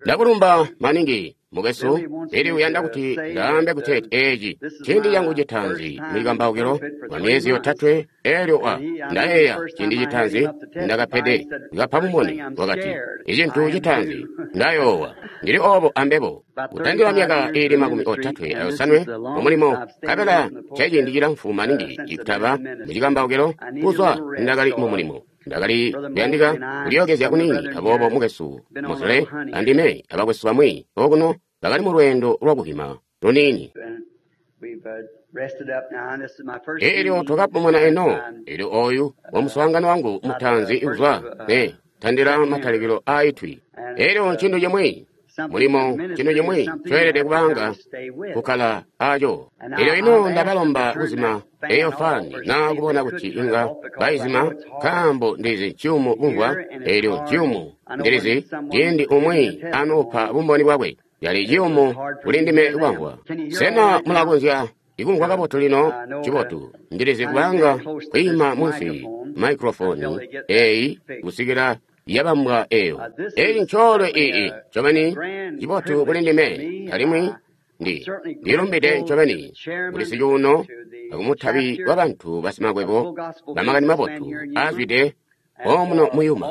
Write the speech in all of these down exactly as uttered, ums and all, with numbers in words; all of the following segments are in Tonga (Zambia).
Ndakulumba maningi mukwesu. Elyo uyanda kuti ndaambe kuteeti eci ciindi cangu citaanzi mucikambaukilo kwa myezi yotatwe. Elyo wa ndayeeya ciindi citaanzi ndakapede kapa bumboni, wakati icintu citaanzi ndayoowa. Ndili obo ambebo kutandila myaka iili makumi otatwe ayosanwe mumulimo, nkabela ceciindi cilamfu maningi ikutaba mucikambaukilo kuzwa ndakali mumulimo. Ndakali kuyandika kulyookezya kuniini, aboobo mukwesu Mosley andime abakwesu bamwi okuno bakali mu lweendo lwakuhima luniini. Elyo twakapumuna eno. Elyo oyu wa muswaangano wangu mutaanzi kuzwa ne tandila matalikilo aitwi. Elyo ncintu cimwi mulimo, cintu cimwi coelede kubanga kukkala aco. Elyo ino ndabalomba kuzima eyo fani na kubona kuti inga baizima, nkaambo ndizi nciyumu kumvwa. Elyo nciyumu ndilizi ciindi umwi anupa bumboni bwakwe, yali ciyumu kuli ndime kwamvwa. Sena mulakonzya ikumvwa kabotu lino? Cibotu. Ndilizi kubanga kwiima munsi maikrofoni eyi kusikila yabambwa eyo. Eyi ncoolwe ii ncobeni cibotu kuli ndime, alimwi ndi ndilumbide ncobeni kuli sicuuno akumutabi wa bantu basimakwebo bamakani mabotu aazwide omuno muyuma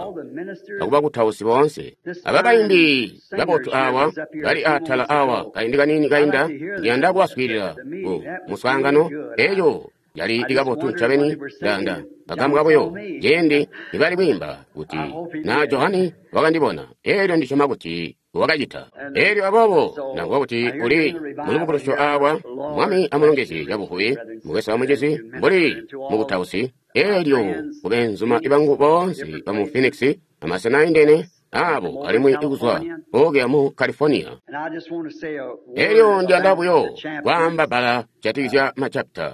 akubakutausi boonse. Aba baimbi babotu awa bali atala awa kaindi kaniini kainda, ndiyanda kubaswiilila ku muswaangano. Eyo yali ikabotu ncobeni. Ndanda bagambwa buyo ciindi nibali kwiimba kuti na Johani wakandibona. Elyo ndisyoma kuti wakacita. Elyo aboobo ndamvwa kuti uli mulubukulusyo awa. Mwami amulongezye cabuvubi mukwesu amucizi mbuli mukutausi. Elyo kubeenzuma bangu boonse bamu Phoenix amasena aindene abo alimwi ikuzwa okuya mu California. Elyo ndiyanda buyo kwaamba bbala jatikizya machapita.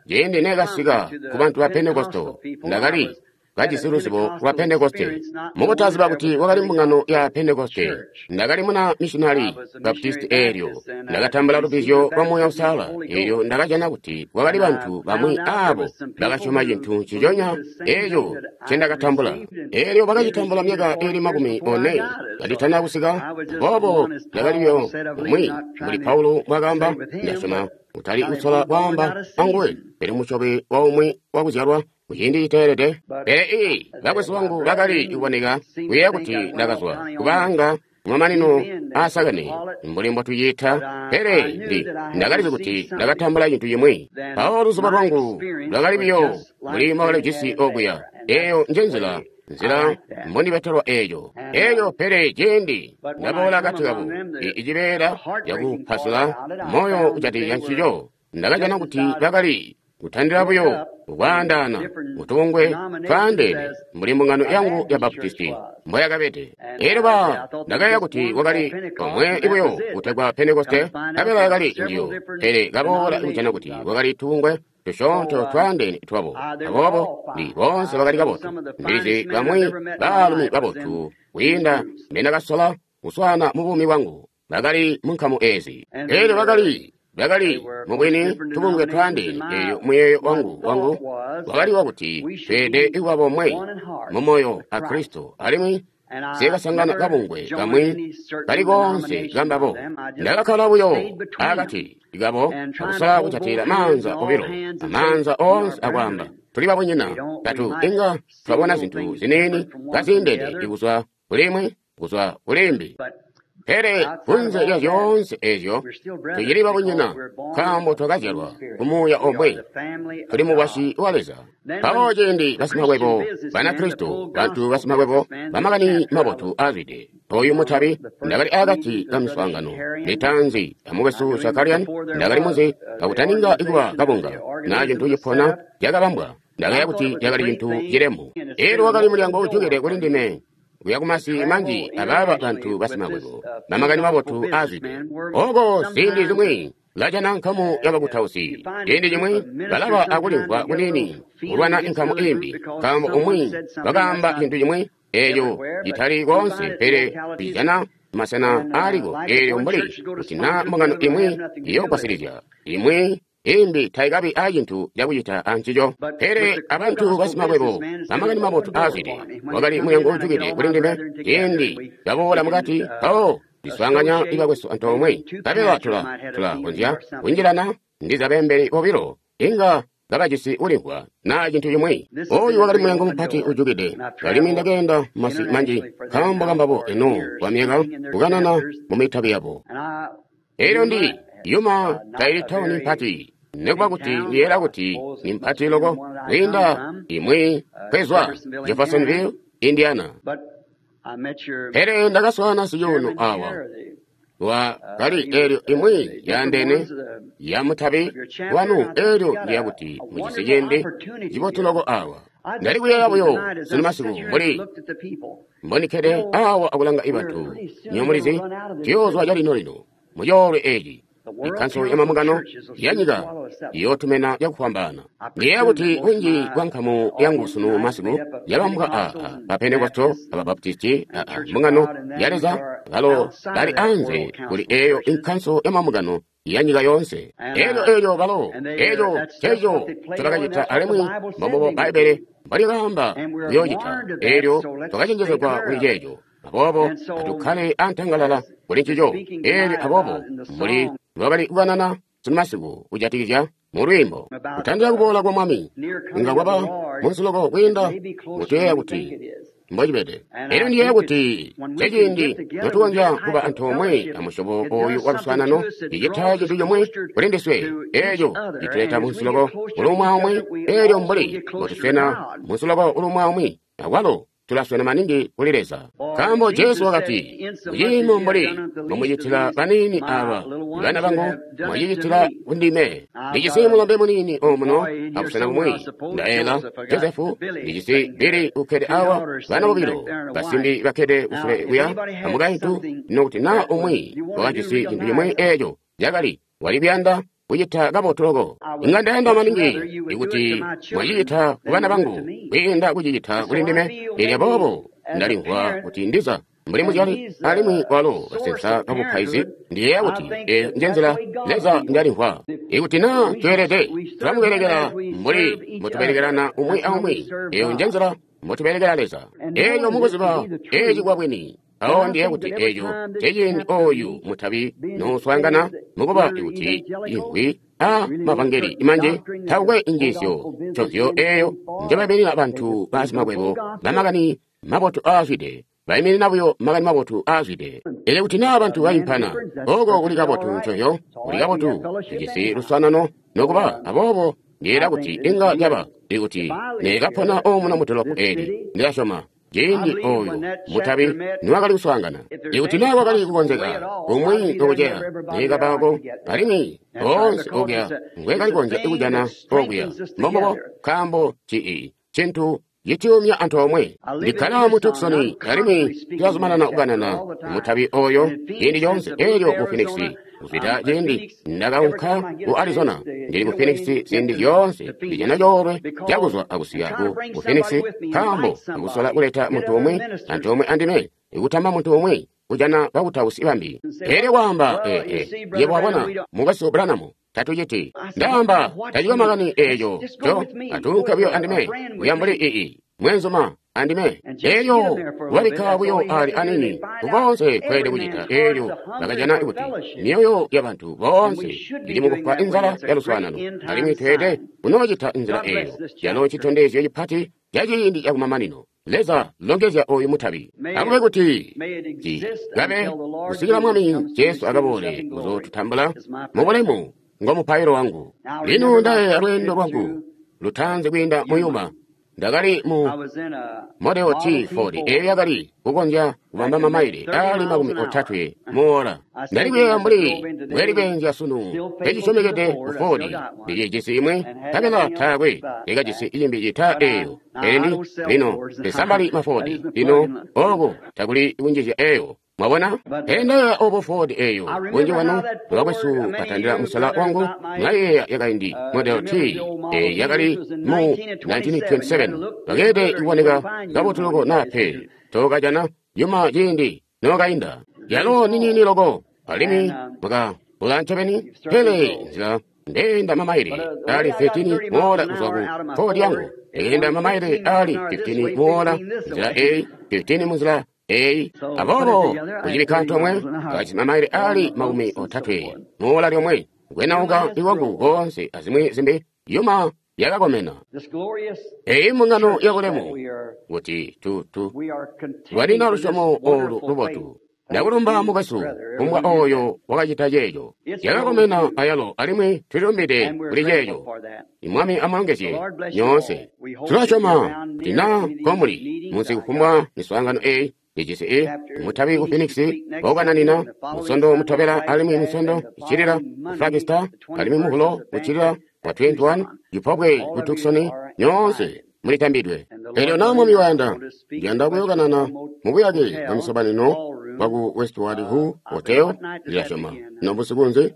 Ciindi nekasika ku bantu ba Pentekoste, ndakali kajisi luzibo lwa Pentekoste. Mukutaziba kuti wakali mbungano ya Pentekoste, ndakali muna missionary Baptist. Elyo ndakatambula lubbizyo lwa Muuya Uusalala. Elyo ndakajana kuti kwakali bantu bamwi abo bakasyoma cintu nciconya eco ncendakatambula. Elyo bakacitambula myaka iili makumi one kanditana kusika. Boobo ndakaliyo umwi mbuli Paulo mbwakaamba, ndasyoma kutali kusola kwaamba anguwe, pele musyobi wa umwi wakuzyalwa kuciindi citeelede. Pele ii bakwesu bangu bakali kuboneka kuyeeya kuti ndakazwa kubanga kumamanino aasakene mbuli mbotuciita, pele ndi ndakalizi kuti ndakatambula cintu cimwi. Mpawo luzubo lwangu lwakali buyo mbuli mbwakalijisi okuya. Eyo njenzila nzila mbondibetelwa eeco eeco. Pele ciindi ndaboola akati kabo icibeela cakupasula moyo kujatikizya ncico, ndakajana kuti bakali kutandila buyo kukwaandaana mutubungwe twaandeene mbuli mbungano yangu ya Baptisti mboyakabede. Elyo ba ndakayeeya kuti wakali omwe buyo kutegwa Pentekoste, nkabela yakali njiyo. Pele kaboola kujana kuti wakali tubungwe tusyoonto twaandeene twabo. Aboobo ndi boonse bakali kabotu. Ndilizi bamwi baalumi babotu kwiinda mbendakasola kuswaana mu buumi bwangu bakali mu nkamu eezi. Elyo bakali bakali mubwini tubungwe twaandeene. Elyo muyeeyo wangu wangu wakali wakuti tweelede kuba bomwe mu moyo a Kristo, alimwi nsyekasangana kabungwe kamwi kali koonse kambabo. Ndakakkala buyo akati kabo akusola kujatila maanza obilo amaanza oonse akwaamba tuli babunyina. Tatu inga twabona zintu ziniini kaziindene kuzwa kulimwi kuzwa kulimbi, pele kunze lya zyoonse ezyo tucili babunyina, nkaambo twakazyalwa ku Muuya omwe, tuli mukwasyi wa Leza. Mpawo ciindi basimakwebo Banakristo, bantu basimakwebo bamakani mabotu aazwide, oyu mutabi, ndakali akati ka miswaangano mitaanzi amukwesu Shakarian. Ndakali munzi kakutaninga kuba kabunga na cintu cipona cakabambwa. Ndakaya kuti cakali cintu cilemu. Elyo wakali mulyango ujukide kuli ndime kuya kumasi manji abaaba bantu basimakwebo bamakani mabotu aazwide. Oko ziindi zimwi lajana nkamu yabakutausi, ciindi cimwi balaba akulimvwa kuniini kulwana inkamu imbi, nkaambo umwi wakaamba cintu cimwi eeco citali koonse, pele tucijana masena aaliko. Eelyo mbuli kuti naa mbungano imwi iyoogwasilizya imwi Imbi taikabi acintu cakucita ancico. Pele abantu basimakwebo bamakani mabotu aazwide wakali mulyango ujukide kuli ndime ciindi baboola mukati mpawo ndiswaanganya ibakwesu antoomwe nkabela tula tulakonzya kunjilana ndiza beembeli bobilo inga kabajisi ulimvwa naa cintu cimwi. Oyu wakali mulyango mupati ujukide, alimwi ndakeenda masi manji nkaambo kambabo eno kwamyaka kukanana mu mitabi yabo. Elyo ndi Yuma taili tauni mpati, nekuba kuti ndiyeera kuti ni mpati loko kwiinda imwi kwezwa Jeffersonville, Indiana. Pele ndakaswaana siyuno awa wa kali elyo imwi yaandene ya mutabi wanu, elyo ndiya kuti mujisi ciindi cibotu loko awa. Ndali kuyeeya buyo sunu masiku mbuli mbonikede awa akulanga ibantu nyomulizi tiyoozwa calino lino mucoolwe eci. Ikkanso ya mambungano ya nyika iyootumena cakufwambaana. Ndiyeeya kuti bunji bwa nkamu yangu sunu masiku yabambwa aa ba Pentekosto, aba Baptisti, aa mbungano ya Leza balo bali anze kuli eyo inkanso ya mambungano ya nyika yoonse. Elyo elyo balo eco ceco ncobakacita alimwi mbombubo Bbaibbele mbolikaamba kuyoocita. Elyo twakacenjezegwa kuli ceeco. Aboobo atukkale antangalala kuli ncico. Elyo aboobo mbuli lwakali kukanana sunu masiku kujatikizya mu lwiimbo kutandila kuboola kwa Mwami inga kwaba munsi loko kwiinda mutuyeeya kuti mbocibede. Elyo ndiyeeya kuti ceciindi notukonzya kuba antoomwe amusyobo oyu wa luswaanano cicita cintu comwe kuli ndiswe, eeco cituleta munsi loko kuli umwi aumwi. Elyo mbuli mbotuswena munsi loko kuli umwi aumwi, akwalo tulaswena maningi kuli Leza. Nkaambo Jesu wakati, muciimo mbuli mbomucitila baniini aba bana bangu, mwacicitila kundime. Ndijisi mulombe muniini omuno abusena bumwi, ndaela Josefu, ndijisi Bili ukkede awa, bana bobilo basimbi bakkede kusule kuya amukaintu. Nokuti naa umwi wakajisi cintu cimwi eeco cakali wali kuyanda kucita kabotu loko, inga ndayanda maningi ikuti mwacicita ku bana bangu kwiinda kucicita kuli ndime. Elyo aboobo ndalimvwa kuti ndiza mbuli muzyali alimwi walo kasensa kabupaizi, ndiyeeya kuti eyo njenzila Leza njalimvwa. Ikuti naa tweelede tulamubelekela mbuli mbotubelekelana umwi aumwi, eyo njenzila mbotubelekela Leza. Elyo mukuziba eci kwabwini, awo ndiye kuti eco ceciindi oyu mutabi nouswaangana mukuba ikuti imvwi a mavangeli manji takukwe injiisyo ncozyo eyo njobaiminina bantu basimakwebo bamakani mabotu aazwide, baiminina buyo makani mabotu aazwide. Elyo kuti naa bantu baimpana, oko kuli kabotu ncozyo, kuli kabotu tujisi luswaanano nokuba. Aboobo ndiyeeya kuti inga caba ikuti neekapona omuno mudolopo eli, ndilasyoma ciindi oyu mutabi niwakali kuswaangana, ikuti naa kwakali kukonzeka kumwi okuceya neekabako, alimwi oonse okuya ngwekali konzya kujana okuya. Mbombubo, nkaambo cii cintu citiyumya antoomwe. Ndikkala mu Tucson alimwi tulazumanana kukanana mutabi oyo ciindi coonse. Elyo ku Phoenix kuzwida ciindi ndakaunka ku Arizona, ndili ku Phoenix ziindi zyoonse ndijana coolwe cakuzwa akusika ku Phoenix, nkaambo akusola kuleta muntu umwi antoomwe andime, ikutamba muntu umwi kujana bakutausi bambi. Elyo kwaamba ee, yebo wabona mukwesu Branham, tatuciti. Ndaamba tacikwe makani eeco co atuunke buyo andime kuya mbuli ii mwenzuma andime. Elyo wabikka buyo ali anini kukonse kweelede kucita. Elyo bakajana kuti myoyo ya bantu boonse ili mukufwa inzala ya luswaanano, alimwi tweelede kunoocita nzila eyo yalo citondezyo cipati ca ciindi cakumamanino. Leza longezya oyu mutabi akube kuti cikabe kusikila Mwami Jesu akaboole kuzootutambula mu bulemu. Ngo mupailo wangu. Lino ndayeeya lweendo lwangu lutaanzi kwiinda mu Yuma. Ndakali mu Model T Ford eyo yakali kukonzya kubamba mamaile aali makumi otatwe muola. Ndali kuyeeya mbuli mbweli kweenzya sunu ecisyomekede ku Ford ndicijisi imwe, nkabela taakwe ikajisi iyimbi cita eyo. Pele ndi lino ndisambali ma Ford lino oko takuli kunjizya eyo. Mwabona? Pele ndayeeya obo Ford eyo. Bunji bwanu bakwesu batandila musala wangu mwayeeya yakaindi Model T eyi yakali mu nineteen twenty-seven. Bakeelede kuboneka kabotu loko naa pe tookajana yuma ciindi nookainda. Yalo niniini loko alimwi mwakabula ncobeni, pele nzila Ndeenda mamaile ali thirteen mola kuzwa ku Ford yangu. Ndeenda mamaile ali fifteen mola nzila eyi, fifteen munzila eyi. Aboobo kucibikka antoomwe kajisi mamaile ali makumi otatwe mola lyomwe. Kwenauka iwangu koonse azimwi zimbi yuma yakakomena. Eyi mbungano yabulemu kuti tu tu lwalina lusyomo olu lubotu. Ndakulumba mukwesu kumbwa oyo wakacita ceeco. Yakakomena ayalo alimwi tulilumbide kuli ceeco. Imwami amulongezye nyoonse. Tulasyoma kuti naa nkomuli munsi kufumbwa miswaangano eyi ijisi i mutabi ku Phoenix baukananina musondo mutobela alimwi musondo iccilila ku Flagstaff alimwi muhulo uccilila wa twenty-one cipobwe ku Tucson nyoonse mulitambidwe. Elyo naa Mwami wayanda, ndiyanda kuyokanana mubuyake bwa misobanino bwaku Westward Ho Hotel ndilasyoma. No busiku nzi?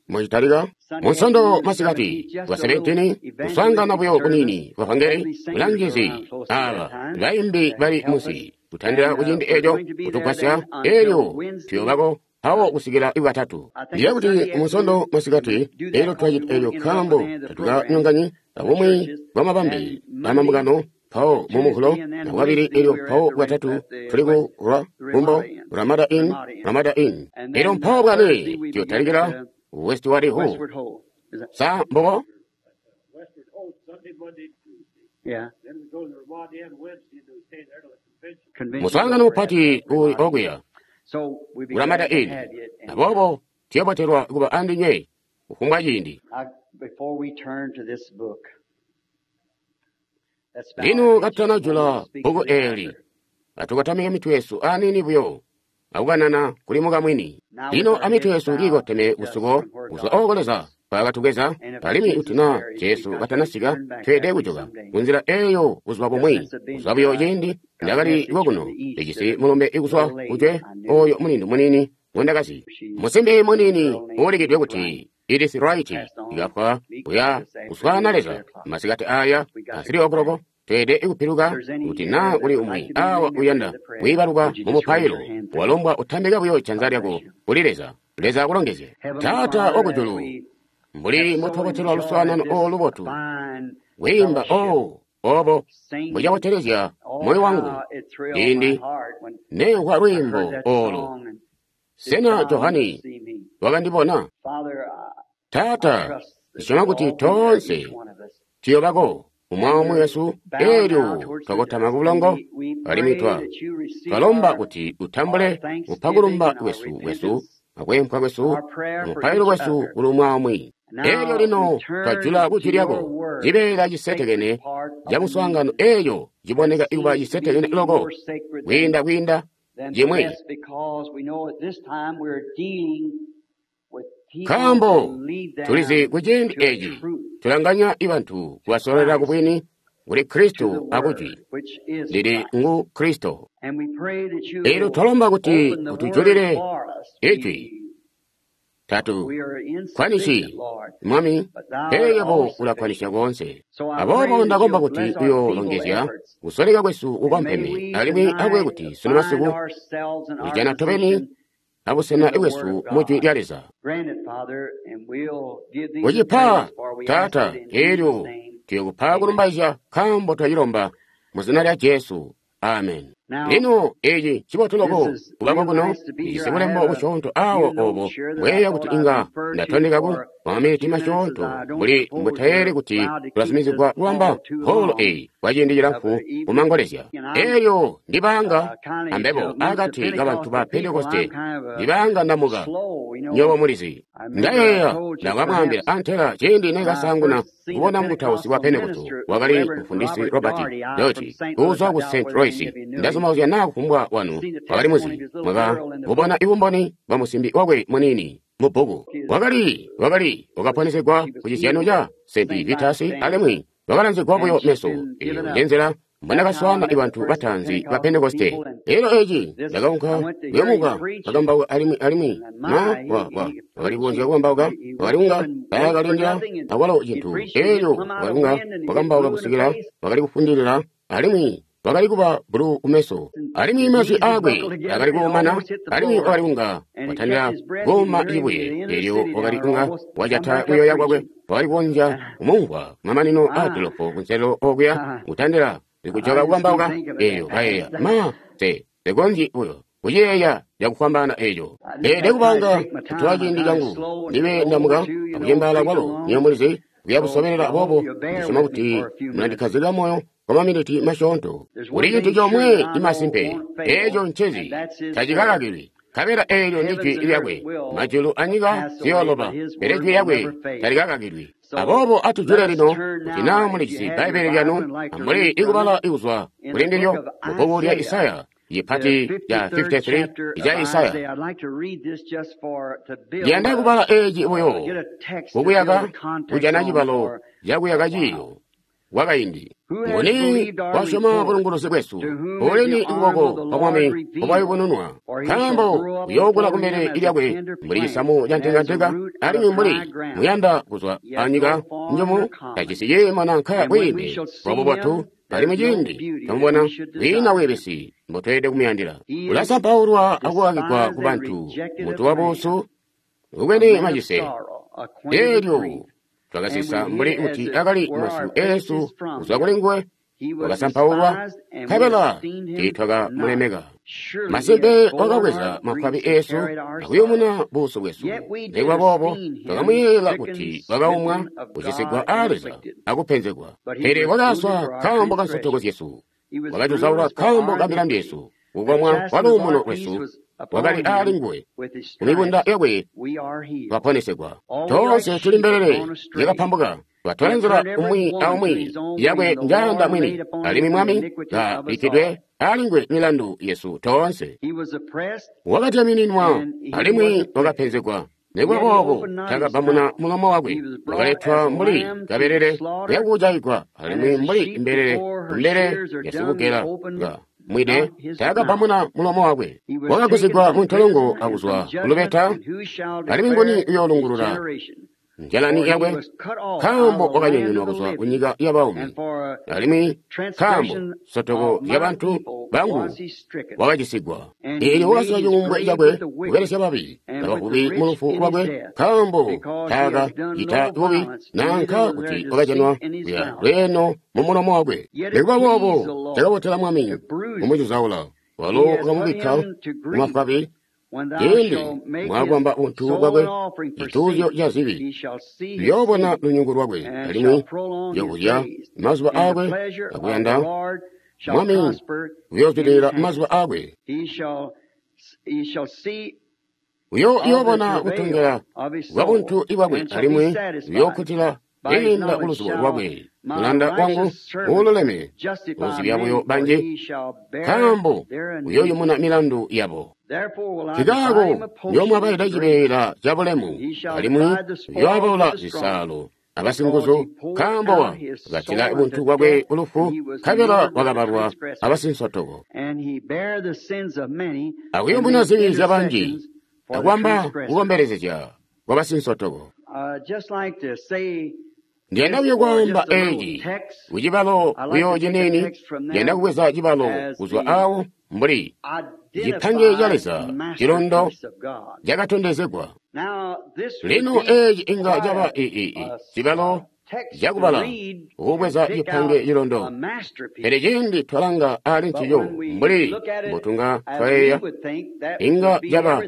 Muchitalika musondo masikati wa seventeen kuswaangana buyo kunini kwa vangeli bulangizi aba baimbi bali musi kutandila kuciindi eco kutugwasya elyo tuyobako awo kusikila iwatatu. Ndiye kuti musondo masikati elyo twacita elyo nkaambo tatukanyonganyi abumwi bwa mabambe amambungano mpawo mumuhulo na bwabili elyo mpawo bwatatu tuli ku ra kumbo Ramada Inn, Ramada Inn. Elyo mpawo bwane tuyotalikila Westward Ho. Sa mbobo? Westward Ho, Sunday, Monday, Tuesday. Yeah. Then we go to the Ramada Inn Wednesday and we stay there till the convention. Muswaangano mupati uli okuya So we'd be Ramada glad to Inn. have you. And Aboobo tuyobotelwa kuba andinywe kufumbwa ciindi. I, before we turn to this book, let's bow Lino our heads katutana just a moment jula and speak to bbuku the eli author. atukotamike mitwe yesu aniini buyo akukanana kuli mukamwini. Now with Lino our amitwe heads yesu bowed kiikoteme just kusuko from where kuzwa God oko took Leza us. kwaakatugeza And if alimwi Jesus kuti naa tarries, we've Jesu got to katanasika turn back tweelede that way kujoka someday. kunzila eyo kuzwa Just bumwi since I've been kuzwa here, buyo I ciindi got a ndakali message from kokuno the east to ndijisi the mulumbe ikuzwa little lady kujwe I knew. oyo mulindu muniini ngundakazi She, musimbi muniini girl named uulikidwe Edith kuti Wright, Edith Wright passed on ikafwa meekly kuya this afternoon kuswaana at three Leza o'clock. masikati aya We got a to three go back. o'clock tweelede kupiluka If there's any kuti here naa that kuli would umwi like to be awa remembered in uyanda the prayer, kuyibaluka would you mu just raise mupailo your hand? Thank you. walombwa utambike buyo janza God lyako bless you. kuli Leza. Leza akulongezye. Heavenly Taata Father, as wakujulu we mbuli have so mbotwabotelwa enjoyed luswaanano this olu lubotu fine kwiimba fellowship, o obo singing, mbucabotelezya oh, moyo wangu how it thrilled my ciindi heart when nemvwa I heard lwiimbo that olo. song and did Sena John Johani see me? wakandibona? Father, I, I Taata, trust that ndisyoma we'll kuti all be there, toonse each one of us. tuyobako umwi And aumwi we're wesu bowed now elyo towards the twakotama dust, ku and bulongo we, we alimwi pray twa that you receive twalomba our, kuti our utambule thanksgiving kupakulumba and our kwesu kwesu repentance, akwempha kwesu our prayer for mupailo each wesu other. kuli umwi aumwi. Elyo Now we lino turn twajula to kujwi your lyako word, cibeela sacred cisetekene part of ca the muswaangano meeting eeyo that ciboneka ikuba seems to cisetekene be loko more sacred than, kwiinda kwiinda than the cimwi. rest because we know at this time we're dealing with people Nkaambo and lead tulizi them kuciindi to the eci truth, tulanganya ibantu kubasololera ku Christ, bwini kuli to the Kristu akujwi Word, which is lili Christ. ngu Kristo. And we pray that you Elyo will twalomba kuti open the Word utujulile for us. ijwi We, tatu we are kwanisi insufficient, Lord, Mwami but thou pele art yebo all sufficient. ulakwanisya koonse. So I pray Aboobo that ndakomba you'll kuti bless our feeble uyoolongezya efforts. kusoleka kwesu And may kukompeme we alimwi akube tonight kuti sunu find masiku ourselves in our tulijana tobeni position abusena in the Word bwesu of mu jwi God. lya Leza. Grant it, Father, and we'll give thee the Kucipa praise, for we ask Taata it in elyo Jesus' name. tuyokupa Amen. kulumbaizya nkaambo twacilomba mu zina lya Jesu. Amen. Now, Lino eci ncibotu this loko is kubako real kuno nice to be here. ndijisi I bulembo have a busyoonto few awo obo notes here that I bweya kuti thought I'd inga refer to ndatondekako for a kwamaminiti few minutes as masyoonto I don't mbuli suppose mbutayeeri we're kuti allowed to keep this tulazumizigwa kubamba hall too holo long eyi kwa ciindi of cilamfu the evening. kumangolezya. And I'm Elyo ndibanga uh, kind of ambebo amongst the akati kabantu Pentecostal ba people, I'm Pentekoste kind of a ndibanga ndamuka slow, you nyobo know. mulizi. I remember I Ndayeeya told you ndakamwaambila perhaps antela ciindi when I nekasaanguna first seen the kubona mukutausi wa Pentecostal Pentekoste minister, wakali Reverend mufundisi Robert Robert Doherty, out from Doherty Saint Louis, kuzwa I ku doubt Saint whether any Louis. of you knew him. Ndazumauzya naa kufumbwa wanu Seen the wakali testimony muzi of his little mwaka girl in the mubona book. ibumboni bwa musimbi wakwe muniini mu bbuku. His, Wakali wakali was, wakaponesegwa she was ku cizyano healed ca at Saint Saint Vitus Vitus Dance, alimwi wakalanzigwa and buyo she's meso. been Eyo given up. njenzela That's how I mbonakaswaana met the ibantu first bataanzi ba Pentecostal Pentekoste. people, and Elyo eci this I ndakaunka went to hear him kuyomuka preach, and, kakambauka alimwi alimwi and ma my, wa he, wa he wakali preached, kukonzya he, kukambauka he, he wakali would kunga up and wait for taakalindila nothing, and akwalo he'd cintu preach and he'd elyo come out wakali of kunga wind, and he'd get wakambauka blue in the kusikila face. wakali kufundilila alimwi wakali kuba bulu kumeso. Alimwi mazwi aakwe akali kuumana, alimwi wakali kunga watandila kuuma cibuye. Elyo wakali kunga wajata kuyoya kwakwe, wakali kukonzya kumumvwa kumamanino aa dolopo kunselelo okuya, kutandila kujoka kukambauka. Elyo kayeeya, ma, se, sekonzyi buyo kuciyeeya cakufwambaana eco. Ndeelede kupanga kutola ciindi cangu, ndibe ndamuka akucembaala kwalo, nywebo mulizi, kuya busobelela boobo. Ndisyoma kuti mulandikkazikila moyo kwa maminiti masyoonto. Kuli cintu comwe imasimpe, eco ncezi tacikakakilwi, nkabela eelyo ndi jwi lyakwe. Majulu anyika ziyooloba, pele jwi lyakwe talikakakilwi. Aboobo atujule lino, kuti naa mulijisi Bbaibbele lyanu, amuli ikubala ikuzwa kuli ndilyo mu bbuku lya Isaya, ipati lya makumi three ica Isaya. Ndiyanda kubala eeci buyo kukuyaka kujana cibalo cakuyaka ciiyo kwakaindi. Nguni wasyoma bulunguluzi bwesu? Ulini ukuboko kwa Mwami obwayubununwa? Nkaambo uyookula kumbele lyakwe mbuli cisamu ca ntengantenga, alimwi mbuli muyanda kuzwa anyika njumu, tajisi ciimo nanka bwiime bwabubotu. Alimwi ciindi twamubona kwiina bweebesi mbotweelede kumuyandila. Ulasampaulwa akukakigwa ku bantu, muntu wabuusu ubwene macise. Eelyo twakasisa mbuli kuti akali masyu eesu kuzwa kuli nguwe, wakasampaulwa, nkabela tiitwakamulemeka. Masimpe wakabweza mafwabi eesu akuyumuna buusu bwesu. Nikuba boobo twakamuyeeyela kuti wakaumwa, kucisigwa aa Leza akupenzegwa. Pele wakaswa nkaambo ka nsotoko zyesu, wakacuzaulwa nkaambo ka milandu yesu. Kukomwa kwa luumuno lwesu wakali aali nguwe, kumibunda yakwe twaponesegwa. Toonse tuli mbelele zyakapambuka, twatola nzila umwi aumwi yakwe njayanda mwini, alimwi Mwami kabikkidwe aali nguwe milandu yesu toonse. Wakadyamininwa alimwi wakapenzegwa, nikuba boobo takabamuna mulomo wakwe. Wakaletwa mbuli kabelele kuyakujaigwa, alimwi mbuli mbelele mbele yasikugela mwide taakabamuna mulomo wakwe. Wakagusigwa mu ntolongo akuzwa kulubeta, alimwi nguni uyoolungulula njalani yakwe? Nkaambo wakanyonyonwa kuzwa kunyika yabaumi, alimwi nkaambo nsotoko zyabantu bangu wakacisigwa. Eelyo wakasiya cuumbwe cakwe kubelesya babi abavubi mu lufu lwakwe, nkaambo taakacita bubi nanka kuti wakajanwa kuya lweeno mu mulomo wakwe. Nikuba boobo cakabotela Mwami kumucuzaula, walo wakamubikka mumafwabi. Ciindi mwakwamba buntu bwakwe cituuzyo ca zibi, uyoobona lunyungu lwakwe, alimwi uyoobuzya mazuba aakwe akuyanda Mwami uyoozwidilila mazuba aakwe. Uyoobona kutongela kwa buntu bwakwe, alimwi uyookkutila kwiinda kuluzubo lwakwe. Mulanda wangu uululeme uzibya buyo banji, nkaambo uyooyumuna milandu yabo. Nkikaako uyoomwabaila cibeela cabulemu, alimwi uyooabaula zisaalo abasinguzu, nkaambo wakatila buntu bwakwe kulufu, nkabela wakabalwa abasinsotoko. Akuyumuna zibi zyabanji, akwamba kukombelezezya kwa basinsotoko. Ndiyanda buyo kwaamba eeci kucibalo buyo ciniini. Ndiyanda kubweza cibalo kuzwa awo mbuli cipange ca Leza cilondo cakatondezegwa. Lino eeci inga caba ii cibalo cakubala kubweza cipange cilondo, pele ciindi twalanga aali ncico mbuli mbotunga twayeeya, inga caba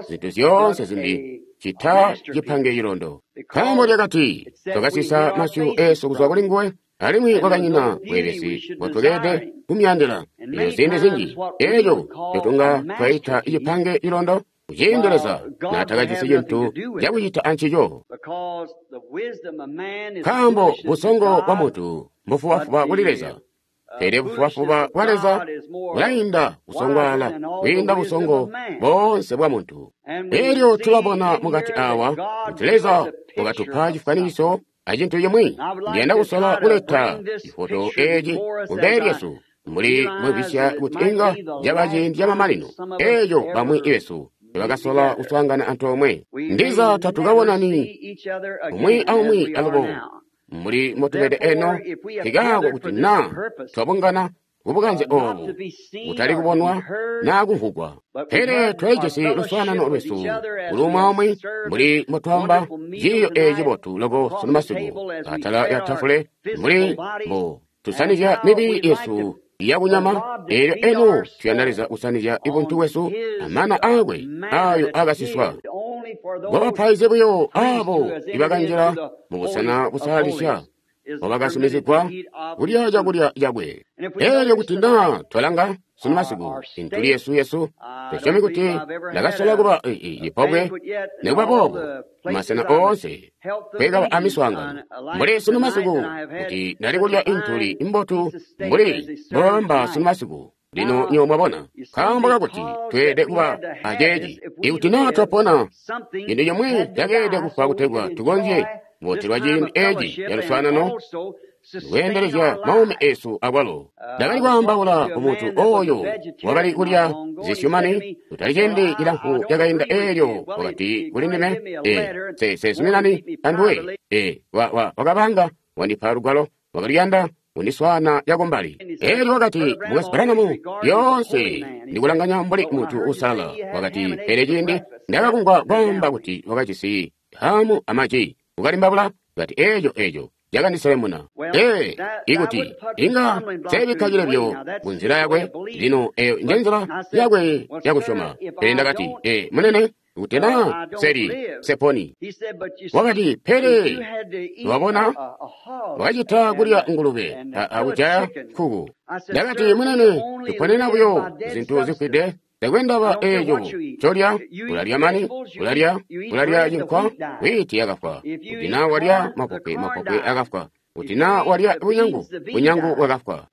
zintu zyoonse zimbi cita cipange cilondo. Nkaambo lyakati twakasisa masyu eesu kuzwa kuli nguwe, alimwi kwakanyina bweebesi mbotweelede kumuyandila. Elyo ziindi zinji eeco ncotunga twaita cipange cilondo, kuciindi Leza naatakajisi cintu cakucita ancico. Nkaambo busongo bwa muntu mbufubafuba kuli Leza, pele bufubafuba bwa Leza bulainda kusongwaala kwiinda busongo boonse bwa muntu. Elyo tulabona mukati awa kuti Leza wakatupa cifwanikiso acintu cimwi. Ndiyanda kusola kuleta cifoto eeci kumbele lyesu mbuli mwibisya kuti inga caba ciindi camamanino eeco bamwi besu tebakasola kuswaangana antoomwe. Ndiza tatukabonani umwi aumwi alubo mbuli mbotubede eno, nkikaako kuti naa twabungana Kubukanze obu kutali kubonwa naa kumvwugwa, pele twajisi luswaanano lwesu kuli umwi mbuli mbotwamba ciiyo eeci cibotu loko sunu masiku atala lya tafule, mbuli mbo tusanizya mibili yesu yakunyama. Eelyo eno tuyanda Leza kusanizya ibuntu bwesu amana aakwe ayo akasiswa. Bwabapaizi buyo aabo ibakanjila mubusena busalalisya wabakasumizigwa kulya cakulya cakwe. Eelyo kuti naa twalanga sunu masiku intuli yesu yesu, tusyomi kuti ndakasola kuba cipobwe nikuba boobo masena oonse kwekaba amiswaangano mbuli sunu masiku, kuti ndali kulya intuli imbotu mbuli mbobamba sunu masiku. Lino nyo mwabona, nkaambo kakuti tweelede kuba aceeci. Ikuti naa twapona, cintu cimwi cakeelede kufwa kutegwa tukonzye kubotelwa ciindi eeci caluswaanano lweendelezya maumi esu akwalo. Ndakali kwaambaula ku muntu oyo wakali kulya zisyumani kutali ciindi cilamfu cakainda. Eelyo wakati kuli ndime, e se sezuminani anduwe. E wa wa wakabanga wandipa lugwalo, wakaliyanda kundiswaana cakumbali. Eelyo wakati, Mukwesu Branham, lyoonse ndikulanganya mbuli muntu uusalala. Wakati, pele ciindi ndakakumvwa kwaamba kuti wakajisi hamu amaji ukalimbabula, kati eeco eeco cakandiselemuna. Ee, ikuti inga seebikka cilebyo ku nzila yakwe, lino eyo nje nzila yakwe yakusyoma. Pele ndakati, ee, munene, kuti naa seli seponi. Wakati, pele wabona wakacita kulya ngulube akujaya nkuku. Ndakati, munene, tuponena buyo zintu zifwide. Takwendaba eeco colya, ulalya mani, ulalya, ulalya cinkwa, wiiti yakafwa. Kuti naa walya mapopwe, mapopwe akafwa. Kuti naa walya bunyangu, bunyangu bwakafwa.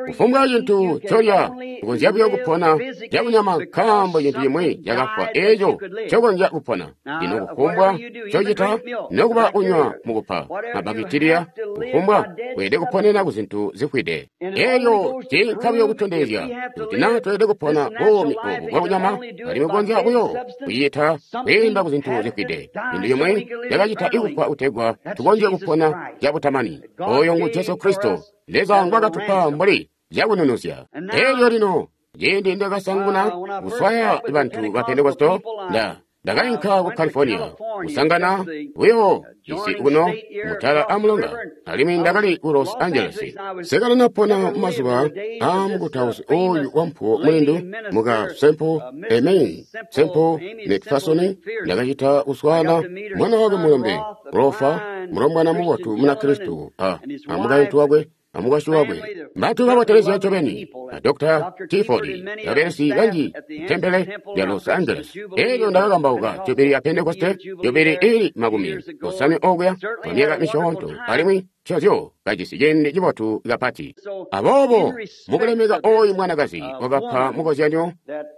Kufumbwa cintu colya, ukonzya buyo kupona cakunyama nkaambo cintu cimwi cakafwa eeco cokonzya kupona. Lino kufumbwa cocita, nokuba kunywa mukupa mabakitiliya, kufumbwa weelede kuponena ku zintu zifwide. Eelyo ciinka buyo kutondezya kuti naa tweelede kupona buumi obu bwakunyama, alimwi kukonzya buyo kucita kwiinda ku zintu zifwide. Cintu cimwi cakacita ikufwa kutegwa tukonzye kupona cabutamani. Oyo ngu Jesu Kristo, Leza ngwakatupa mbuli cakununuzya. Eelyo lino ciindi ndakasanguna kuswaya bantu ba Pentekosto, nda ndakainka ku California kusangana buyo isi kuno mutala amulonga, alimwi ndakali ku Los Angeles. Sekalinapona mumazuba aamukutausi oyu wampuwo mulindu muka Semple Aimee Semple McPherson. Ndakacita kuswaana mwana wakwe mulombe Rofa, mulombwana mubotu muna Kristo, a amukaintu wakwe amukwasyi wakwe, bantu babotelezya ncobeni, a Doctor Tiford, babelesi banji tempele lya Los Angeles. Eelyo ndakakambauka jubili ya Pentekoste, jubili ili makumi osanwe okuya kwa myaka misyoonto, alimwi nconzyo kajisi ciindi cibotu kapati. Aboobo mukulemeka oyu mwanakazi wakapa mukozyanyo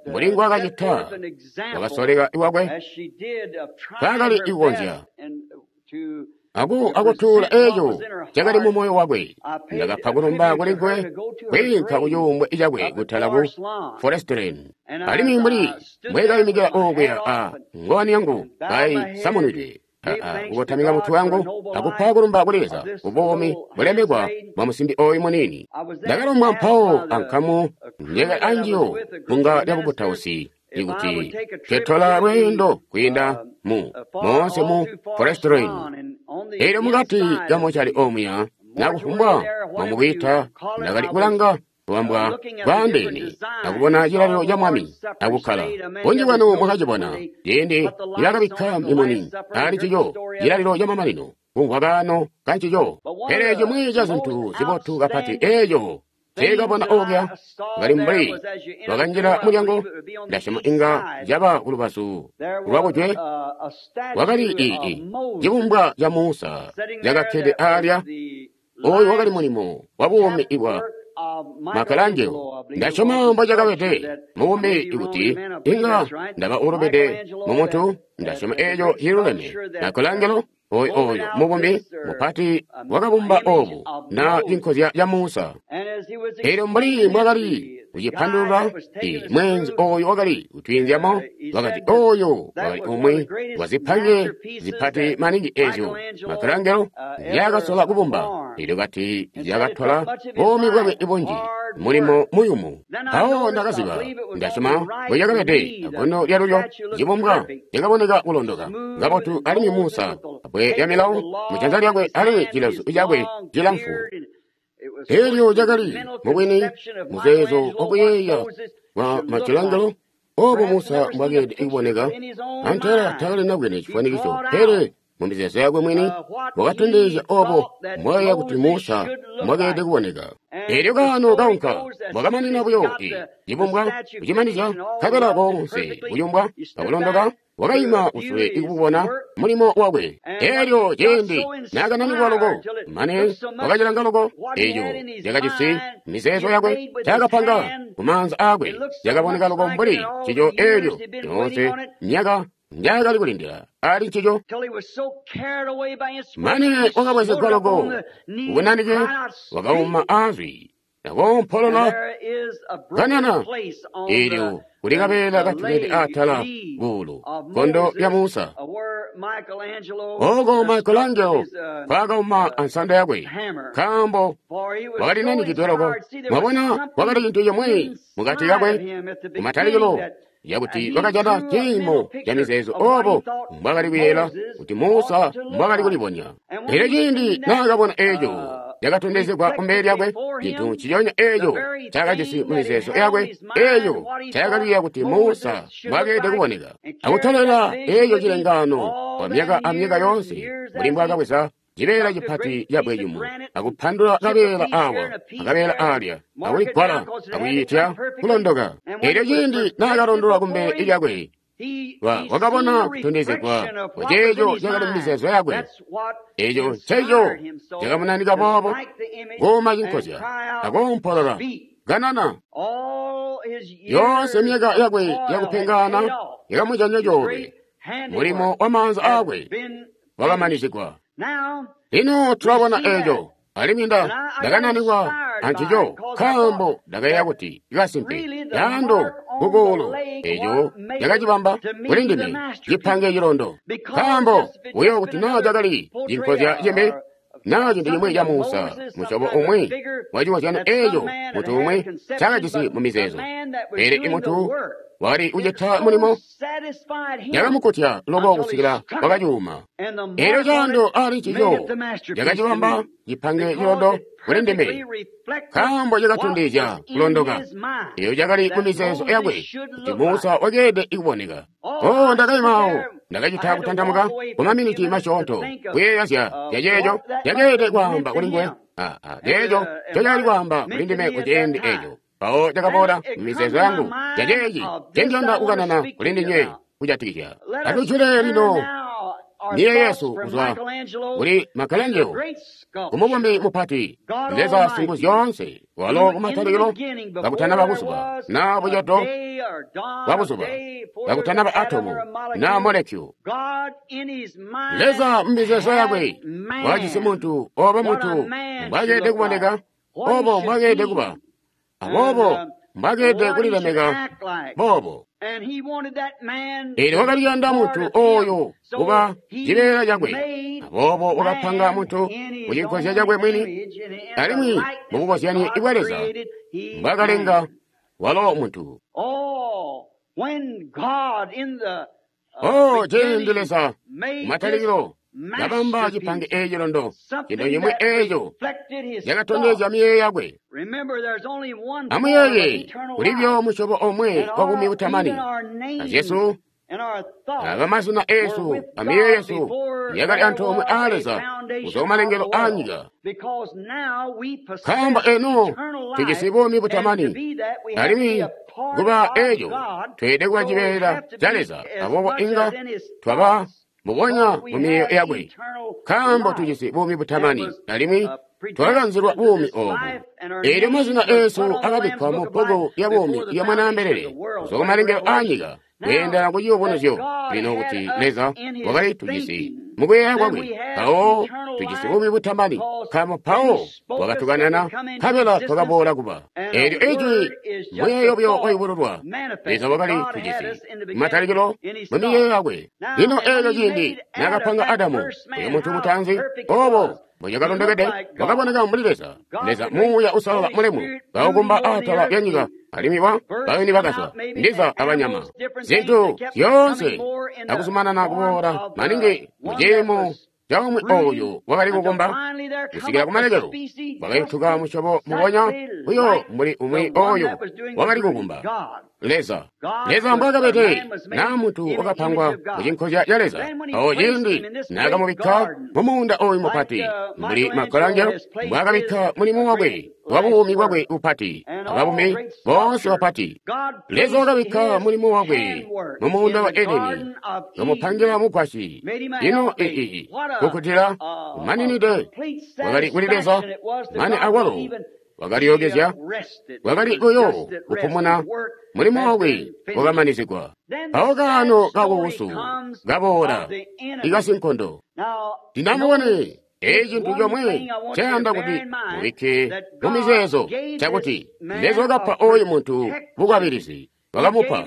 mbuli ngwakacita, wakasoleka iwakwe kaakali ikukonzya aku akutuula eeco cakali mu moyo wakwe. Ndakapa kulumba kuli nguwe kwiinka ku cuumbwe cakwe kutala ku Forest Lane. Alimwi mbuli mbwekayimikila okuya a ngowani yangu kayisamunwidwe, kukotamika mutwe wangu akupa kulumba kuli Leza kubuumi bulemekwa bwa musimbi oyu muniini. Ndakalombwa mpawo ankamu njekali anjiyo bunga lya bukutausi ikuti ketola lweendo kwiinda mu moonse mu Forest Lane. Eelyo mukati kamochali omuya nakufumbwa mwamukwiita, ndakali kulanga kubambwa bwaandeene akubona cilalilo ca Mwami akukkala. Bunji bwanu mwakacibona ciindi nibakabikka mimuni ali cico cilalilo camamanino kumvwa kaano kancico. Pele cimwi ca zintu zibotu kapati eeco nceekabona okuya kali mbuli wakanjila mulyango, ndasyoma inga caba kulubazu lwakujwe, wakali ii cibumbwa ca Musa cakakkede alya. Oyu wakali mulimo wa buumi ibwa Michelangelo. Ndasyoma mbocakabede mubumbi ikuti inga ndaba ulubide mumuntu, ndasyoma eeco ciluleme. Michelangelo oyu oyo mubumbi mupati wakabumba obu na cinkozya ca Musa. Eelyo mbuli mbwakali kucipandulula, mweenzi oyo wakali kutwiinzyamo wakati oyo wakali umwi wazipange zipati maningi ezyo Michelangelo nzyaakasola kubumba. Elyo kati zyakatola buumi bwakwe bunji, mulimo muyumu. Mpawo ndakaziba, ndasyoma mbocakabede, agono lyalulyo cibumbwa cakaboneka kulondoka kabotu, alimwi Musa abbwe lya milawo mujanza lyakwe alimwi cilezu cakwe cilamfu. Elyo cakali mubwini muzeezo wakuyeeya wa Michelangelo obo Musa mbwakeelede kuboneka, antela takali nabwene cifwanikiso, pele mumizeezo yakwe mwini wakatondezya obo mbwayeeya kuti Musa mbwakeelede kuboneka. Elyo kaano kaunka bwakamanina buyo i cibumbwa kucimanizya, nkabela koonse kuyumbwa akulondoka wakayima kusule ikububona mulimo wakwe. Elyo ciindi naakananikwa loko, mane wakacilanga loko eco cakajisi mizeezo yakwe, cakapanga kumaanza aakwe, cakaboneka loko mbuli ncico elyo yoonse myaka njaakali kulindila ali ncico, mane wakabwezegwa loko ubunanike, wakauma azwi nakoompolola kanana. Elyo kuli kabeela katukede atala kuulu gondo lya Musa, oko Michelangelo kwakauma ansando yakwe, nkaambo wakali nanikidwe loko. Mwabona, kwakali cintu cimwe mukati kakwe kumatalikilo yakuti wakajana ciimo ca mizeezo obo mbwakali kuyeeyela kuti Musa mbwakali kulibonya. Elyo ciindi naakabona eco cakatondezegwa kumbele lyakwe, cintu nciconya eco cakajisi mumizeezo yakwe, eco cakaliya kuti Musa mbwakeelede kuboneka, akutolela eco cilengaano kwa myaka amyaka yoonse, mbuli mbwaakabweza cibeela cipati cabwe yumu akupandula kabeela awa akabeela alya akuligwala akwiitya kulondoka. Elyo ciindi naakalondola kumbele lyakwe, wakabona kutondezegwa kwaceeco cakali mumizeezo yakwe. Eco nceco cakamunanika boobo kuuma cinkozya akoompolola kanana. Yoonse myaka yakwe yakupengana yakamujanya coolwe, mulimo wa maanza aakwe wakamanizigwa. Lino tulabona eco, alimwi nda ndakananikwa ancico, nkaambo ndakayeeya kuti kasimpe yando kukuulu eco cakacibamba kuli ndime cipange cilondo, nkaambo buyo kuti naa cakali cinkozya cimbi naa cintu cimwi ca Musa, musyobo umwi wa cikozyano eco muntu umwi cakajisi mu mizeezo, pele imuntu wakali kucita mulimo yakamukutya loko kusikila wakacuuma. Elyo caando ali ncico cakacibamba cipange cilondo kuli ndime, nkaambo cakatondezya kulondoka eyo cakali mu mizeezo yakwe kuti Musa wakeelede kuboneka. Oh, ndakayimaawo, ndakacita kutantamuka kwa maminiti masyoonto kuyeeya zya ceeco cakeelede kwaamba kuli nguwe, ceeco ncocakali kwaamba kuli ndime kuciindi eco. Mpawo cakaboola mumizeezo yangu caceeci ncendiyanda kukanana kuli ndinywe kujatikizya. Atujule lino miye yesu kuzwa kuli Michelangelo, kumubumbi mupati, Leza Singuzyoonse, walo kumatalikilo kakutanaba buzuba naa bucedo bwa buzuba, kakutanaba atomu naa molekyu. Leza mumizeezo yakwe wakajisi muntu, obo muntu mbwakeelede kuboneka, obo mbwakeelede kuba, aboobo mbwakeelede kulilemeka boobo. Elyo wakali kuyanda muntu oyo kuba cibeela cakwe, aboobo wakapanga muntu mucinkozya cakwe mwini, alimwi mubukozyani bwa Leza mbwaakalenga walo muntu. Oh, ciindi Leza kumatalikilo kabamba cipange eeci londo, cintu cimwi eeco cakatondezya miyeeyo yakwe. Amuyeeye, kulibyo musyobo omwe wa buumi butamani, a Jesu aba mazina eesu amiyeeyo yesu yakali antoomwe a Leza kuzwa kumalengelo a nyika. Nkaambo eno tujisi buumi butamani, alimwi kuba eeco tweelede kuba cibeela ca Leza, aboobo inga twaba mubonya mu miyeeyo yakwe, nkaambo tujisi buumi butamani, alimwi twakakanzilwa buumi oobu. Eelyo mazina eesu akabikkwa mu bbuku lya buumi lya Mwanaambelele kuzwa kumalengelo a nyika, kweendela ku ciyubunuzyo. Lino kuti Leza wakali tujisi mukuyeeya kwakwe, mpawo tujisi buumi butamani, nkaambo mpawo wakatukanana nkabela twakaboola kuba. Eelyo ijwi muyeeyo buyo wayubululwa, Leza wakali tujisi kumatalikilo mu miyeeyo yakwe. Lino eelyo ciindi naakapanga Adamu, uyo muntu mutaanzi, obo mbocakalondokede, wakaboneka mbuli Leza. Leza Muuya Uusalala mulemu kaukumba atala lya nyika, alimwi wa bayuni bakazwa, ndiza abanyama, zintu zyoonse akuzumanana kuboola maningi muciimo caumwi oyu wakali kukumba kusikila kumalekelo wakayutuka musyobo mubonya buyo mbuli umwi oyu wakali kukumba. Leza, Leza mbwaakabede, naa muntu wakapangwa mucinkozya ca Leza. Awo ciindi naakamubikka mumuunda oyu mupati, mbuli Michelangelo mbwaakabikka mulimo wakwe wa buumi bwakwe bupati, ababumi boonse bapati. Leza wakabikka mulimo wakwe mumuunda wa Edeni, kamupangila mugwasyi. Ino ii kukutila kumaninide wakali kuli Leza, mane awalo wakalyokezya, wakali buyo kupumuna, mulimo wakwe wakamanizigwa. Mpawo kaano kakuusu kaboola ikasinkondo. Ndinamubone eeci cintu comwe ncayanda kuti mubikke mumizeezo cakuti Leza wakapa oyu muntu bukwabilizi, wakamupa,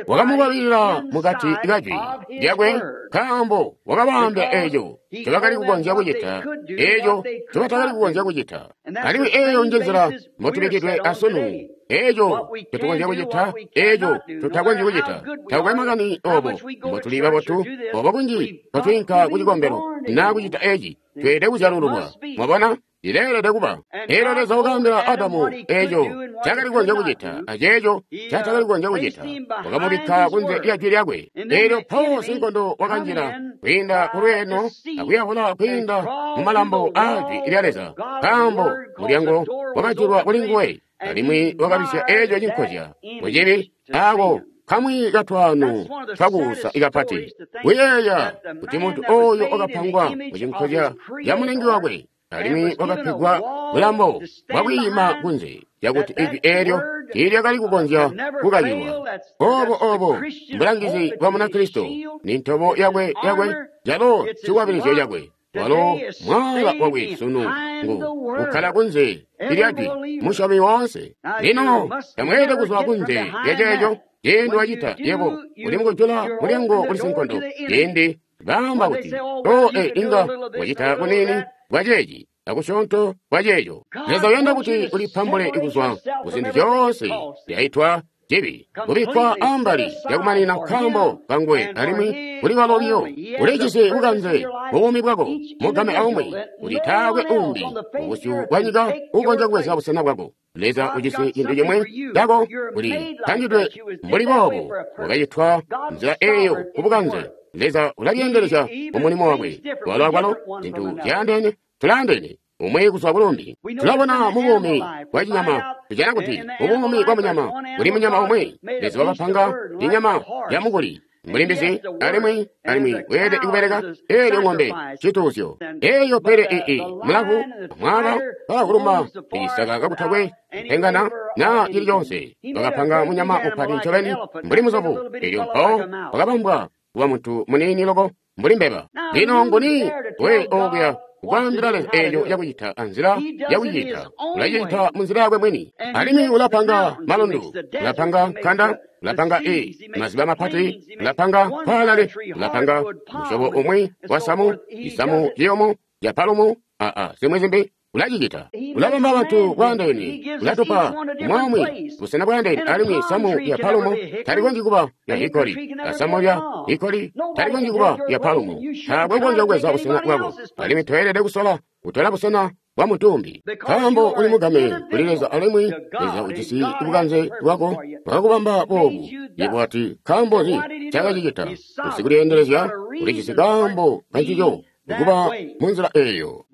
wakamukwabilila mukati kajwi lyakwe, nkaambo wakabaambila eeco ncobakali kukonzya kucita, eeco ncobatakali kukonzya kucita. Alimwi eeyo njenzila mbotubikkidwe asunu. Eeco ncotukonzya kucita, eeco tutakonzyi kucita. Takukwe makani obo mbotuli babotu, obo kunji mbotwiinka kucikombelo naa kucita eeci, tweelede kuzyalululwa. Mwabona? Ileelede kuba. Eelyo Leza wakaambila Adamu eeco ncaakali kukonzya kucita aceeco ncatakali kukonzya kucita. Wakamubikka kunze lya jwi lyakwe. Eelyo mpawo sinkondo wakanjila kwiinda kulweeno akuyavula kwiinda mumalambo aa jwi lya Leza, nkaambo mulyango wakajulwa kulinguwe, alimwi wakabisya eeco cinkozya mucibi aako kamwi katwaano twakuusa ikapati. Kuyeeya kuti muntu ooyo wakapangwa mucinkozya ca Mulengi wakwe, alimwi wakapegwa bulambo bwakwiima kunze cakuti ijwi eelyo tiilyakali kukonzya kukakilwa. Obo obo mbulangizi bwa Munakristo, ni ntobo yakwe yakwe, calo cikwabilizyo cakwe. Walo mwaala wakwe sunu ngu kukkala kunze lya jwi, musyomi woonse. Lino tamweelede kuzwa kunze lya ceeco. Ciindi wacita, yebo uli mukujula mulyango kuli sinkondo. Ciindi baamba kuti, o e inga wacita kunini kwa ceeci akusyoonto kwa ceeco. Leza uyanda kuti ulipambule kuzwa kuzintu zyoonse zyaitwa cibi, kubikkwa ambali lyakumanina nkaambo kanguwe, alimwi kuli walo biyo. Ulijisi bukanze buumi bwako mugame aumwi, kuti taakwe umbi mubusyu bwa nyika ukonzya kubweza busena bwako. Leza ujisi cintu cimwe cako, uli pangidwe mbuli boobo, wakacitwa nzila eeyo kubukanze. Leza ulalyeendelezya mumulimo wakwe. Walo akwalo zintu zyaandeene, tulaandeene umwi kuzwa kulumbi. Tulabona mubuumi bwa cinyama, tujana kuti mubuumi bwa munyama kuli munyama umwi. Leza wakapanga inyama ya mukuli mbuli mbizi, alimwi alimwi weelede kubeleka eelyo ng'ombe cituuzyo eeyo, pele ii mulavu amwaaba bakakuluma icisaka kakutakwe kupengana naa cili coonse. Wakapanga munyama mupati ncobeni mbuli muzovu, eelyo mpawo wakabambwa kuba muntu muniini loko mbuli mbeba. Lino nguni we okuya kukwaambila Leza eeco cakucita anzila yakucita? Ulacita munzila yakwe mwini. Alimwi ulapanga malundu, ulapanga nkanda, ulapanga i maziba mapati, ulapanga mpalale, ulapanga musyobo umwi wa samu, isamu ciyumu ca palumu, aa zimwi zimbi. Ulacicita. Ulabamba bantu bwaandeene, ulatupa umwaumwi busena bwaandeene, alimwi samu lya palumu talikonzyi kuba lya hikoli, asamu lya hikoli talikonzyi kuba lya palumu. Taakwe ukonzya kubweza busena bwako, alimwi toyelede kusola kutola busena bwa muntu umbi, nkaambo uli mugame kuli Leza, alimwi Leza ujisi bukanze bwako bwakubamba boobu. Yebo wati, nkaambo nzi ncaakacicita? Usikulyeendelezya ulijisi kaambo kancico kuba munzila eeyo.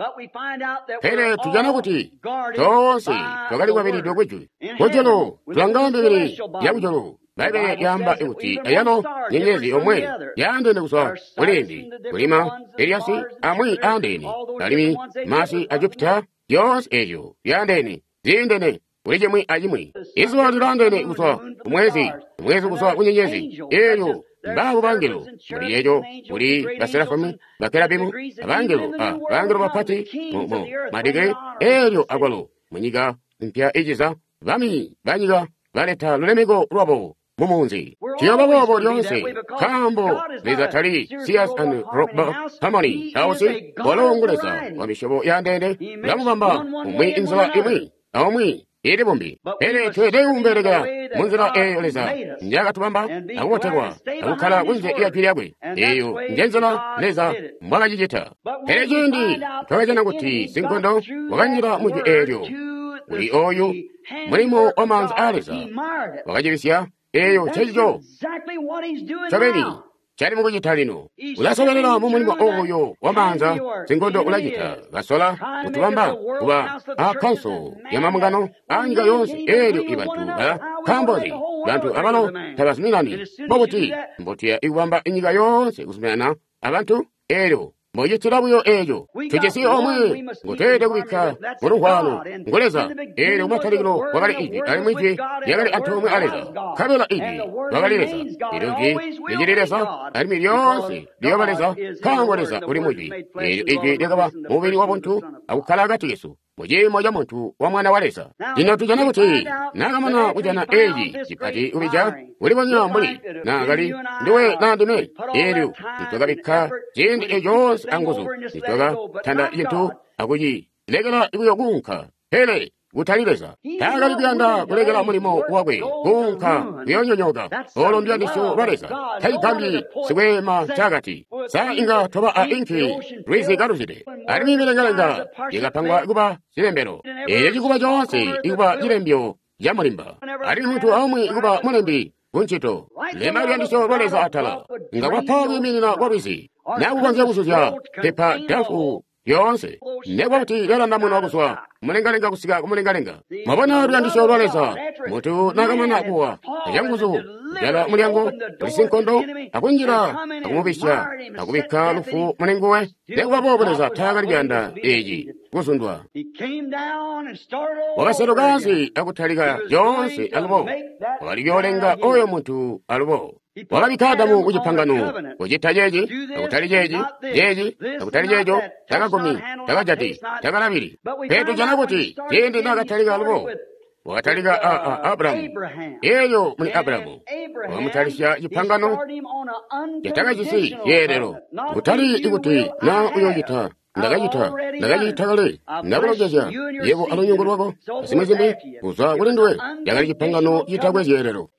Pele tujana kuti toonse twakali kwabilidwe kwijwi. Kujulu tulanga mibili yakujulu. Bbaibbele lyaamba kuti ayalo nyenyezi yomwe yaandeene kuzwa kulimbi, kulima Eliasi amwi aandeene, alimwi masi a Jupita, zyoonse eezyo zyaandeene, ziindene kuli cimwi acimwi. Izuba lilaandeene kuzwa kumwezi, mwezi kuzwa ku nyenyezi. Eelyo mbaabo bangelo, muli eeco kuli baserafimu, bakerabimu, abangelo a bangelo bapati mu madigri. Eelyo akwalo munyika mpya iciza, bami banyika baleta lulemeko lwabo mu munzi. Tuyooba boobo lyoonse, nkaambo Leza tali Sears and Roebuck Harmony House, walo ngu Leza wa misyobo yandeene, ulamubamba umwi inzila imwi aumwi ili bumbi. Pele tweelede kumubelekela munzila eeyo Leza njakatubamba akubotelwa akukkala kunze lya jwi lyakwe. Eeyo njenzila Leza mbwakacicita. Pele ciindi twakajana kuti sinkondo wakanjila mu jwi eelyo, kuli oyu mulimo wa maanza aa Leza wakacibisya. Eeyo ncecico ncobeni cali mukucita lino. Ulasobelela mu mulimo oyo wa maanza, sinkondo ulacita kasola kutubamba kuba a kkanso ya mambungano a nyika yoonse. Eelyo ibantu bala nkaambozi bantu abalo tabazuminani. Mbobuti mbotuya ikubamba inyika yoonse kuzuminana abantu? Eelyo mbocitila buyo eeco. Tujisi omwe ngotweelede kubikka mulugwalo, ngu Leza. Eelyo kumatalikilo kwakali Ijwi, alimwi Ijwi lyakali antoomwe a Leza, nkabela Ijwi lwakali Leza. Eelyo Ijwi licili Leza, alimwi lyoonse liyooba Leza, nkaambo Leza uli mu Ijwi. Eelyo Ijwi lyakaba mubili wa buntu akukkala akati kesu, mu ciimo ca muntu wa Mwana wa Leza. Lino tujana kuti naakamana kujana eeci cipati kubija, kulibonya mbuli naakali ndiwe naa ndime. Eelyo nitwakabikka ciindi eco coonse anguzu, nitwakatanda cintu akucilekela buyo kuunka. Pele kutali Leza. Taakali kuyanda kulekela mulimo wakwe kuunka kuyoonyonyooka. Olo nduyandisyo lwa Leza. Tacigambyi sikweema ncaakati, sa inga twaba a inki lwizi kaluzide, alimwi milengalenga yakapangwa kuba zilembelo. Eeco cikuba coonse ikuba cilembyo ca mulimba, alimwi muntu aumwi kuba mulembi kuncito. Lemba luyandisyo lwa Leza atala, inga kwapa kwiiminina kwa lwizi, naa kukonzya kuzuzya pepa dafu lyoonse, nekuba kuti lyalandamunwa kuzwa mulengalenga kusika kumulengalenga. Mwabona luyandisyo lwa Leza. Muntu naakamana kuwa acanguzu, kujala mulyango kuli sinkondo, akunjila akumubisya, akubikka lufu mulinguwe. Nekuba boobo Leza taakali kuyanda eeci kuzundwa. Wakaseluka ansi akutalika lyoonse alubo, wakali kuyoolenga oyo muntu alubo. Wakabikka Adamu ku cipangano, kucita ceeci, akutali ceeci, ceeci, akutali ceeco, takagumi, takajati, takalabili. Pele tujana kuti ciindi naakatalika alubo, wakatalika a a Abrahamu. Eelyo muli Abrahamu wakamutalisya cipangano catakajisi zyeelelo, kutali ikuti naa uyoocita ndakacita ndakacita kale, ndakulongezya yebo alunyungu lwako azimwi zimbi kuzwa kuli nduwe. Yakali cipangano citakwe zyeelelo.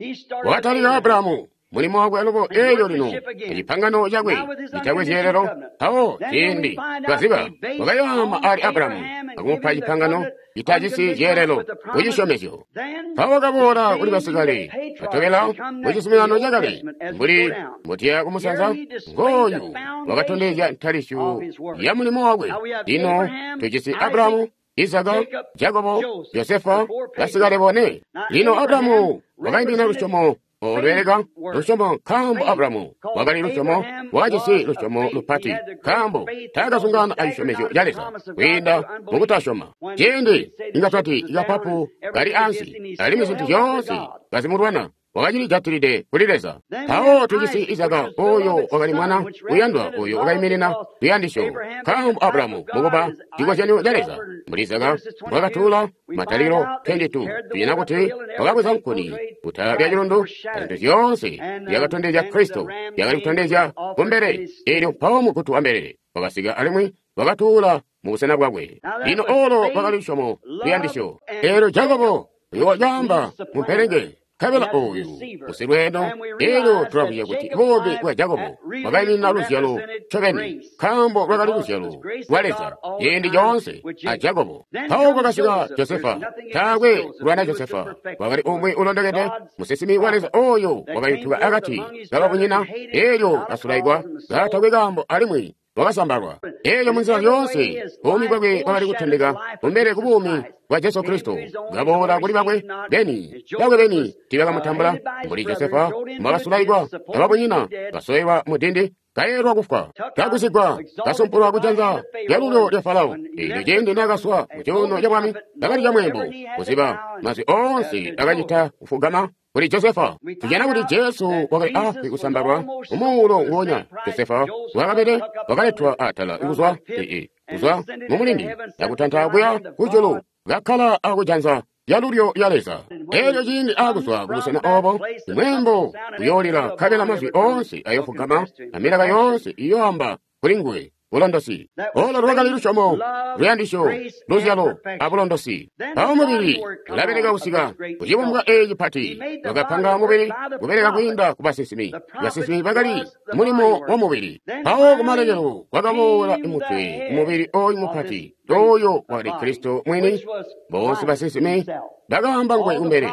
Wakatalika Abrahamu mulimo wakwe alubo. Eelyo lino ecipangano cakwe citakwe zyeelelo. Mpawo ciindi twaziba wakayaama ali Abrahamu akumupa cipangano citajisi zyeelelo kucisyomezyo. Mpawo wakaboola kuli basikale batobela mucizuminano cakale mbuli mbotuya kumusanza. Ngooyu wakatondezya ntalisyo ya mulimo wakwe. Lino tujisi Abrahamu, Izaka, Jakobo, Josefa, basikale bone. Lino Abrahamu wakaimina lusyomo olweleka lusyomo, nkaambo Abrahamu wakali lusyomo, wakajisi lusyomo lupati, nkaambo taakazungana acisyomezyo ca Leza kwiinda mukutasyoma. Ciindi inga twati ikapapu kali ansi, alimwi zintu zyoonse kazimulwana, wakacilijatilide kuli Leza. Mpawo tujisi Izaka, oyo wakali mwana uyandwa, oyo wakaiminina luyandisyo, nkaambo Abrahamu mukuba cikozyanyo ca Leza. Mbuli Izaka mbwakatuula, Matalikilo makumi awiri abili, tujana kuti wakabweza nkuni kutala lya cilundu, azintu zyoonse zyakatondezya Kristo, zyakali kutondezya kumbele. Eelyo mpawo mugutu wa mbelele wakasika alimwi wakatuula mu busena bwakwe. Lino olo lwakali lusyomo luyandisyo. Eelyo Jakobo uyo wacaamba mumpelenge, nkabela oyu musilweeno. Eelyo tulakwiya kuti buumi bwa Jakobo bwakaiminina luzyalo ncobeni, nkaambo lwakali luzyalo lwa Leza ciindi coonse a Jakobo. Mpawo kwakasika Josefa. Taakwe kulwana Josefa, wakali umwi ulondokede, musinsimi wa Leza oyo wakayutuka akati kababunyina. Eelyo kasulaikwa katakwe kaambo alimwi wakasambalwa. Eelyo munzila zyoonse buumi bwakwe bwakali kutondeka kumbele ku buumi bwa Jesu Kristo. Kaboola kuli bakwe beni, bakwe beni tiibakamutambula. Mbuli Josefa mbwakasulaikwa ababunyina, kasoelwa mu dindi, kaelwa kufwa, kagusigwa, kasumpulwa kujanza lyalulyo lya Farao. Eelyo ciindi naakaswa mu cuuno ca bwami, kakali camweembo kuziba mazwi oonse akacita kufugama kuli Josefa. Tujana kuti Jesu wakali afwi kusambalwa umuulo nguonya Josefa wakabede, wakaletwa atala kuzwa ee kuzwa mumulindi akutanta kuya kujulu, kakkala akujanza lyalulyo lya Leza. Elyo ciindi akuzwa kubusena obo, mweembo uyoolila nkabela mazwi oonse ayofugama amilaka yoonse iyoamba kuli nguwe. Bulondosi. Olo lwakali lusyomo, luyandisyo, luzyalo, abulondosi. Mpawo mubili ulabeleka kusika kucibumbwa eeci cipati. Wakapanga mubili kubeleka kwiinda ku basinsimi. Basinsimi bakali mulimo wa mubili. Mpawo kumalekelo kwakaboola mutwe mubili oyu mupati, oyo wakali Kristo mwini. Boonse basinsimi bakaamba nguwe kumbele.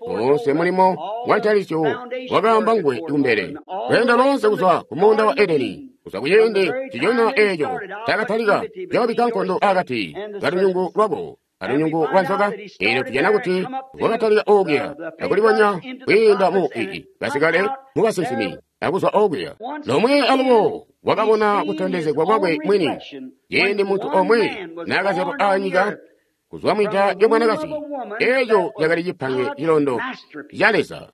Boonse mulimo wa ntalisyo wakaamba nguwe kumbele. Lweendo loonse kuzwa ku muunda wa Edeni, kuzwa kuciindi nciconya eeco cakatalika cakabikka nkondo akati kalunyungu lwako alunyungu lwa nzoka. Eelyo tujana kuti kwakatalika okuya akulibonya kwiinda mu ii basikale mu basinsimi akuzwa okuya lomwe alubo wakabona kutondezegwa kwakwe mwini ciindi muntu omwe naakazyalwa anyika kuzwa mwida lyomwanakazi. Eeco cakali cipange cilondo ca Leza.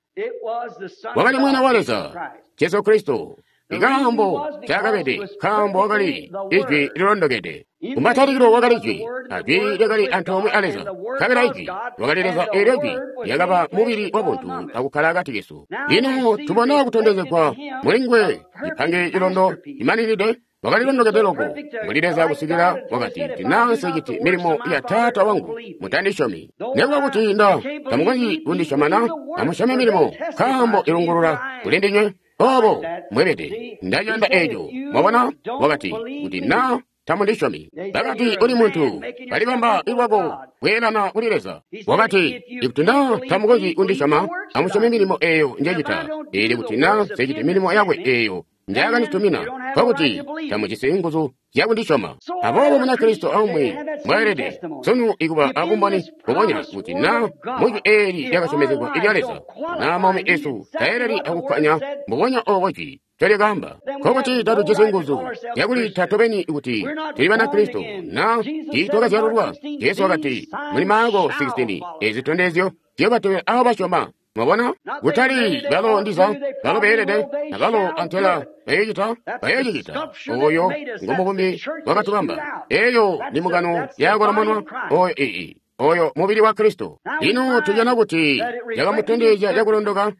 Wakali mwana wa Leza, Jesu Kristo. Ikaambo cakabede, nkaambo wakali Ijwi lilondokede. Kumatalikilo wakali Jwi, a Jwi lyakali antoomwe a Leza. Nkabela Ijwi wakali Leza, eelyo Jwi lyakaba mubili wabuntu akukkala akati kesu. Lino tubona kutondezegwa muli nguwe cipange cilondo cimaninide. Wakali londokede loko mbuli Leza kusikila wakati, "Ndinanse citi milimo ya Taata wangu, mutandisyomi. Nekuba kuti nda tamukonzyi kundisyomana, amusyome milimo, nkaambo ilungulula kuli ndinywe." Obo mwebede ndaciyanda eeco. Mwabona, wakati, kuti na tamundisyomi. Bakati, uli muntu balibamba lwako kweelana kuli Leza. Wakati, ikuti na tamukonzyi kundisyoma, amusyome milimo eeyo njecita. Ili kuti na nseciti milimo yakwe eeyo njayakanditumina, nkokuti tamujisi nguzu zyakundisyoma. Aboobo Munakristo aumwi mbwaelede sunu ikuba abumboni bubonya kuti na mujwi eeli lyakasyomezegwa ilya Leza, na maumi esu taeleli akukkanya mbubonya obo jwi ncolyakaamba, nkokuti tatujisi nguzu zyakulita tobeni kuti tuli Banakristo na tiitwakazyalulwa. Jesu wakati muli Marko sixteen, ezi zitondezyo ziyobatobela abo basyoma. Mwabona, kutali balo ndiza balo beelede na balo antela bayoocita bayoocicita. Oyo ngomubumbi wakatubamba. Eyo ni mugano yakolomonwa oyo ii oyo mubili wa Kristo. Lino tujana kuti yakamutondezya cakulondoka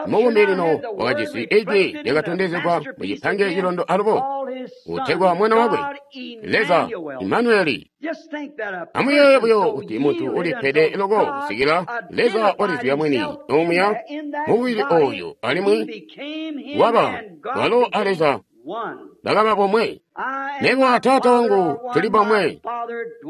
mubumbi. Lino wakajisi ijwi lyakatondezegwa mu cipange cilondo alubo utegwa mwana wakwe Leza Imanueli. Amuyeeye buyo kuti muntu ulipede loko kusikila Leza walizibya mwini omuya mubili oyo, alimwi waba walo a Leza bakaba bomwe. Mebo a Taata wangu tuli bomwe.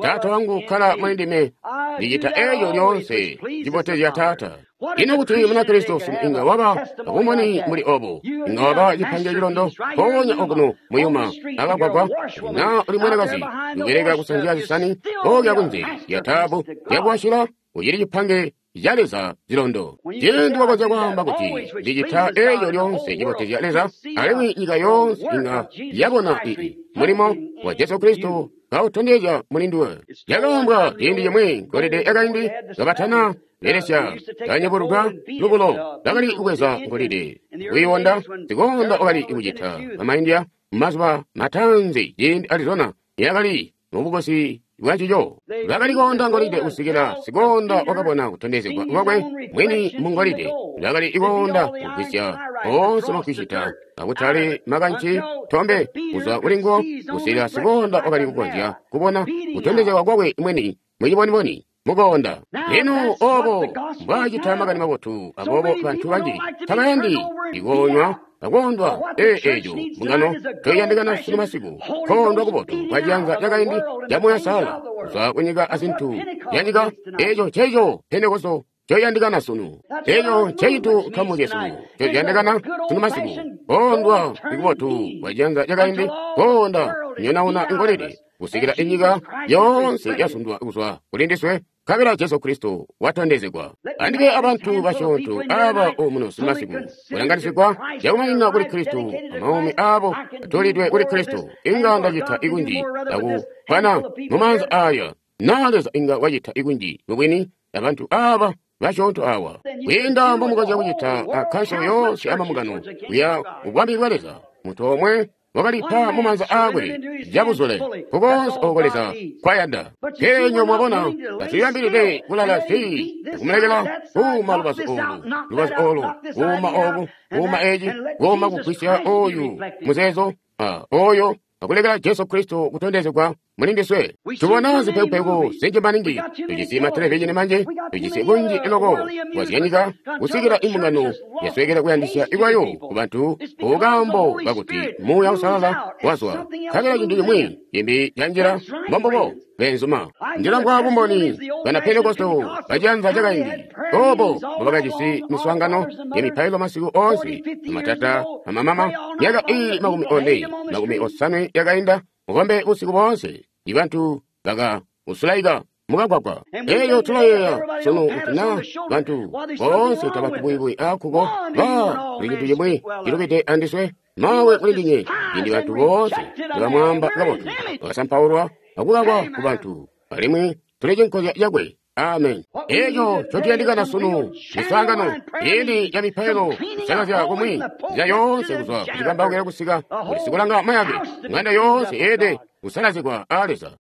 Taata wangu ukkala muli ndime, ndicita eeco lyoonse cibotezya Taata. Ino kuti Munakristo sunu inga waba abumboni muli obo, inga waba cipange cilondo mpoonya okuno muyuma akagwagwa, na uli mwanakazi ubeleka kusanzya zisani okya kunze lya taabu lyakuwashila, ucili cipange ca Leza cilondo. Ciindi wakonzya kwaamba kuti ndicita eeco lyoonse cibotezya Leza, alimwi nyika yoonse inga yabona ii mulimo wa Jesu Kristo kautondezya muli nduwe. Lyakaambwa ciindi cimwi ngolide yakaindi kabatana belesya kanyebuluka lubulo bakali kubweza ngolide kuiwonda. Sikonda wakali kucita bamaindia mumazuba mataanzi ciindi Arizona yakali mubukosi bwancico. Bakali koonda ngolide kusikila sikonda wakabona kutondezegwa kwakwe mwini mu ngolide. Bakali koonda kugwisya oonse makwicita akutali makanci tombe kuzwa kuli nguwo kusikila sikonda wakali kukonzya kubona kutondezegwa kwakwe mwini muciboniboni mukoonda. Lino obo mbwaacita makani mabotu. Aboobo bantu banji tabayandi ikoonywa akondwa ee eeco mbungano toyandikana sunu masiku kondwa kubotu kwa ciyanza cakaindi ca Muuya Sala kuzwa kunyika azintu yanyika. Eeco nceeco Pentekosto coyandikana sunu. Eeco ncecintu nkamu cesu coyandikana sunu masiku, kondwa kubotu kwa ciyanza cakaindi, konda nyonauna ngolide kusikila inyika yoonse yasundwa kuzwa kuli ndiswe, nkabela Jesu Kristo watondezegwa. Andibe abantu basyoonto aba omuno simasiku kulanganisigwa cakumaninina kuli Kristo, amaumi abo atolidwe kuli Kristo. Inga ndacita ikunji akupana mumaanza aya, na Leza inga wacita ikunji mubwini abantu aba basyoonto awa kwiinda mbomukonzya kucita akanso yoonse amamungano kuya ubwami bwa Leza. Muntu omwe Wakalipa mu maanza aakwe cabuzule kukoonse oko Leza kwayanda. Pele nywebo mwabona, tatulibambilide kulala zii, kumulekela kuuma lubazu olu, lubazu olu, kuuma obu, kuuma eci, kuuma kugwisya oyu muzeezo, a oyo, akulekela Jesu Kristo kutondezegwa muli ndiswe. Tubona zipekupeku zinji maningi, tujisi matelevizhini manji, tujisi kunji loko kwazyanyika kusikila imbungano yaswekela kuyandisya ikwayo ku bantu kukambo kakuti Muuya Uusalala wazwa. Nkabela cintu cimwi cimbi canjila mbombubo beenzuma. Ndilamvwa bumboni bana Pentekosto baciyanza cakaindi obo mbobakajisi miswaangano ya mipailo masiku oonse, amatata amamama, myaka iili makumi one makumi osanwe yakainda, mukombe busiku boonse. Ibantu baka usulaika mukagwagwa. Elyo tulayeeya sunu kuti na bantu boonse tabatubwibwi akuko ba kuli cintu cimwi cilubide andiswe mawe kuli ndinye cindi bantu boonse nibamwaamba kabotu bakasampaulwa akukakwa ku bantu alimwi tuli cinkozya cakwe. Amen. Eco ncotuyandikana sunu miswaangano ili ya mipailo kusalazya kumwi nzila yoonse kuzwa kucikambaukila kusika kuli sikulanga mayake ng'anda yoonse yeelede kusalazigwa a Leza.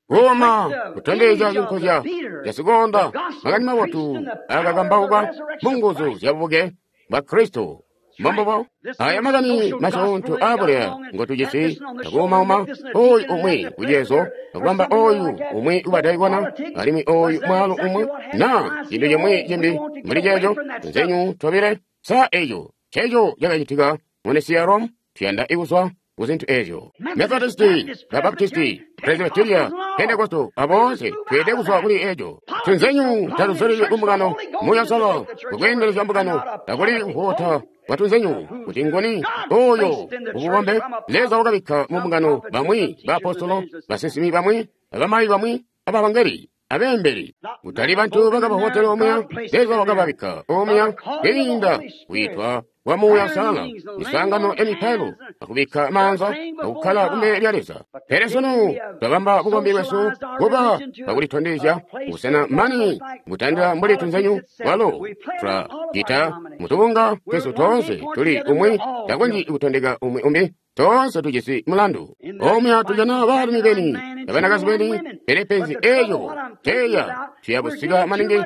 Kuuma kutondezya cinkozya casikonda makani mabotu akakambauka mu nguzu zya bubuke bwa Kristo. Mbombubo aya makani masyoonto aabuleya ngotujisi akuumauma oyu umwi kuceezo akubamba oyu umwi ubadaikona alimwi oyu mwaalu umwi na cintu cimwi cimbi mbuli ceeco nzenyu tobile sa eco ceeco cakacitika mu Nisiya Rome. Tuyanda ikuzwa ku zintu ezyo. Methodisti, Babaptisti, Presbyteria, Pentekosto, aboonse tweelede kuzwa kuli eco. Tunzenyu tatuzulili kumbungano Muuya Uusalala kukweendelezya mbungano takuli kuhoota kwa tunzenyu kuti ngoni oyo ububombe Leza wakabikka mu mbungano bamwi baapostolo, basinsimi bamwi, abamayi bamwi, abavangeli, abeembeli. Kutali bantu bakabahotela omuya, Leza wakababikka omuya kwiinda kwiitwa kwa Muuya Uusalala, miswaangano ya mipailo, akubikka maanza, akukkala kumbele lya Leza. Pele sunu twabamba bukombi bwesu kuba bwakulitondezya busena mani butandila mbuli tunzenyu walo twacita mutubunga twesu toonse tuli umwi takonzyi kutondeka umwi umbi. Toonse tujisi mulandu omuya tujana baalumi beni abanakazi beni, pele penzi eeyo teya tuyabusika maningi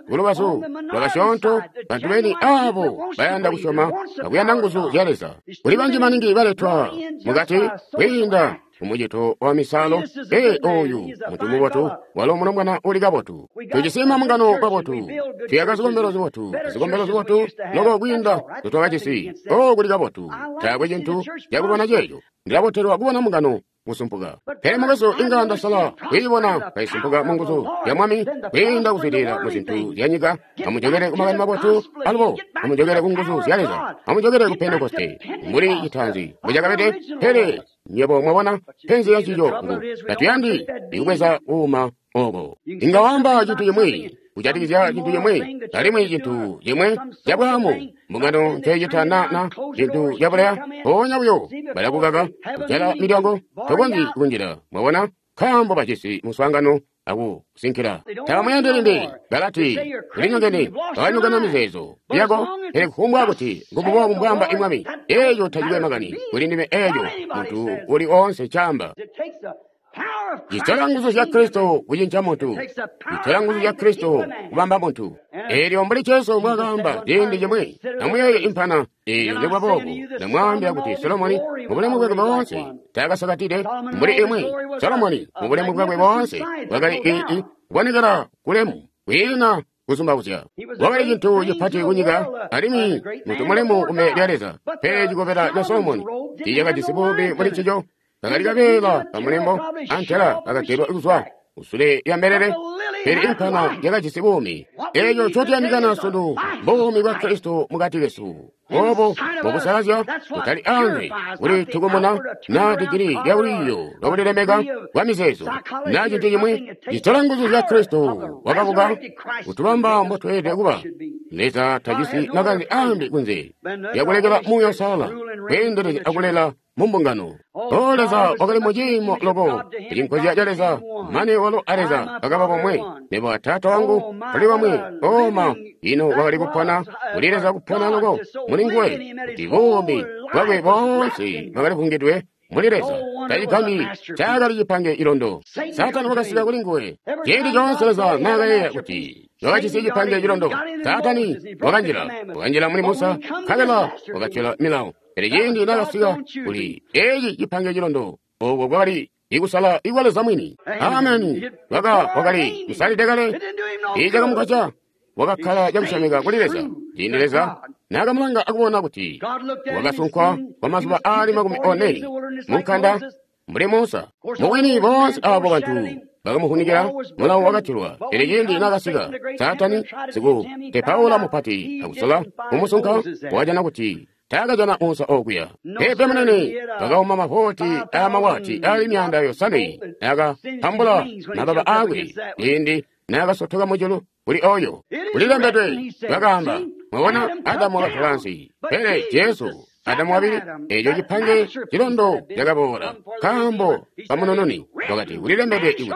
kulubazu lwakasyoonto bantu beni abo bayanda kusyoma akuyanda nguzu zya Leza. Kuli banji maningi baletwa mukati kwiinda kumucito wa misalo. Ee, oyu muntu mubotu walo mulombwana uli kabotu. Tujisi mambungano kabotu, tuyaka zikombelo zibotu, zikombelo zibotu loko kwiinda zotwakajisi. O kuli kabotu, taakwe cintu cakulwana ceeco. Ndilabotelwa kubona mbungano kusumpuka. Pele mukwesu inga ndasala kwiibona kaisumpuka mu nguzu ya Mwami kwiinda kuzwidilila mu zintu zya nyika. Amujokele ku makani mabotu alubo, amujokele ku nguzu zya Leza, amujokele ku Pentekoste mbuli citaanzi mbucakabede. Pele nywebo mwabona penzi ya cico ngu tatuyandi ikubweza kuuma oko. Inga wamba cintu cimwi kujatikizya cintu cimwi alimwi cintu cimwi cabwaamu mbungano ncoicita na na cintu cabuleya mpoonya buyo balakukaka kujala milyango tokonzyi kunjila. Mwabona nkaambo bajisi muswaangano akusinkila tabamuyandi limbi. Balati ulinyongene, bakanyongana mizeezo yako. Pele kufumbwa kuti ngumbubobu mbwaamba imwami, eeco tacikwe makani kuli ndime. Eeco muntu uli oonse caamba. Citola nguzu zya Kristo kucinca muntu. Citola nguzu zya Kristo kubamba muntu. Eelyo mbuli Jesu mbwakaamba ciindi cimwi, amuyeeye impana eeyo nikuba boobo, ndamwaambila kuti Solomoni mubulemu bwakwe boonse taakasakatide mbuli imwi. Solomoni mubulemu bwakwe boonse bwakali ii kubonekela kulemu kwiina kuzumbauzya. Wakali cintu cipati kunyika alimwi muntu mulemu kumbele lya Leza. Pele cikobela ca Solomoni tiicakajisi bubi muli ncico. Kakali kabeela kamulembo antela kakagelwa kuzwa kusule lya mbelele, pele impana yakajisi buumi. Eeco ncotuyandikana sunu mbuumi bwa Kristo mukati kesu. Obo mbukusalazya kutali anze kuli tukumuna na digiri lya lwiiyo lwakulilemeka kwa mizeezo na cintu cimwi. Citola nguzu zya Kristo wakabuka kutubamba mbotweelede kuba. Leza tajisi makanze aambi kunze lyakulekela Muuya Uusalala kweendelezya akulela mu mbungano. O Leza wakali mu ciimo loko, ecinkozya ca Leza, mane walo a Leza bakaba bomwe. Mebo a Taata wangu tuli bamwe. O ma, ino wakali kupona kuli Leza kupona loko muli nguwe, kuti buumi bwakwe boonse bwakali vungidwe muli Leza. Tacigambyi cakali cipange ilondo. Saatani wakasika kuli nguwe. Ciindi coonse Leza naakayeeya kuti wakajisi cipange cilondo, Saatani wakanjila, wakanjila muli Musa, nkabela wakatyola milawo. Pele ciindi naakasika kuli eci cipange cilondo, ooko kwakali ikusala ikwa Leza mwini. Ameni. Waka wakali kusalide kale, icakamugwasya wakakkala cakusyomeka kuli Leza. Ciindi Leza naakamulanga akubona kuti wakasunkwa kwa mazuba aali makumi one munkanda mbuli Musa. Mubwini boonse aabo bantu bakamuhunikila, mulawo wakatilwa. Pele ciindi naakasika Saatani sikutepaula mupati akusola kumusunka, wakajana kuti taakajana Musa okuya. Pepe munene bakauma mavoti aamawati aali myaanda yosanwe naakapambula mababa aakwe ciindi naakasotoka mujulu kuli oyo. Kulilembedwe, bakaamba, mwabona Adamu wakatola ansi, pele Jesu Adamu wabili, eco cipange cilondo cakaboola nkaambo kamunununi. Wakati kulilembedwe kuti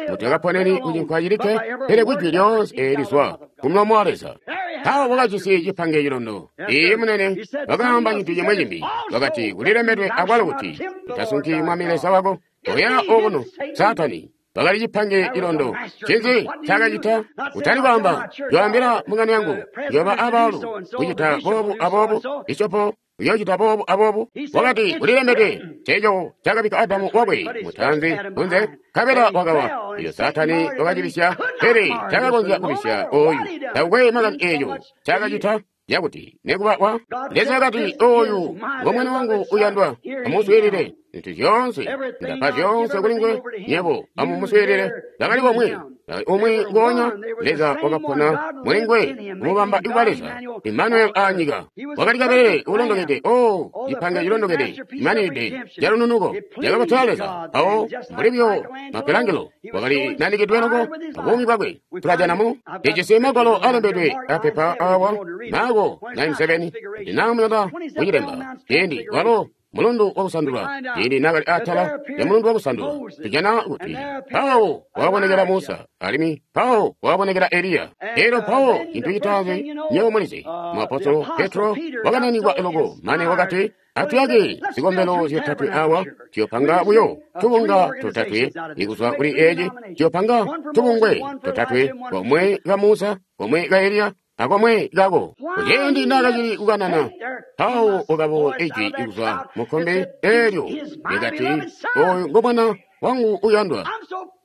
mutakaponeni kucinkwa cilikke, pele kwijwi lyoonse eelizwa kumulomo wa Leza. Mpawo wakajisi cipange cilondo. Iye munene wakaamba cintu cimwe cimbi, wakati kulilembedwe akwalo kuti utasunki Mwami Leza wako. Oya okuno Saatani bakali cipange cilondo. Ncinzi ncaakacita? Kutali kwaamba, yoambila mbungano yangu, yoba abaalu kucita boobu aboobu, bishopo uyoocita boobu aboobu. Wakati kulilembedwe, nceeco cakabikka Adamu wakwe mutaanzi kunze, nkabela wakawa. Iyo Saatani wakacibisya, pele taakakonzya kubisya oyu. Takukwe makani eeco ncaakacita yakuti nekuba wa Leza wakati, oyu ngo mwana wangu uyandwa, amuswiilile. Zintu zyoonse ndapa zyoonse kuli nguwe, nyebo amumuswiilile. Bakali bomwe, bakali umwi ngoonya. Leza wakapona muli nguwe, kumubamba ikuba Leza Emmanuel aanyika. Wakali kabelele ulondokede, o cipange cilondokede, imanide calununuko cakabotela Leza. Awo mbuli buyo Michelangelo wakali nanikidwe loko abuumi bwakwe. Tulajana mu ijisi magwalo alembedwe apepa awa Marko nine seven ndinamuyanda kucilemba ciindi walo mulundu wakusandula, ciindi naakali atala ya mulundu wakusandula, tujana kuti mpawo wakabonekela Musa, alimwi mpawo wakabonekela Eliya. Elyo mpawo cintu citaanzi nywebo mulizi, muapostolo Petro wakananikwa loko mane wakati, atuyake zikombelo zyotatwe awa, tuyopanga buyo tubunga totatwe ikuzwa kuli eci, tuyopanga tubungwe totatwe, komwe ka Musa, komwe ka Eliya, akomwe kako. Kuciindi naakacili kukanana, mpawo wakaboola ijwi ikuzwa mukkombe eelyo likati, oyu ngo mwana wangu uyandwa,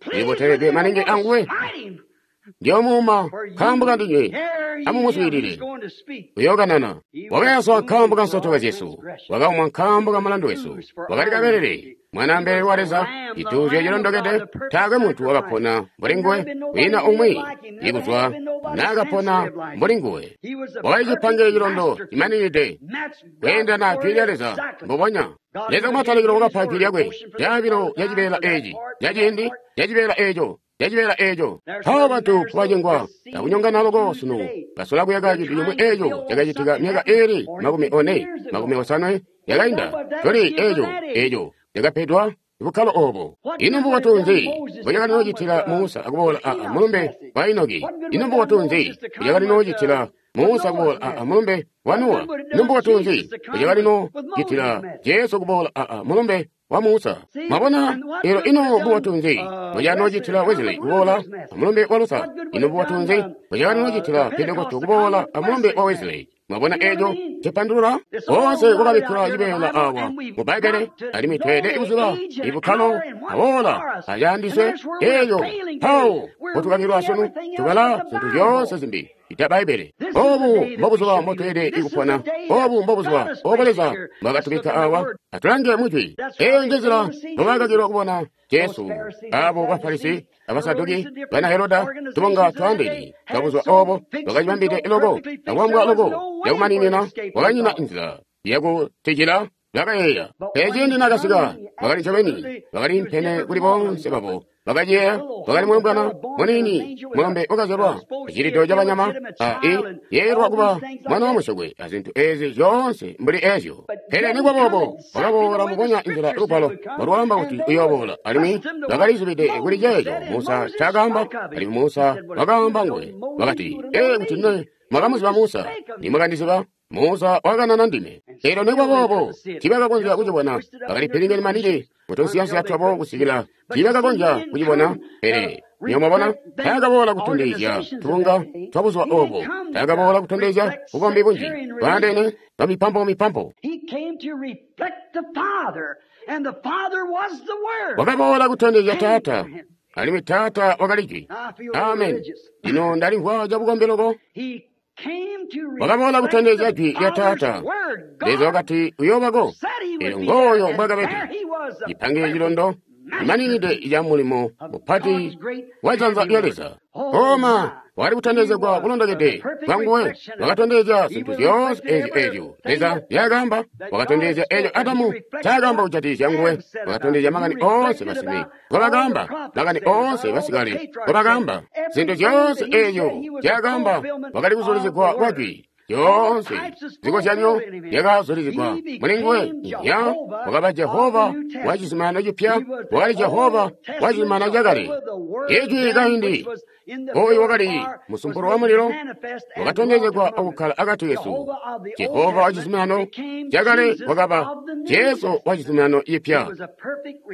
ndiboteledwe maningi anguwe, ndiyomuuma nkaambo kandinywe, amumuswiilile. Uyookanana. Wakayaswa nkaambo ka nsotoka zyesu, wakaumwa nkaambo ka mulandu wesu, wakali kabelele mwana mbelele wa Leza, cituuzyo cilondokede. Taakwe muntu wakapona mbuli nguwe, kwiina umwi ikuzwa naakapona mbuli nguwe. Wakali cipange cilondo cimaninide kweendelana jwi lya Leza mbubonya. Leza kumatalikilo wakapa jwi lyakwe, caabilo ca cibeela eci, ca ciindi ca cibeela eco, ca cibeela eco. Mpawo bantu kubacengwa akunyongana loko sunu, basola kuyaka cintu cimwe eco cakacitika myaka iili makumi one, makumi osanwe yakainda. Toli eco, eco cakapedwa bukkalo obo. Ino mbubotu nzi mbucakali Musa akuboola a mulumbe wa Enoki? Ino mbubotu nzi mbucakali noocitila Musa kuboola a mulumbe wa Nowa? Ino mbubotu nzi mbucakali noocitila Jesu kuboola a mulumbe wa Musa? Mwabona? Elo ino mbubotu nzi mbucakali Wesley kuboola a mulumbe wa Luther? Ino mbubotu nzi mbucakali noocitila Pentekoste kuboola a mulumbe wa Wesley? Mwabona eco cipandulula? Boonse kwakabikkila cibeela awa mu Bbaibbele, alimwi tweelede kuziba ibukkalo aboola acaandiswe eeyo. Mpawo potukakilwa sunu, tubala zintu zyoonse zimbi ita Bbaibbele. Obu mbobuzuba mbotweelede kupona. Obu mbobuzuba obo Leza mbwakatubikka awa. Atulange mwijwi. Eyo njenzila mbobakakilwa kubona Jesu, abo Bafarisi, Abasaduki, bana Heroda, tubunga twaandeene twabuzuba obo bakacibambide loko, akwambwa loko yakumaninina, wakanyina nzila yakutijila bakayeeya. Pele ciindi naakasika, bakali ncobeni, bakali mpene kuli boonse babo bakaceya wakali mulombwana muniini mulombe wakazyalwa icilito ca banyama a i yeelwa kuba mwana wa musyokwe azintu ezi zyoonse mbuli ezyo. Pele nikuba boobo wakaboola mukonya inzila lugwalo lwaamba kuti uyooboola, alimwi bakalizibide kuli ceeco Musa ncaakaamba, alimwi Musa wakaamba nguwe wakati, ee kuti ne mwakamuziba Musa, nimwakandiziba. Musa wakanana ndime. Elyo nikuba boobo tiibakakonzya kucibona, bakali pilingene maningi kutunsiyansiya twabo kusikila tiibakakonzya kucibona. Pele niyo mwabona, taakaboola kutondezya tubunga twa buzuba obo, taakaboola kutondezya bukombi bunji bwaandeene bwa mipampo mipampo. Wakaboola kutondezya Taata, alimwi Taata wakali Jwi. Amen. Lino ndalimvwa cabukombi loko. Wakaboola kutondezya Jwi lya Taata. Leza wakati uyoobako, elyo ngooyo mbwakabede. Cipange cilondo cimaninide ca mulimo mupati wa janza lya Leza. Koma wakali kutondezegwa kulondokede kwanguwe, wakatondezya zintu zyoonse ezyo ezyo Leza nzyaakaamba, wakatondezya eco Adamu ncaakaamba kujatikizya nguwe, wakatondezya makani oonse basibe ngobakaamba, makani oonse basikale ngobakaamba, zintu zyoonse ezyo nzyaakaamba wakali kuzulizigwa kwa Jwi. Zyoonse zikozyanyo zyakazulizigwa muli nguwe. Ya wakaba Jehova wa cizuminano cipya, wakali Jehova wa cizuminano cakale. Ijwi kaindi oyu wakali musumpulu wa mulilo wakatondezegwa akukkala akati kesu. Jehova wa cizuminano cakale wakaba Jesu wa cizuminano cipya,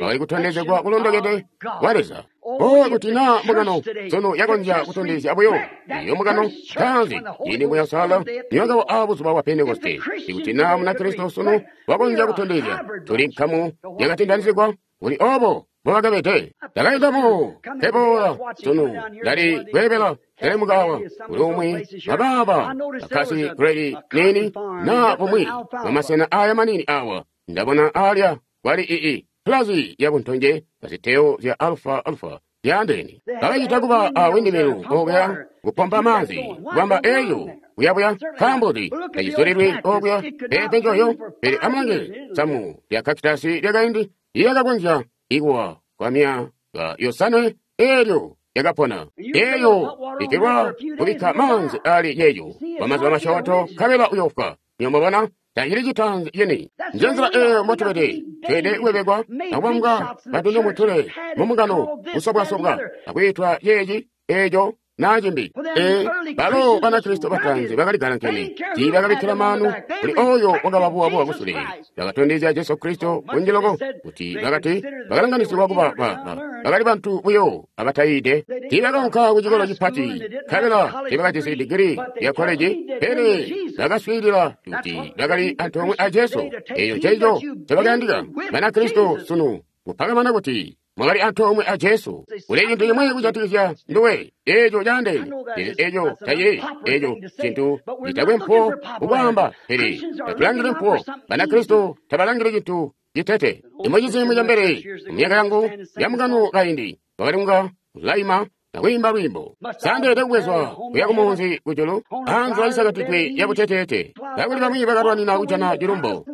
wakali kutondezegwa kulondokede kwa Leza. Oh, kuti naa mbungano sunu yakonzya kutondezya buyo iyo mbungano ntaanzi ciindi Muuya Uusalala niwakawa aa buzuba bwa Pentekoste. Ikuti naa Munakristo sunu wakonzya kutondezya tuli nkamu yakatindanizigwa kuli obo mbobakabede. Ndakaindamu keboola sunu ndali kweebela ndali kuli umwi babaaba bakasi gredi nini naa bumwi mumasena aya manini awa ndabona alya kwali ii pulazi ya buntonje aziteo zya alfa alfa zyaandeene. Bakacita kuba a windimilu okuya kupompa maanzi kubamba eyo kuyabuya nkaambo tacizulilwi okuya pepe njoyo. Pele amulange samu lya kakitasi lyakaindi lyakakonzya ikuwa kwa myaka yosanwe elyo lyakapona. Eyo lekelwa kubikka maanzi ali yeyo kwa mazuba masyoonto nkabela uyofwa. Niyo mwabona tacili citaanzi cini. Njenzila eyo mbotubede, tweede kuwebekwa akubambwa batundomutule mumungano kusobwasobwa akwiitwa yeeci eco naa cimbi. E balo Banakristo bataanzi bakali galankene, tiibakabikkila maanu kuli oyo wakababuwabuwa kusule. Bakatondezya Jesu Kristo kunji loko kuti bakati bakalanganisigwa kuba ba bakali bantu buyo abatayiide. Tiibakaunka ku cikolo cipati, nkabela tiibakajisi digiri ya koleji, pele bakaswiilila kuti bakali antoomwe a Jesu. Eco nceeco ncobakayandika Banakristo sunu, kupakamana kuti mwakali antoomwe a Jesu. Kuli cintu cimwi kujatikizya nduwe eco caandeene, pele eco tacili eco cintu citakwe mpuwo kukwaamba, pele tatulangili mpuwo. Banakristo tabalangili cintu citete. Imucizi mucembele mumyaka yangu yamukano kaindi wakali kunga ulaima akwiimba lwiimbo. Sandeede kubwezwa kuya kumunzi kujulu anzila isakatidwe yabuteteete, kakuli bamwi bakalwanina kujana cilumbo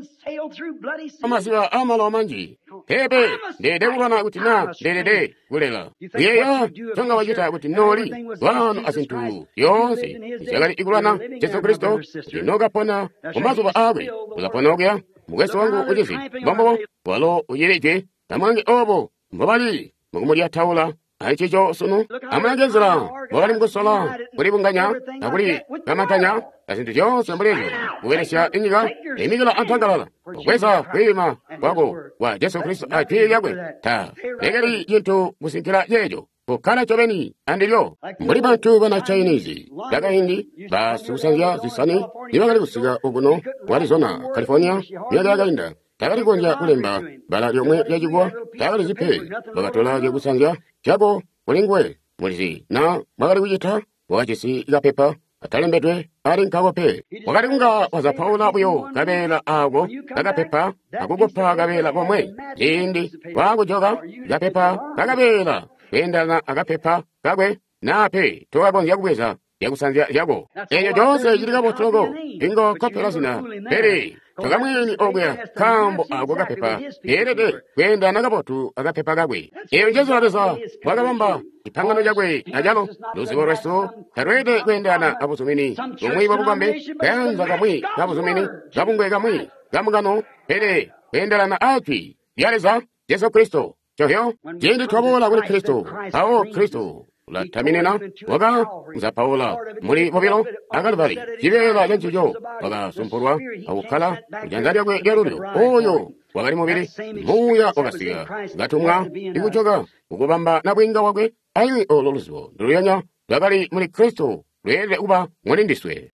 amaziba amalowa manji. Pepe ndeede kulwana kuti naa ndeelede kulela. Kuyeeya tonga wacita kuti nooli lwano azintu zyoonse zyakali ikulwana Jesu Kristo, kuti nookapona mumazuba aakwe ulapona okuya. Mukwesu wangu ucizi mbombobo walo ucili Jwi. Amulange obo mbobali mukumulyataula aicico sunu. Amulange nzila mbobali mukusola kulibunganya akulikamantanya azintu zyoonse mbuli ezyo, kubelesya inyika imikila antangalala kubweza kwiima kwako kwa Jesu Kristo a Jwi lyakwe. Ta lekeli cintu kusinkila ceeco, kukkala ncobeni andilyo. Mbuli bantu bana Chinese bakaindi basikusanzya zisani nibakali kusika okuno ku Arizona, California myaka yakainda, takali kukonzya kulemba bbala lyomwe lyacikuwa, takalizi pe. Bakatola zyakusanzya zyako kuli nguwe. Mulizi na mwakali kucita, wakajisi kapepa atalembedwe ali nkako pe. Wakali kunga wazapaula buyo kabeela ako kakapepa akukopa kabeela komwe. Ciindi waakujoka kapepa kakabeela kweendana akapepa kakwe naa pe tokakonzya kubweza zyakusanzya zyako. Eco coonse cili kabotu loko, ingo kopela zina, pele tokamwini okuya nkaambo ako kapepa keelede kweendana kabotu akapepa kakwe. Eyo njezo Leza wakabamba cipangano cakwe acalo. Luzibo lwesu talweelede kweendana abuzumini bumwi bwabukombi, kayanza kamwi kabuzumini, kabungwe kamwi kamukano, pele kweendelana ajwi lya Leza Jesu Kristo. Covyo ciindi twaboola kuli Kristo, mpawo Kristo ulataminina waka muzapaula muli bobilo akalubali cibeela cancico wakasumpulwa akukkala kujanza lyakwe lyalulyo. Oyo wakali mubili, muuya wakasika katumwa ikujoka kukubamba nabwiinga wakwe. Alimwi olo luzibo nduluyanya lwakali muli Kristo lweelede kuba muli ndiswe.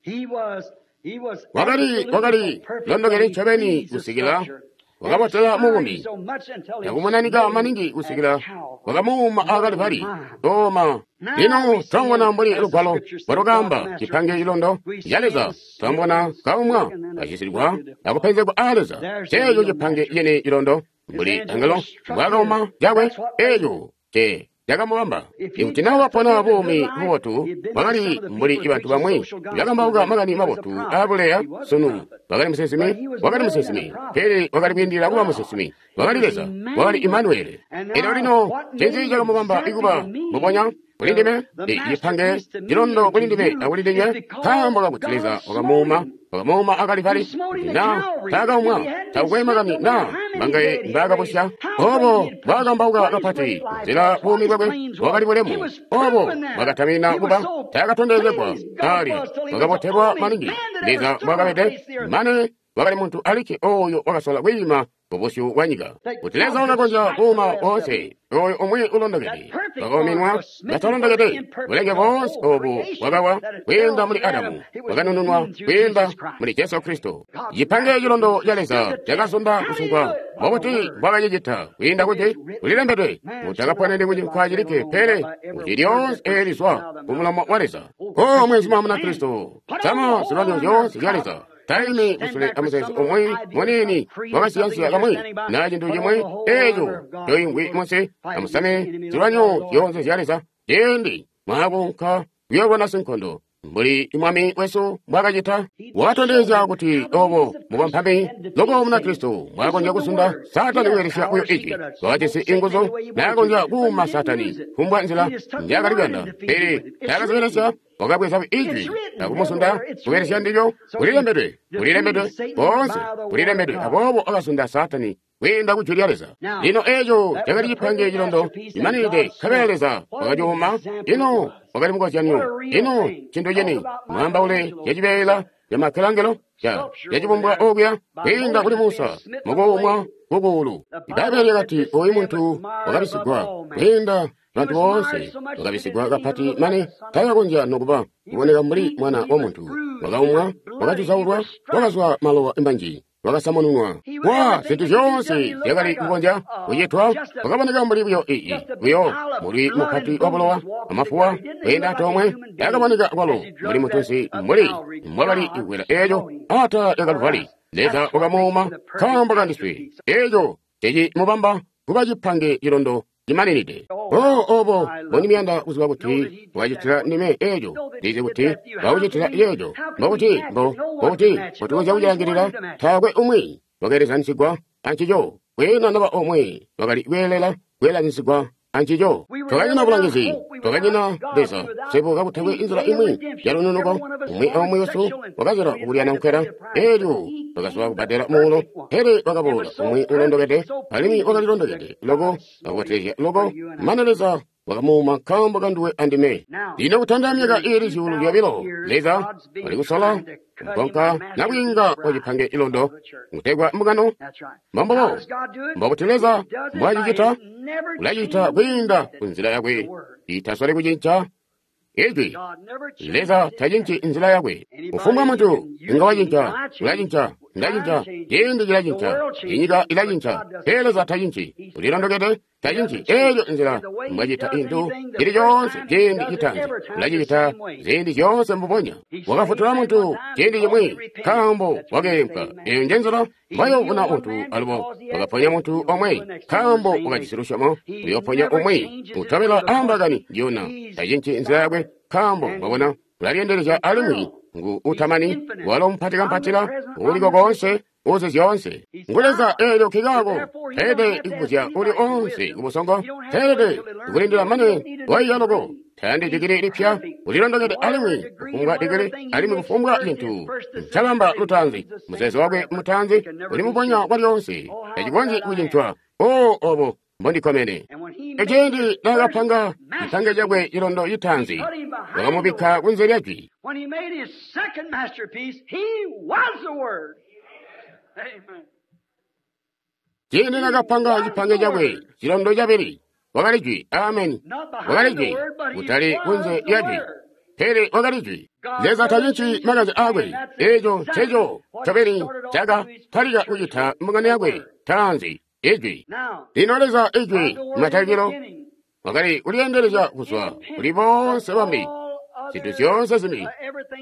Wakali wakali londokele ncobeni kusikila wakabotela muumi nakumunanika maningi kusikila wakamuuma akalibali oma. Lino twamubona mbuli lugwalo bwalukamba cipange cilondo ca Leza, twamubona kaumwa kacisilwa akupenzegwa a Leza. Ceeco cipange cene cilondo mbuli angelo mbwakauma cakwe, eeco ce cakamubamba. Ikuti nawe wapona buumi bubotu, wakali mbuli bantu bamwi bakambauka makani mabotu aabuleya sunu. Wakali musinsimi, wakali musinsimi, pele wakali kwiindilila kuba musinsimi. Wakali Leza, wakali Imanueli. Elyo lino ncinzi cakamubamba ikuba mbubonya kuli ndime, cipange cilondo kuli ndime akuli ndinywe? Nkaambo kakuti Leza wakamuuma, wakamuuma akalivali. Na taakaumwa, takukwe makani na mbangaye mbaakabusya. Obo bwakambauka kapati nzila buumi bwakwe bwakali bulemu. Obo bwakatamina kuba taakatondezegwa ali bwakabotelwa maningi Leza bwakabede, mane wakali muntu alikke oyo wakasola kwiima kubusyu bwa nyika. Kuti Leza wakakonzya kuuma woonse oyo umwi ulondokede, wakauminwa batalondokede. Bulenge boonse obu bwakawa kwiinda muli Adamu, bwakanununwa kwiinda muli Jesu Kristo. Cipange cilondo ca Leza cakazunda kusunkwa. Mbobuti mbwakacicita? Kwiinda kuti kulilembedwe, mutakaponeni kucinkwa cilikke, pele kuti lyoonse eelizwa kumulomo wa Leza. O mwenzuma muna Kristo, sama zilwanyo zyoonse zya Leza. Taimi kusule amuzeezo umwi munini wakasiyansiya kamwi na cintu cimwi eeco coingwi munsi. Amusame zilwanyo zyoonse zya Leza ciindi mwaakunka kuyoolwana sinkondo mbuli Mwami wesu mbwaakacita. Wakatondezya kuti obo mubampami loko muna Kristo mbwaakonzya kuzunda Saatani kubelesya buyo ijwi. Wakajisi inguzu naakonzya kuuma Saatani kumbwa nzila njaakali kuyanda, pele taakazibelesya. Wakabweza ijwi akumuzunda kubelesya ndilyo. Kulilembedwe, kulilembedwe, boonse kulilembedwe. Aboobo akazunda Saatani kwiinda ku jwi lya Leza. Lino eeco cakali cipange cilondo cimaninide, nkabela Leza wakacuuma. Ino wakali mukozyanyo, ino cintu cini mwaambaule cacibeela camakelangelo ca cacibumbwa okuya kwiinda kuli Musa mukuumwa kukuulu. Ibbaibbele lyakati oyu muntu wakabisigwa kwiinda bantu boonse, wakabisigwa kapati mane taakakonzya nokuba kuboneka mbuli mwana wa muntu. Wakaumwa, wakacuzaulwa, wakazwa malowa manji, wakasamununwa wa zintu zyoonse zyakali kukonzya kucitwa. Wakaboneka mbuli buyo ii buyo mulwi mupati wa bulowa amafuwa kwiinda antoomwe. Yakaboneka kwalo mbuli mutunsi mbuli mbwakali kukwela eeco atala lya Kaluvali. Leza wakamuuma nkaambo kandiswe. Eeco cecimubamba kuba cipange cilondo cimaninide. O obo mbondimuyanda kuziba kuti wakacitila ndime eeco, ndizi kuti wakucitila yeeco. Mbokuti mbo mbokuti mbotukonzya kucilangilila, taakwe umwi wakeelezanisigwa ancico, kwiina naba omwe wakali kweelela kweelanisigwa ancico. Twakanyina bulangizi, twakanyina Leza, swebo kakutakwe inzila imwi yalununuko. Umwi aumwi wesu wakazila kukulyana nkwela, eelyo wakazwa kubbadela muulo, pele wakaboola umwi ulondokede, alimwi wakali londokede loko akubotelezya loko, mane Leza wakamuuma nkaambo kanduwe andime. Lino kutanda myaka iili zyuulu zyobilo, Leza wali kusola kugonka nabwiinga wa cipange ilondo kutegwa mbungano. Mbombobo mbokuti Leza mbwacicita, ulacita kwiinda kunzila yakwe itasole kucinca ijwi. Leza tacinci nzila yakwe. Kufumbwa muntu inga wacinca, ulacinca, ndacinca, ciindi cilacinca, inyika ilacinca, pele Leza tacinci. Ulilondokede, tacinci. Eeco nzila mbwacita intu cili coonse ciindi citaanzi, ulacicita ziindi zyoonse mbubonya. Wakafutula muntu ciindi cimwi nkaambo wakeempwa. Eeyo njenzila mbwayoovuna muntu alubo. Wakaponya muntu omwe nkaambo wakajisi lusyomo, uyooponya umwi utobela ambakani njiyona. Tacinci nzila yakwe nkaambo mwabona Ulalyendelezya alimwi ngu utamani, walo mupati kampatila, uliko koonse, uzi zyoonse. Ngu Leza eelyo nkikaako teelede kubuzya uli oonse kubusongo, teelede kulindila mane waiya loko. Tayandi digili lipya, ulilondokede alimwi kufumbwa digili, alimwi kufumbwa cintu ncabamba lutaanzi. Muzeezo wakwe mutaanzi uli muponya kwalyoonse, tacikonzyi kucincwa. O obo mbondikkomene. Eciindi naakapanga cipange cakwe cilondo citaanzi, wakamubikka kunze lya jwi. Ciindi naakapanga cipange cakwe cilondo cabili, wakali jwi. Ameni. Wakali jwi, kutali kunze lya jwi, pele wakali jwi. Leza tacinci makanze aakwe. Eeco nceco ncobeni cakatalika kucita mbungano yakwe taanzi, ijwi. Lino Leza ijwi matalikilo wakali kulyendelezya kuzwa kuli boonse bambi, zintu zyoonse zimbi,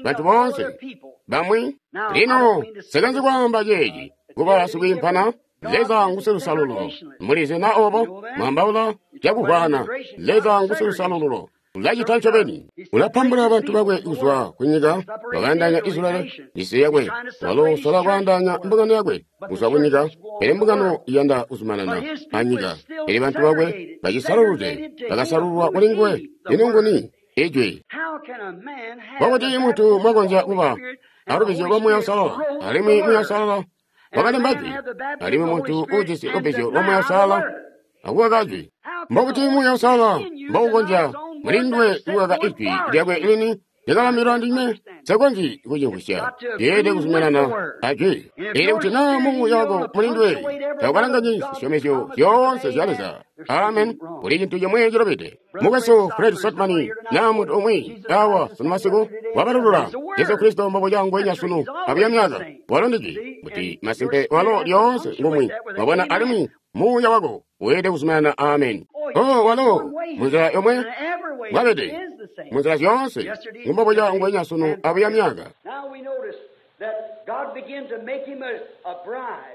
bantu boonse bamwi. Lino nsikonzyi kwaamba ceeci kuba sikwiimpana. Leza ngusilusalululo. Mulizi na obo mwambaula cakuvwaana. Leza ngusilusalululo. Ulacita ncobeni. Ulapambula bantu bakwe kuzwa kunyika, wakaandaanya Israyeli, isi yakwe. Walo usola kwaandaanya mbungano yakwe kuzwa kunyika, pele mbungano iyanda kuzumanana anyika. Pele bantu bakwe bacisalulule, bakasalululwa kuli nguwe. Ino nguni? Ijwi. Mbokuti muntu mwakonzya kuba alubizyo lwa Muuya Uusalala, alimwi Muuya Uusalala wakalemba jwi, alimwi muntu uujisi lubbizyo lwa Muuya Uusalala akukaka jwi. Mbokuti Muuya Uusalala mboukonzya mulinduwe kukaka ijwi lyakwe lini lyakabambilwa ndinywe? Nsikonzyi kucimvwisya. Yeelede kuzumanana ajwi. Pele kuti naa muuya wako mulinduwe taukalanganyi zisyomezyo zyoonse zya Leza. Amen. Kuli cintu cimwe cilobede. Mukwesu Fred Sotman naa muntu umwi awa sunu masiku wabalulula Jesu Kristo mbobuca ngwenya sunu abuya myaka. Walo ndijwi kuti masimpe walo lyoonse ngumwi. Wabona, alimwi muuya wako weelede kuzumanana. Amen. Oh, walo munzila yomwe mwabede, munzila zyoonse ngumbobuca ngwenya sunu abuya myaka.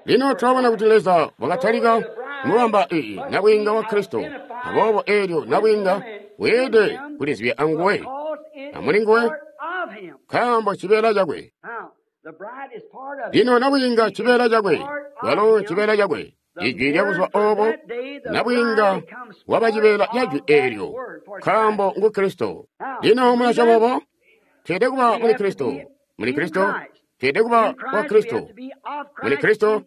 Lino twabona kuti Leza wakatalika kumubamba iyi nabwiinga wa Kristo. Aboobo eelyo nabwiinga weelede kulizibya anguwe amulinguwe, nkaambo cibeela cakwe. Lino nabwiinga cibeela cakwe, walo cibeela cakwe. Ijwi lyabuzuba oobo, nabwiinga waba cibeela ca jwi eelyo, nkaambo ngu Kristo. Lino mulasyoma obo? Tweelede kuba muli Kristo. Muli Kristo, tweelede kuba wa Kristo. Muli Kristo,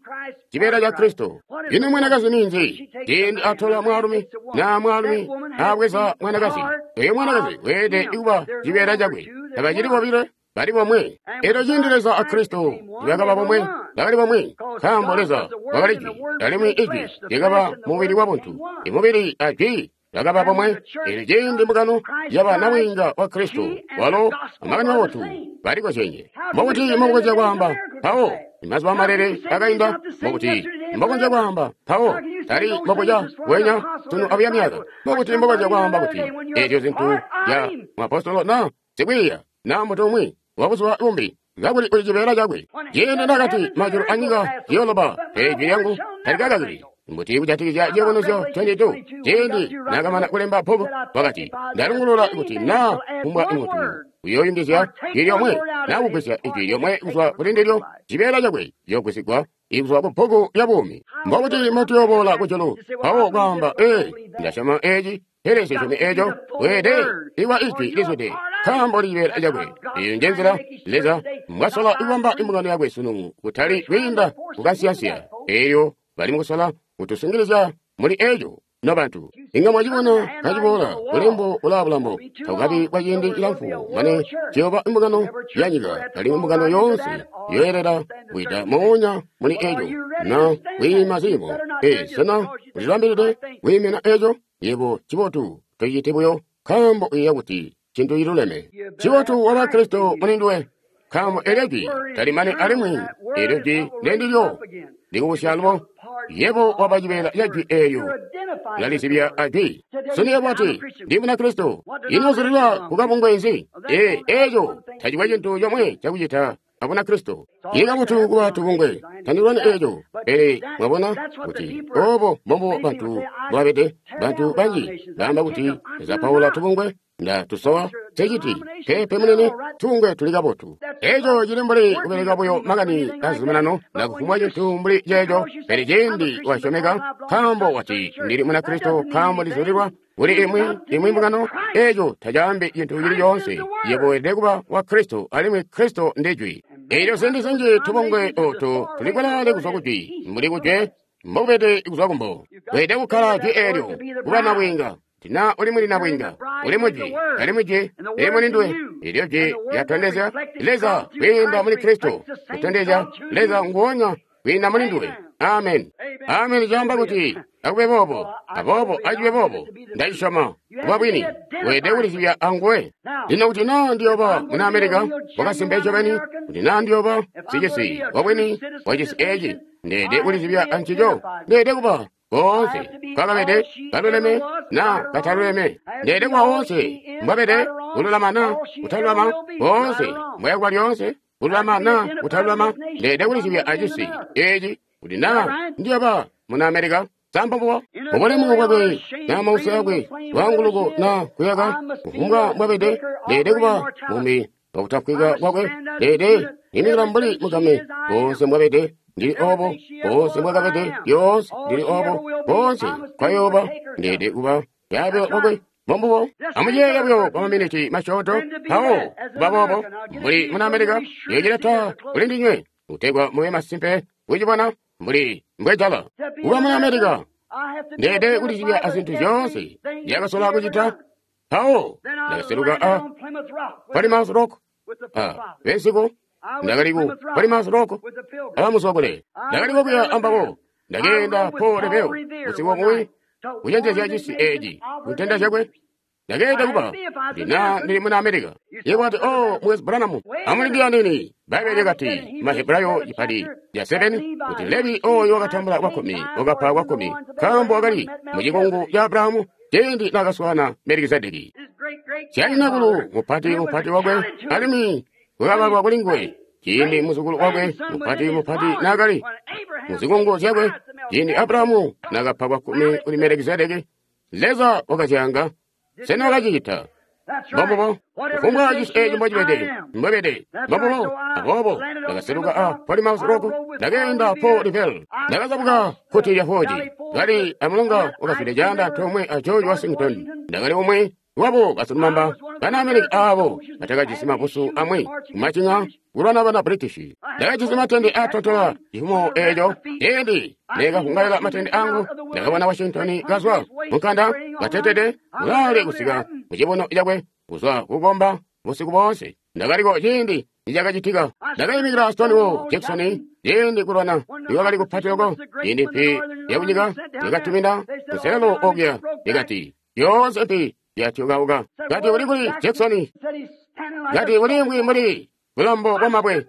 cibeela ca Kristo. Ino mwanakazi ninzi? Ciindi atola mwaalumi, naa mwaalumi abweza mwanakazi, oyo mwanakazi weelede kuba cibeela cakwe. Tabacili bobile, bali bomwe. Eelyo ciindi Leza a Kristo bakaba bomwe, bakali bomwe, nkaambo Leza wakali jwi, alimwi ijwi lyakaba mubili wa buntu. Imubili a jwi bakaba bomwe. Eelyo ciindi mbungano yaba nabwiinga wa Kristo, walo amakani mabotu balikozyenye. Mbokuti mbokukonzya kwaamba mpawo mazuba malele akainda? Mbokuti mbokonzya kwaamba mpawo tali mbokuca wenya sunu abuya myaka? Mbokuti mbokonzya kwaamba kuti eezyo zintu zya mwapostolo na sikwiiya na muntu umwi wabuzuba bumbi, kakuli uli cibeela cakwe? Ciindi nakati majulu anyika ziyooloba, pele ijwi lyangu talikakakili. Mbuti kujatikizya Ciyubunuzyo makumi abili aibili? Ciindi naakamana kulemba bbuku, wakati, ndalungulula kuti naa kumbwa muntu uyooyungizya jwi lyomwe naa kugwisya ijwi lyomwe kuzwa kuli ndilyo, cibeela cakwe ciyoogwisigwa kuzwa ku bbuku lya buumi. Mbokuti mbotuyooboola kujulu mpawo kwaamba, ee, ndasyoma eeci, pele nsisyomi eeco? Weelede kuba ijwi lizwide, nkaambo li cibeela cakwe. Eeyo njenzila Leza mbwasola kubamba imbungano yakwe sunu, kutali kwiinda kukansiyansiya. Eelyo bali mukusola kutusungilizya muli eeco. Nobantu, inga mwacibona kaciboola bulembo bulaa bulambo, tabukabi kwa ciindi cilamfu mane ciyooba imbungano yanyika, alimwi mbungano yoonse yoyelela kwiida moonya muli eeco na kwiima ziimo. Ee, sena ulibambilide kwiimina eeco? Yebo cibotu tociciti buyo nkaambo uyeeya kuti cintu ciluleme. Cibotu waba Kristo mulinduwe, nkaambo eelyo jwi talimani alimwi eelyo jwi ndendilyo likubusya alubo. Yebo waba cibeela ca jwi eelyo, ulalizibya ajwi. Sunu yebo wati, ndi Munakristo. Ino uzulilwa kukabungwe nzi? Ee, eeco tacikwe cintu comwe cakucita a Bunakristo. Ili kabotu kuba tubungwe, tandilwani eeco. Pele mwabona kuti obo mbombo bantu mbwabede. Bantu banji baamba kuti zapaula tubungwe, nda tusowa ceciti pepe munene, tubungwe tuli kabotu. Eco cili mbuli kubeleka buyo makani azuminano na kufumbwa cintu mbuli ceeco. Pele cindi wasyomeka, nkaambo wati ndili Munakristo, nkaambo ndizulilwa kuli imwi imwi mbungano, eco tacaambi cintu cili coonse. Yebo weelede kuba wa Kristo, alimwi Kristo ndi Jwi. Elyo ziindi zinji tubungwe otu tuli kulaale kuzwa ku Jwi, mbuli kujwe mbokubede kuzwa kumbo. Weelede kukkala Jwi eelyo kuba nabwiinga. Tina uli muli nabwiinga, uli mujwi, alimwi Jwi lili muli nduwe. Elyo Jwi lyatondezya Leza kwiinda muli Kristo, kutondezya Leza nguonya kwiinda muli nduwe. Amen. Amen caamba kuti akube boobo, aboobo acibe boobo. Ndacisyoma kuba bwini. Weelede kulizibya anguwe. Lino kuti naa ndiyooba muna Amerika wakasimpe ncobeni, kuti naa ndiyooba sicisi wabwini wacisi eeci, ndeelede kulizibya ancico. Ndeelede kuba koonse kwakabede kaluleme na kataluleme. Ndeelede kuba woonse mbwabede kululama na kutalulama, koonse mbwayakuba lyoonse kululama na kutalulama. Ndeelede kulizibya acisi eeci kuti naa ndiyooba muna Amerika. Sambobo ubulemu bwakwe na mausi akwe, lwaanguluko na kuyaka, kufumbwa mbwabede, ndeelede kuba mumi wakutafwika kwakwe. Ndeelede imikila mbuli mugame, koonse mbwabede ndili obo, koonse mbwakabede lyoonse ndili obo, koonse kwayooba ndeelede kuba yaabilo kwakwe. Mbombubo. Amuyeeye buyo kwa maminiti masyoonto, mpawo kuba boobo mbuli muna Amerika, yecileta kuli ndinywe kutegwa mube masimpe kucibona mbuli mbwejala. Kuba muna Amerika, ndeelede kulizibya azintu zyoonse ndyakasola kucita. Mpawo ndakaseluka a Plymouth Rock, a bensiku ndakali ku Plymouth Rock abamuzwakule. Ndakali kokuya ambabo, ndakeenda Paul Revere usiku umwi kucenjezya cisi eeci kuntenda zyakwe. Ndakeenda kuba kuti naa ndili muna Amerika. Yebo wati, oh, Mukwesu Branham, amulindile nini. Bbaibele lyakati Mahebrayo cipati ca seven kuti Levi oyo wakatambula kwakkumi wakapa kwakkumi nkaambo wakali mucikungu ca Abrahamu ciindi naakaswaana Melikizedeki. Syanyinakulu mupati mupati wakwe, alimwi kwakabalwa kuli nguwe ciindi muzukulu wakwe mupati mupati naakali muzikungu zyakwe. Ciindi Abrahamu naakapa kwakkumi kuli Melikizedeki, Leza wakazyanga. Sena wakacicita? Mbombubo. Kufumbwa cisi eeci mbocibede, mbwebede. Mbombubo. Aboobo ndakaseluka a Plymouth Rock, ndakeenda Paul Revere, ndakazabuka kkuti lya Forge, kali amulonga wakazwide caanda antoomwe a George Washington. Ndakali umwi wabo basilumamba bana Amerika aabo batakajisi mabusu amwi kumacinya kulwana bana British. Ndakajisi matende aatontola cifumo eeco. Ciindi neekavungaila matende angu, ndakabona Washington kazwa munkanda katetede kulaale kusika mucibuno cakwe kuzwa kukomba busiku boonse. Ndakaliko ciindi nicakacitika. Ndakayimikila Stonewall Jackson ciindi kulwana nikwakali kupati loko. Ciindi mpi yakunyika yakatumina kuselelo okuya, ikati yoonse mpi yatyokauka. Kati uli kuli Jackson? Kati uliimvwi mbuli bulambo bwamabwe.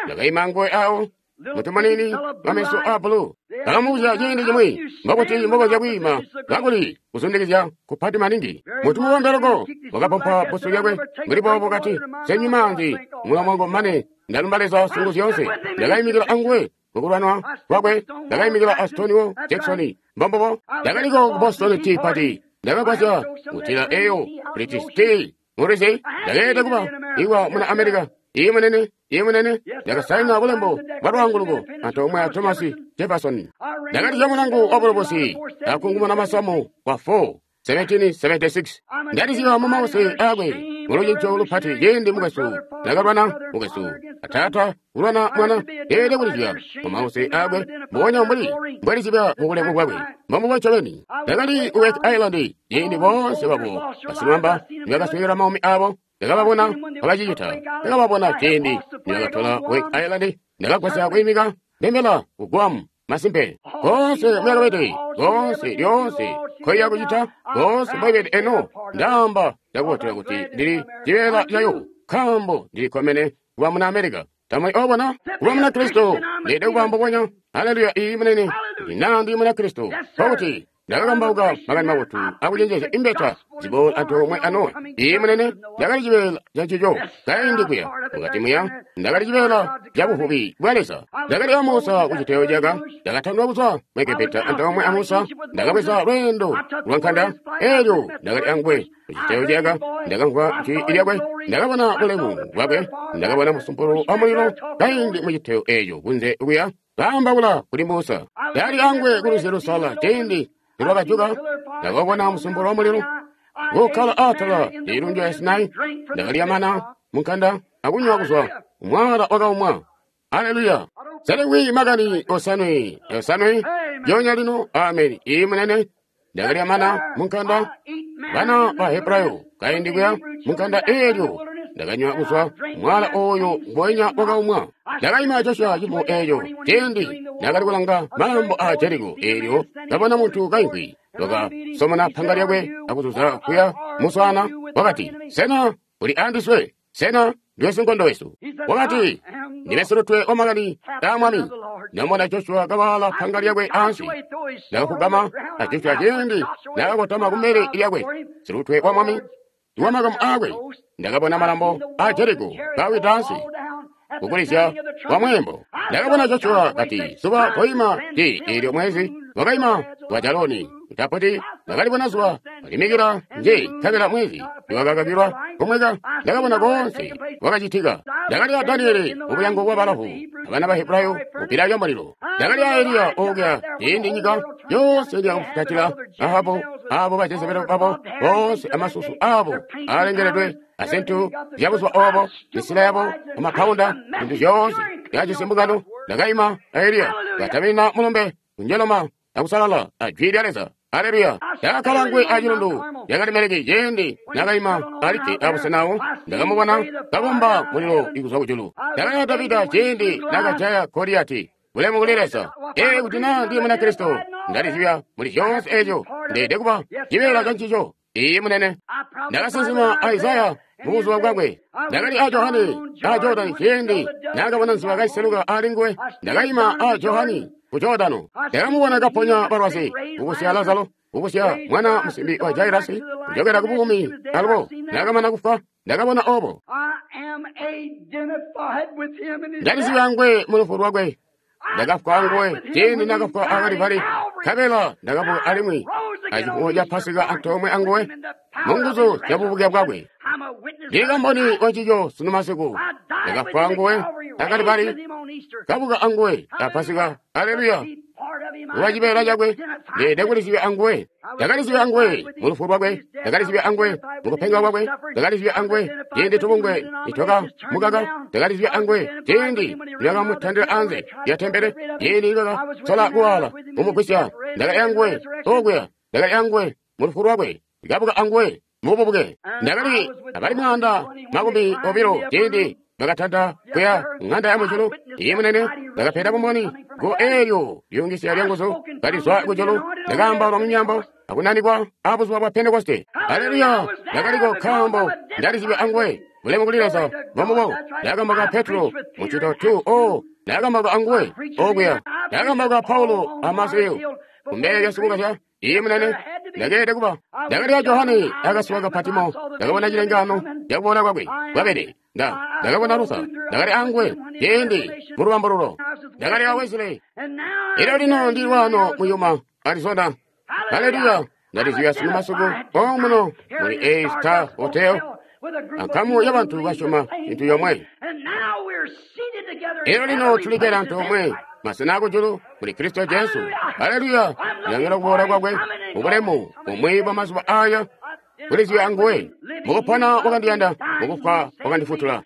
Ndakaima nguwe awo mutu munini wameso a bulu. Ndakamubuzya ciindi cimwi mbokuti mbokonzya kwiima kakuli kuzundikizya kupati maningi. Mutu mubombe loko wakapompa busu lyakwe mbuli boobo kati, senywi maanzi mulomo wangu mane ndalumba Leza sungu zyoonse. Ndakayimikila anguwe mukulwanwa kwakwe. Ndakayimikila a Stonewall Jackson. Mbombubo. Ndakaliko ku Boston Tea Party. Ndakagwasya kutila eyo British Tea mulwizi. Ndakeelede kuba iwa muna Amerika. Iye munene, iye munene, ndakasaina bulembo bwa lwaanguluko antoomwe a Thomas Jefferson. Ndakatija mulangu wa bulobosi akungumuna masamu kwa four seventeen seventy-six. Ndaliziba mu mause akwe mulucinco lupati ciindi mukwesu nakalwana mukwesu atata kulwana mwana. Ndeelede kulizibya mu mause akwe mbubonya mbuli mbwalizibya mu bulemu bwakwe. Mbombubo ncobeni. Ndakali ku Wake Island ciindi boonse babo basilumamba nibakaswekela maumi abo. Ndakababona kabacicita. Ndakababona ciindi nibakatola Wake Island. Ndakagwasya kwiimika ndembela ku Guam. Masimpe koonse mbwakabede, koonse lyoonse nkoiya kucita, koonse mbwabede eno. Ndaamba ndakubotela kuti ndili cibeela cayo, nkaambo ndilikkomene kuba muna Amerika. Tamuli obona kuba muna Kristo ndeelede kuba mbubonya. Haleluya! Iyi munene, kuti naa ndi muna Kristo, nkokuti Ndakakambauka makani mabotu akucenjezya imbeta ziboola antoomwe a Nowa. Ii munene, ndakali cibeela ca ncico kaindi kuya mukati muya. Ndakali cibeela ca buvubi bwa Leza. Ndakali a Musa ku citeyo caka. Ndakatandwa kuzwa mu Egepita antoomwe a Musa. Ndakabweza lweendo lwa nkanda. Elyo ndakali anguwe ku citeyo caka. Ndakamvwa jwi lyakwe. Ndakabona bulemu bwakwe. Ndakabona musumpulu wa mulilo kaindi mu citeyo eco kunze kuya kaambaula kuli Musa. Ndali anguwe ku lwizi Lusala ciindi nilwakajuka. Ndakabona musumpulu wa mulilo kukkala atala lilundu lya Sinai. Ndakalya mana munkanda akunywa kuzwa mwala wakaumwa. Aleluya! Saliwi makani osanwe osanwe yonya lino. Ameni. Ii munene, ndakalya mana munkanda bana ba Hebrayo kaindi kuya munkanda eelyo. Ndakanywa kuzwa mwala oyo mbonya wakaumwa. Ndakaima Joshua cifumo eeco ciindi ndakali kulanga malambo a Jeriko eelyo ndabona muntu kaimvwi wakasomona panga lyakwe akuzuza kuya muswana. Wakati, sena uli andiswe? Sena ndiwe sinkondo wesu? Wakati, ndime silutwe wa makani a mwami. Ndamubona Joshua kawaala panga lyakwe ansi. Ndakafugama a Joshua ciindi ndakakotama kumbele lyakwe. Silutwe wa mwami wa makamu akwe. Ndakabona malambo a Jeriko kawida ansi kukulizya kwa mwembo. Ndakabona Joshua kati zuba koima ti eelyo mwezi wakaima wa Jaloni tapoti. Ndakalibona zuba kalimikila nje nkabela mwezi wakakakilwa kumweka. Ndakabona konse wakacitika. Ndakali a Daniele mubulyango bwa balavu abana ba Hebrayo mupila lya mulilo. Ndakali a Eliya okuya ciindi nyika yonse lyakufutatila Ahabu abo ba Jezebeli babo bonse amasusu abo alengeledwe azintu zyabuzuba obo misila yabo amapawunda zintu zyoonse yajisi mbungano. Ndakaima a Eliya katamina mulumbe kunjeloma akusalala a jwi lya Leza. Aleluya! Ndakakkala ngwe acilundu lyakalimeleki ciindi nakaima alikke abusenawo. Ndakamubona kabomba mulilo ikuzwa kujulu. Ndakali a Davida ciindi nakajaya Goliyati. Bulemu kuli Leza. Ee, kuti naa ndi Munakristo, ndalizibya muli zyoonse eeco. Ndeede kuba cibeela ca ncico. Iye munene, ndakasinsima Isaya mu buzuba bwakwe. Ndakali a Johane a Jordani ciindi nakabona nziba kaiseluka ali nguwe. Ndakaima a Johani ku Jordano. Ndakamubona kaponya balwazi, kukusya Lazaro, kukusya mwana musimbi wa Jairasi kujokera ku buumi. Alubo nakamana kufa, ndakabona obo. Ndalizibya ngwe mu lufu lwakwe. Ndakafwa nguwe ciindi nakafwa a Kalivali, nkabela ndakabuka alimwi acifumo ca Pasika antoomwe anguwe mu nguzu zya bubuke bwakwe. Ndili kamboni wa ncico sunu masiku. Ndakafwa nguwe a Kalivali, kabuka anguwe a Pasika. Aleluya! Kuba cibeela cakwe, ndeede kulizibya anguwe. Ndakalizibya anguwe mu lufu lwakwe. Ndakalizibya anguwe mu kupenga kwakwe. Ndakalizibya anguwe ciindi tubungwe nitwaka mukaka. Ndakalizibya anguwe ciindi nitwakamutandila anze lya tempele, ciindi nitwakasola kuwala kumugwisya. Ndakali anguwe okuya. Ndakali anguwe mu lufu lwakwe. Ndakabuka anguwe mu bubuke. Ndakali abali mwaanda makumi obilo ciindi bakatanta kuya ng'anda ya mujulu. Iye munene, ndakapeda bumboni go eelyo lyungisya lya nguzu kalizwa kujulu. Ndakaambaula mu myambo akunanikwa abuzuba bwa Pentekoste. Aleluya! Ndakaliko nkaambo ndalizibya anguwe. Bulemu kuli Leza. Mbomubo ndakambauka Petro mu Ncito two o. Ndakambauka anguwe okuya. Ndakambauka Paulo amasiyo kumbele lya sikukazya. Iye munene, ndakeede kuba. Ndakali a Johane akasuwa ka Patimo. Ndakabona cilengano cakubona kwakwe kwabede. Nda ndakabona Lusa. Ndakali anguwe ciindi mu lubambululo. Ndakali a Wesley. Elyo lino ndili waano mu Yuma, Arizona. Haleluya! Ndalizibya sunu masiku omuno muli A Star Hotel ankamu y'abantu basyoma cintu yomwe. Elyo lino tulikkede antoomwe masena akujulu muli Kristo Jesu. Haleluya! Ndilangila kuboola kwakwe mubulemu bumwi bwa mazuba aya. Kulizibya anguwe. Mukupona wakandiyanda, mukufwa wakandifutula.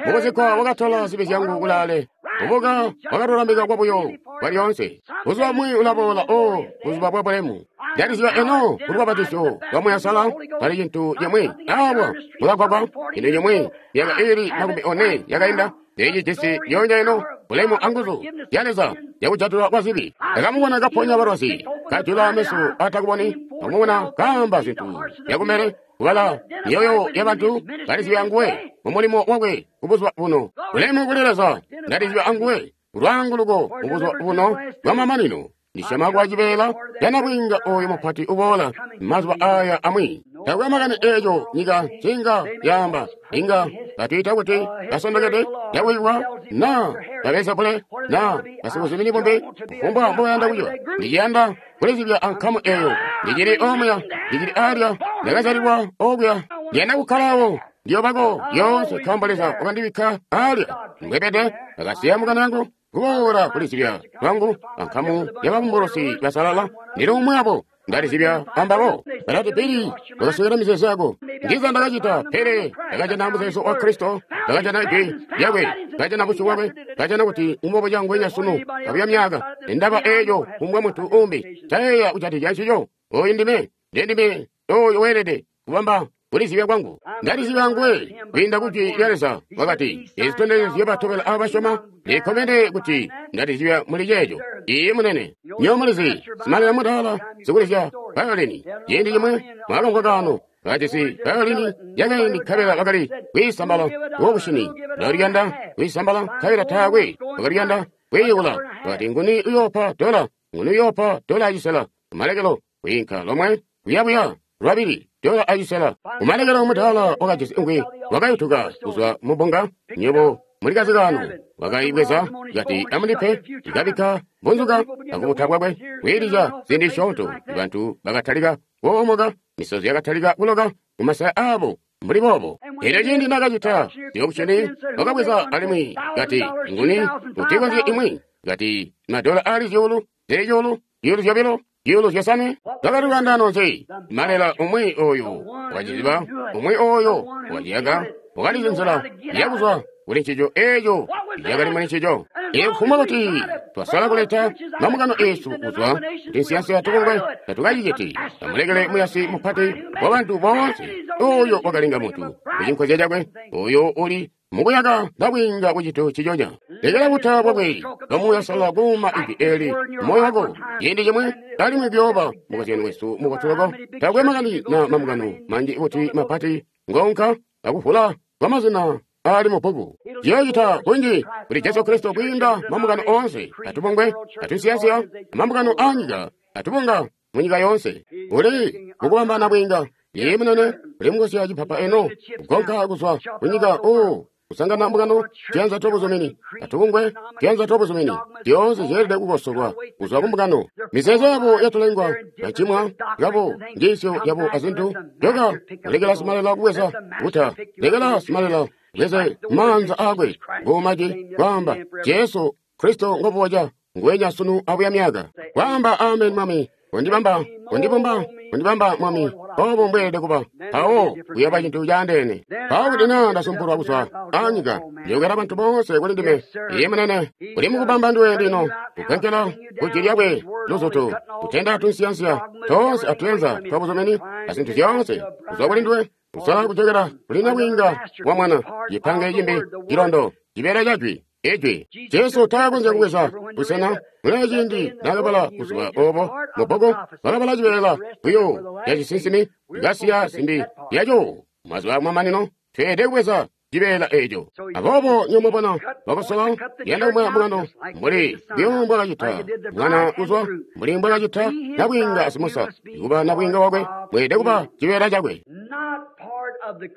Mukuzikwa wakatola zibi zyangu kulaale. Kubuka wakatulamika kwabuyo kwalyoonse. Buzuba bumwi ulaboola, o buzuba bwa bulemu. Ndalizibya eno kulubapatizo lwa Muuya Uusalala pali cintu cimwi awa mukagwagwa cintu cimwi myaka iili makumi one yakainda. Ndilijisi lyoonya eno bulemu anguzu zya Leza yakujatulwa kwa zibi. Ndakamubona kaponya balwazi, kajula meso atakuboni, ndakamubona kaamba zintu zyakumele, kubala myoyo y'abantu. Ndalizibya anguwe mu mulimo wakwe kubuzuba buno. Bulemu kuli Leza. Ndalizibya anguwe lwaanguluko mubuzuba buno bwamamanino. Ndisyoma kuba cibeela ca nabwiinga oyo mupati uboola mazuba aya amwi. Takwe makani eeco nyika ncinga yaamba, inga batwiita kuti basondokede, yakuyiwa, na babezebule, na basikuzumini bumbi, kufumbwa mboyanda kuciba. Ndiciyanda kulizibya ankamu eyo. Ndicili omuya, ndicili alya, ndakazyalilwa okuya. Ndiyanda kukkalawo, ndiyobako lyoonse nkaambo Leza wakandibikka alya. Mbwebede, ndakasiya mukana yangu kuboola kulizibya lwangu ankamu yababumbulusi basalala. Ndili umwi abo. Ndalizibya ambabo. Balati, Bili, wakaswekela mizeezo yako. Ndiza ndakacita, pele ndakajana muzeezo wa Kristo, ndakajana ijwi lyakwe, ndakajana busyu bwakwe, ndakajana kuti umbobo cangwenya sunu kabuya myaka. Ndaba eeco kumbwa muntu umbi, tayeeya kujatikizya ncico. Oyu ndime, ndendime oyo weelede kubamba kulizibya kwangu. Ndalizibya nguwe kwiinda ku jwi lya Leza. Wakati, ezi zitondezyo ziyobatobela abo basyoma. Ndikkomene kuti ndalizibya muli ceeco. Iye munene. Nyo mulizi, simalila mudaala, sikulizya violini. Ciindi cimwe, mwakamvwa kaano, kajisi violini yakaindi nkabela bakali kwiisambala wokushini. Bakaliyanda kwiisambala nkabela taakwe bakaliyanda kwiiwula. Bakati, nguni uyoopa dola, nguni uyoopa dola acisela. Kumalekelo, kwiinka lomwe, kuyabuya, lwabili, dola acisela. Kumalekelo mudaala wakajisi ngwi, wakayutuka kuzwa mubbunga, nywebo mulikazi kano. Wakaibweza, kati amundipe, ikabikka bunzuka akubuta bwakwe, kwiilizya ziindi zisyoonto. Bantu bakatalika kuomoka, misozi yakatalika kuloka mumasaya aabo mbuli boobo. Elyo ciindi nakacita zyokushini, wakabweza alimwi kati, nguni utikonzye imwi, kati madola ali zyuulu, zili cuulu, zyuulu zyobilo, zyuulu zyosanwe. Bakali lwaandaano nzi? Malela umwi oyo wakaciziba, umwi oyo wakaciyaka, wakalizi nzila yakuzwa kuli ncico eeco yakali muli ncico. Ikufumbwa kuti twasala kuleta mambungano eesu kuzwa kuti nsiyansi tubungwe, tatukaciciti. Amulekele muyasi mupati wa bantu boonse oyo wakalenga muntu kucinkozya cakwe, oyo uli mukuyaka nabwiinga kucintu ciconya. Lekela buta bwakwe bwamuyasala kuuma ijwi eli moyo wako ciindi cimwe, alimwi kuyooba mukozyano wesu mubotu loko. Takwe makani na mambungano manji kuti mapati ngonka akuvula kwamazina ali mubbuku. Ciyoocita kunji kuli Jesu Kristo kwiinda mambungano oonse atubungwe, atusiyansiya, amambungano aanyika, atubunga munyika yoonse. Uli mukubamba nabwiinga. Iye munene, uli mukusya cipapa eno, kugonka kuzwa kunyika oo, kusangana mbungano, tuyanza twabuzumini, atubungwe, tuyanza twabuzumini, zyoonse zyeelede kukosolwa kuzwa kumbungano. Mizeezo yabo yatulengwa, yacimwa yabo, njiisyo yabo azintu, joka, lekela simalela kubweza buta, lekela simalela bweze maanza akwe ngumaji kwaamba Jesu Kristo ngobuwaja ngwenya sunu abuya myaka. Kwaamba amen mwami, kundibamba, kundibamba, kundibamba mwami, obo mbweelede kuba. Mpawo kuyooba cintu caandeene. Mpawo kuti naa ndasumpulwa kuzwa anyika, ndiyokela bantu boonse kuli ndime. Iye munene, uli mukubamba nduwe lino, kukenkela kujwi lyakwe luzutu, kutenda tunsiyansiya toonse atuyanza twabuzumini azintu zyoonse kuzwa kuli nduwe. Kusala kujokela kuli nabwiinga wa mwana, cipange cimbi cilondo, cibeela ca jwi, ijwi. Jesu taakonzya kubweza busena muli ciindi naakabala buzuba obo mubbuku, wakabala cibeela buyo ca cisinsimi, kasiya zimbi lyaco. Mazuba akumamanino tweelede kubweza cibeela eeco. Aboobo nyomubona bakosola yanda kumwaya mbungano mbuli buyo mbwakacita mwana kuzwa mbuli mbwakacita nabwiinga asimusa. Kuba nabwiinga wakwe mweelede kuba cibeela cakwe.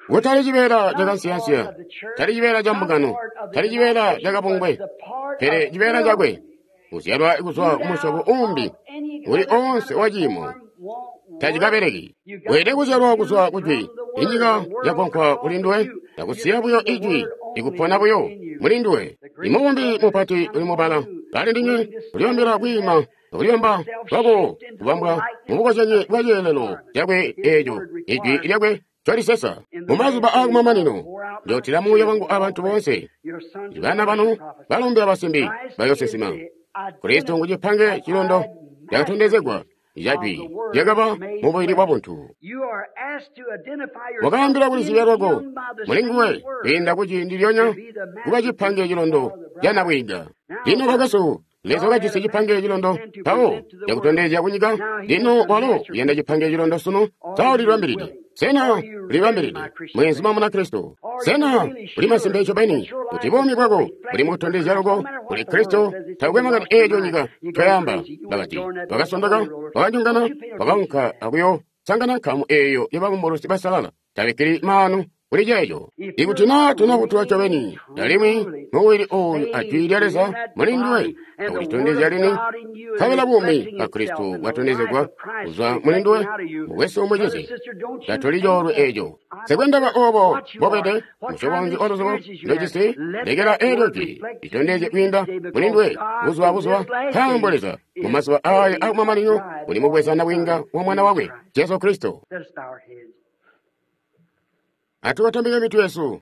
Kutali cibeela cakansiyansiya, tali cibeela ca mbungano, tali cibeela cakabungwe, pele cibeela cakwe. Kuzyalwa kuzwa kumusyobo umbi uli oonse wa ciimo tacikabeleki. Weelede kuzyalwa kuzwa kujwi. Inyika yagonkwa kuli nduwe, yakusiya buyo ijwi, ikupona buyo muli nduwe. Imubumbi mupati uli mubala kali ndinywe kulibambila kwiima akulibamba kwako kubambwa mubukozyanyo bwa ceelelo cakwe eeco ijwi lyakwe colisesa. Mumazuba aakumamanino njootila muuya wangu abantu boonse. Bana banu balombe abasimbi bayoosinsima. Kristo ngucipange cilondo cakatondezegwa ijwi lyakaba mubili bwa buntu. Wakaambila kulizibya lwako muli nguwe kwiinda kuciindi lyonya kuba cipange cilondo ca nabwiinga. Lino bakwesu, Leza wakajisi cipange cilondo mpawo cakutondezya kunyika. Lino walo uyanda cipange cilondo sunu. Sa ulilibambilide? Sena ulibambilide, mweenzuma Munakristo? Sena uli masimpe ncobeni kuti buumi bwako buli mukutondezya loko kuli Kristo? Takukwe makani eeco nyika ncoyaamba. Bakati, bakasondoka, bakanyongana, bakaunka akuyo sangana nkamu eeyo yababumbulusi basalala. Tabikkili maanu kuli ceeco. Ikuti naa tunabutwa ncobeni alimwi mubili ooyu ajwi lya Leza muli nduwe akulitondezya lini, nkabela buumi bwa Kristo bwatondezegwa kuzwa muli nduwe, mukwesu mucizi, tatuli coolwe eeco. Nsikwendaba oobo mbobede, musyobo nzi waluzubo ndojisi, lekela eelyo jwi litondezye kwiinda muli nduwe buzuba buzuba, nkaambo Leza mu mazuba aaya akumamanino uli mubweza nabwiinga wa Mwana wakwe Jesu Kristo. Atubatambike mitwe yesu.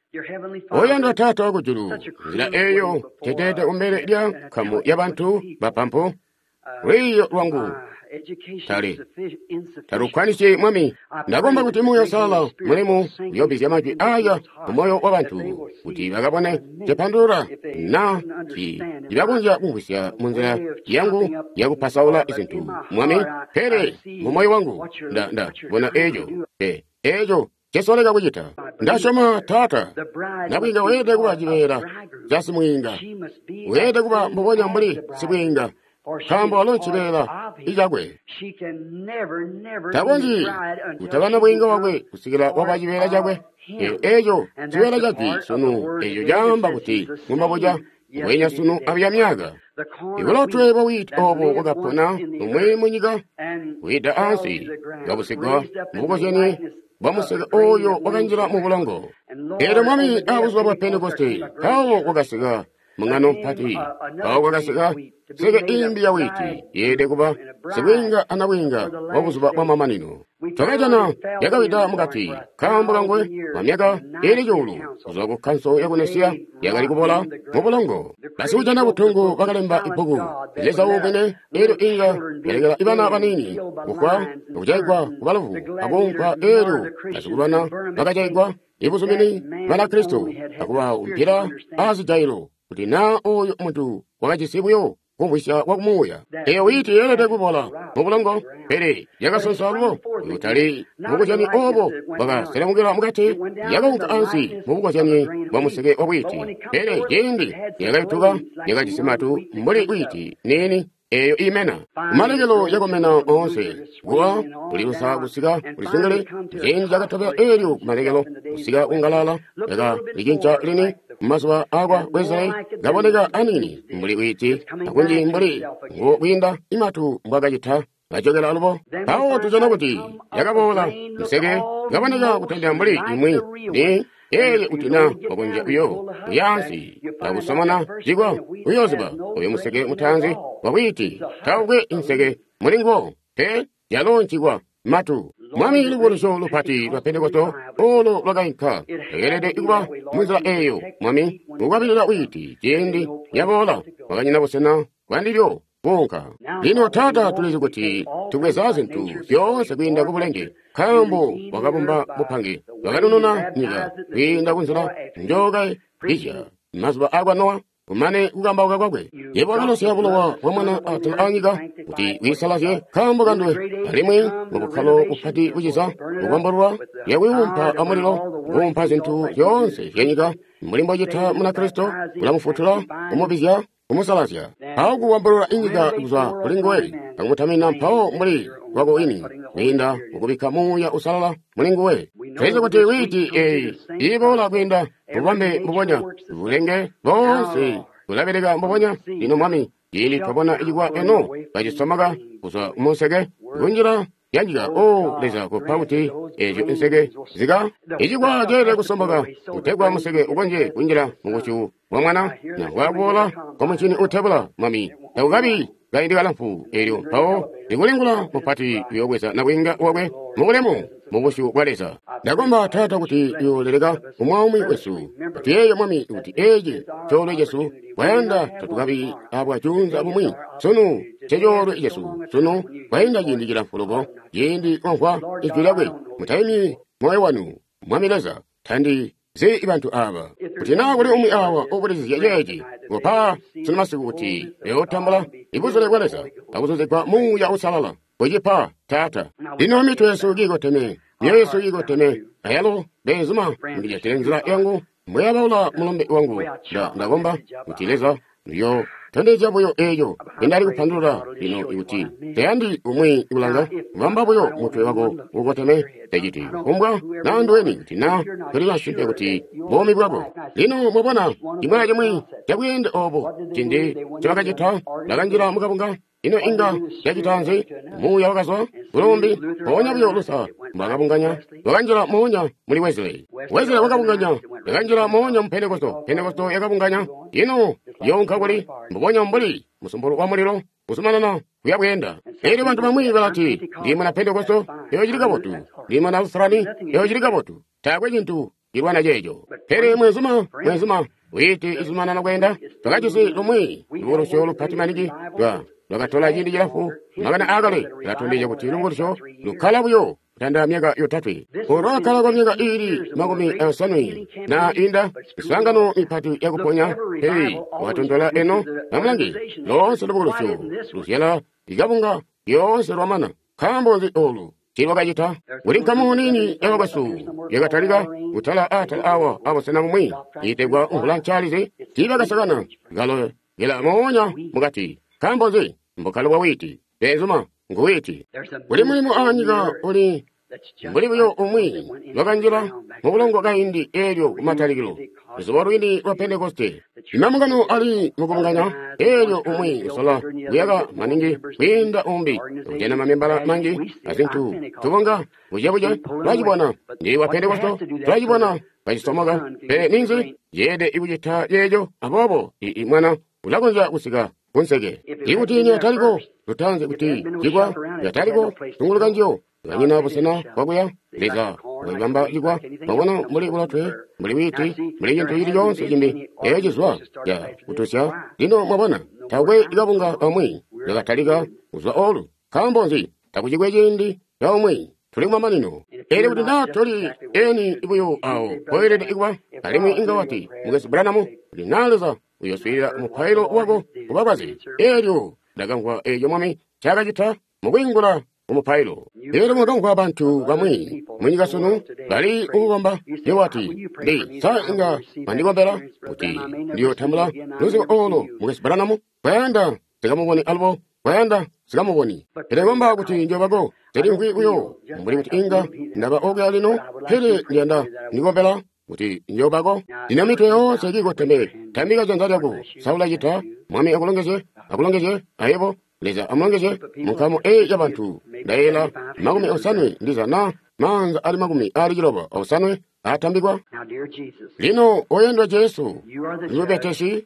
Oyandwa Taata wakujulu, nzila eeyo teteete kumbele lya nkamu ya bantu bapampu, lwiiyo lwangu tali talukwanisi Mwami. Ndakomba kuti Muuya Uusalala mulemu uyoobizya majwi aya mumoyo wa bantu kuti bakabone cepandulula na ti cibakonzya kumvwisya munzila yangu yakupasaula zintu Mwami. Pele mumoyo wangu nda nda bona eeco pe eeco cesoleka kucita. Ndasyoma Taata, nabwiinga weelede kuba cibeela ca simwiinga, weelede kuba mbubonya mbuli sibwiinga, nkaambo walo cibeela icakwe. Takonzyi kutaba nabwiinga wakwe kusikila waba cibeela cakwe. Elyo eeco cibeela ca jwi sunu, eeco caamba kuti mumabuca mbweenya sunu abuya myaka. Ibulotwe bwa wiiti oobo bwakapona umwi munyika, wida ansi, kabusigwa mubukozyenie bwa museke ooyo wakanjila mu bulongo. Eelyo Mwami aabuzuba bwa Pentekoste, mpawo kwakasika mung'ano mpati, mpawo kwakasika nseke imbi ya wiiti yeelede kuba sibwiinga anabwiinga wa buzuba bwa mamanino. Twakajana yakawida mukati nkaambo kangwe kwa myaka iili cuulu kuzwa ku kkanso yaku Nesiya yakali kubola mu bulongo. Basikujana butongo bakalemba ibbuku Leza uubwene, eelyo inga yalekela ibana baniini kufwa akujaigwa kubalovu akuumpwa. Eelyo basikulwana bakajaigwa ibuzumini Banakristo akubaumpila aazijailo kuti naa ooyo muntu wakajisi buyo kumvwisya kwa kumuuya. Eeyo wiiti yeelede kubola mu bulongo, pele yakasonsa lubo kutali mubukozyani oobo bwakaselemukila mukati, yakaunka ansi mubukozyani bwa museke wa wiiti. Pele ciindi yakayutuka yakajisi matu mbuli wiiti niini eeyo imena. Kumalekelo yakomena oonse kuwa kulilusa kusika kulisungile. Ciindi cakatobela eelyo kumalekelo kusika kungalala yakalicinca lini mumazuba akwa Wesley, kaboneka aniini mbuli wiiti akunji mbuli ngo kwiinda imatu mbwakacita kajokela alubo. Mpawo tujana kuti yakaboola museke kaboneka kutondera mbuli imwi ni eelyo kuti na wakonzya uyo kuyaansi akusomona cikwa uyooziba oyo museke mutaanzi wa wiiti taukwe inseke muli nguwo pe, yalo ncikwa matu. Mwami, lubukulusyo lupati lwa Pentekosto olo lwakainka lweelede kuba munzila eeyo Mwami, kukwabilila wiiti ciindi yaboola kwakanyina busena bwandilyo kuunka. Lino Taata, tulizi kuti tubweza zintu zyoonse kwiinda kubulenge, nkaambo wakabumba bupange, wakanununa nyika kwiinda kunzila njookabizya mazuba akwa Nowa. Kumane kukambauka kwakwe, yebo wakalosya bulowa bwa mwana atala anyika kuti wiisalazye nkaambo kanduwe, alimwi mubukkalo bupati buciza kukwambalulwa yakwiwumpa amulilo kuumpa zintu zyoonse zyanyika mbuli mbocita Munakristo, ulamufutula, kumubizya, kumusalazya, mpawo kukwambalula inyika kuzwa kuli nguwe akumutamina mpawo mbuli lwako wini kwiinda mukubikka Muuya Uusalala muli nguwe. Tulizi kuti wiiti eeyi iiboola kwiinda mububambe mbubonya, bulenge boonse bulabeleka mbubonya. Lino Mwami, ciindi twabona cikwa eno kacisomaka kuzwa munseke kunjila yanyika, o Leza, kopa kuti eezyo nseke zika icikwa ceelede kusomboka kutegwa museke ukonzye kunjila mubusyu bwa mwana na bwakuboola kwa muncini uutebula. Mwami, takukabi kaindi kalamfu eelyo mpawo likulingula mupati uyoobweza nabwiinga wakwe mubulemu mubusyu bwa Leza. Ndakomba Taata kuti uyooleleka umwaumwi wesu. Tuyeeye Mwami kuti eeci coolwe cesu kwayanda tatukabi abwacuunza bumwi. Sunu ncecoolwe cesu, sunu kwayinda ciindi cilamfu loko, ciindi mwamvwa ijwi lyakwe, mutaimi moyo wanu. Mwami Leza, tandi zi bantu aba. Kuti naa kuli umwi awa ubulizizya ceeci, kupa sunu masiku kuti uyotambula ibuzule bwa Leza akuzuzigwa Muuya Uusalala. Kucipa, Taata. Lino mitwe yesu kiikoteme, myoyo yesu kiikoteme, ayalo beenzuma mundijatile nzila yangu mbweyabaula mulumbe wangu. Nda ndakomba kuti Leza uyo tondezya buyo eeco ndali kupandulula lino ikuti tayandi umwi kulanga kubamba buyo mutwe wako ukoteme taciti kumbwa naa nduweni kuti naa tuli masimpe kuti buumi bwako. Lino mwabona cimwi acimwi cabweende oobo cindi ncobakacita bakanjila mukabunga. Ino inga yacita nzi? Muuya wakazwa kulumbi mpoonya buyo Luther mbwakabunganya wakanjila moonya muli Wesley. Wesley wakabunganya yakanjila moonya mu Pentekosto. Pentekosto yakabunganya ino yoonka kuli mbubonya mbuli musumpulu wa mulilo kuzumanana kuya bweenda. Elyo bantu bamwi balati ndi muna Pentekosto, eyo cili kabotu. Ndi muna Lutherani, eyo cili kabotu. Taakwe cintu cilwana ceeco. Pele mwezuma mwezuma wiiti izumanana kweenda. Twakajisi lumwi lubukulusyo lupati maningi lwa lwakatola ciindi cilamfu. Makani aakale alatondezya kuti lubukulusyo lukkala buyo kutanda myaka yotatwe. Olwakala kwa myaka iili makumi osanwe na inda miswaangano mipati yakuponya pele wakatontola eno amulangi loonse lubukulusyo luzyala ikabunga lyoonse lwamana. Nkaambo nzi olu cilwakacita? Kuli nkamu niini yabakwesu yakatalika kutala atala awa abusena bumwi iitegwa mvula ncaalizi. Tiibakasakana kalo yela moonya mukati. Nkaambo nzi? Mbukkalo bwa wiiti. Beenzuma ngu wiiti. Kuli mulimo aanyika uli mbuli buyo umwi lwakanjila mubulongo kaindi eelyo kumatalikilo luzubo lwini lwa Pentekoste. Imamungano ali mukubunganya eelyo umwi usola kuyaka maningi kwiinda umbi kujana mamembala manji azintu tubunga bucebuce. Twacibona ndi wa Pentekosto, twacibona kacisomoka. Pele ninzi yeede ikucita ceeco? Aboobo ii mwana ulakonzya kusika kunseke ikuti niyataliko lutanze kuti cikwa yataliko tunguluka njiyo kanyina busena bwakuya. Leza wakabamba cikwa mwabona mbuli bulotwe mbuli wiiti mbuli cintu cili coonse cimbi eeyo cizwa ya kutusya. Lino mwabona taakwe kabunga kamwi kakatalika kuzwa olu. Nkaambo nzi? Takucikwe ciindi ca umwi. Tuli kumamanino. Elyo kuti naa toli eni buyo awo koelede kuba. Alimwi inga wati mukwesu Branham kuti naa Leza uyoswiilila mupailo wako kubakwazi. Elyo ndakamvwa eeco Mwami ncaakacita mukwiingula kumupailo. Elyo mwakamvwa bantu bamwi munyika sunu bali kukukomba. Yebo wati ndi sa inga mwandikombela kuti ndiyotambula luzibo olo mukwesu Branham? Kwayanda sikamuboni alubo, kwayanda sikamuboni. Pele komba kuti njobako telimvwi buyo mbuli kuti inga ndaba okuya lino. Pele ndiyanda ndikombela kuti njobako. Lino mitwe yoonse kiikoteme. Tambika janza lyako. Sa ulacita? Mwami akulongezye, akulongezye ayebo. Leza amulongezye munkamu eyi yabantu. Ndayela makumi osanwe ndiza na maanza ali makumi ali ciloba osanwe atambikwa. Lino oyendwa Jesu mubetesi,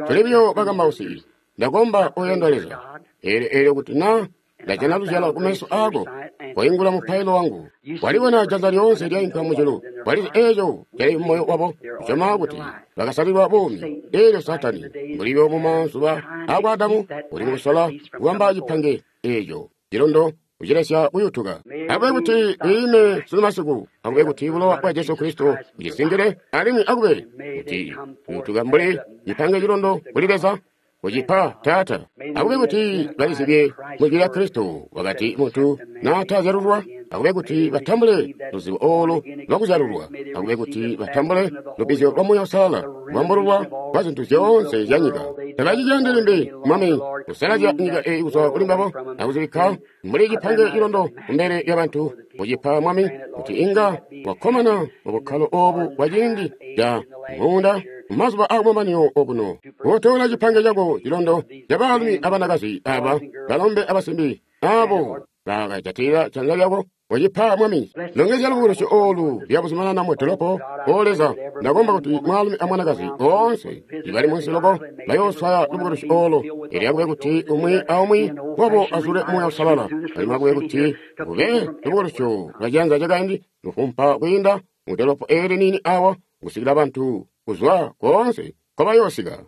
tuli buyo bakambausi. Ndakomba oyendwa Leza elyo elyo kuti na ndajana luzyalo kumeso ako koingula mupailo wangu. Walibona janza lyoonse lyainka mujulu. Walizi eeco cali mumoyo wabo kusyoma kuti bakasalilwa buumi. Eelyo Satani mbuli mumazuba akwa Adamu uli mukusola kubamba cipange eeco cilondo kucilesya kuyutuka. Akube kuti iime sunu masiku, akube kuti bulowa bwa Jesu Kristo bucisingile, alimwi akube kuti kuyutuka mbuli cipange cilondo kuli Leza kucipa Taata. Akube kuti balizibye mujwi lya Kristo wakati muntu naatazyalulwa. Akube kuti batambule luzibo olu lwakuzyalulwa. Akube kuti batambule lubbizyo lwa Muuya Uusalala, kubambululwa kwa zintu zyoonse zya nyika. Tabaciciyandi limbi Mwami kusalazya nyika eyi kuzwa kuli mbabo akuzibikka mbuli cipange cilondo kumbele lyabantu. Kucipa Mwami kuti inga wakkomana mubukkalo obu bwa ciindi ca muunda mumazuba akumamanino okuno. Kotola cipange cako cilondo ca baalumi abanakazi aba balombe abasimbi abo bakajatilila janza lyako kucipa Mwami. Longezya lubukulusyo olu lyabuzumanana mu dolopo. O Leza, ndakomba kuti mwaalumi amwanakazi boonse ibali munsi loko bayooswaya lubukulusyo olu. Elyo akube kuti umwi aumwi wabo azule Muuya Uusalala. Alimwi akube kuti kube lubukulusyo lwa ciyanza cakaindi lufumpa kwiinda mu dolopo eeli niini awa kusikila bantu kuzwa koonse nkobayoosika.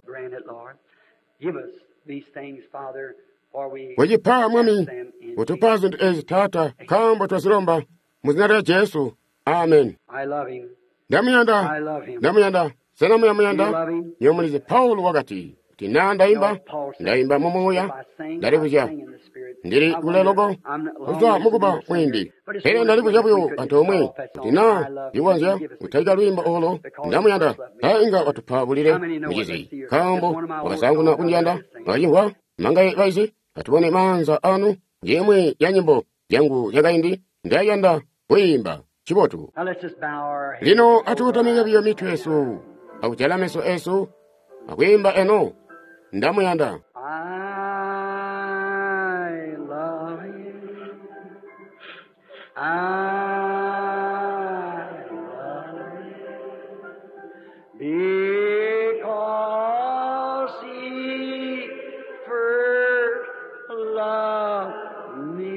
Kucipa Mwami, kutupa zintu ezi Taata, nkaambo twazilomba mu zina lya Jesu. Amen. I love him. Ndamuyanda, ndamuyanda. Sena muyamuyanda? Nywebo mulizi Paulo wakati, kuti naa ndaimba, ndaimba mu muuya, ndalibuzya ndili kule loko kuzwa mukuba mwiimbi. Pele ndalibuzya buyo antoomwe kuti naa ndikonzya kutalika lwiimbo olo ndamuyanda, taa inga watupa bulile mucizi, nkaambo wakasaanguna kundiyanda. Mwakacimvwa? Mangaye baizi? Atubone maanza anu. Njimwi ya nyimbo zyangu zyakaindi ndayanda kwiimba. Chibotu. Lino atukotamike biyo mitwe yesu, akujala meso esu, akwiimba eno ndamuyanda. I love you. I love you. Because he first loved me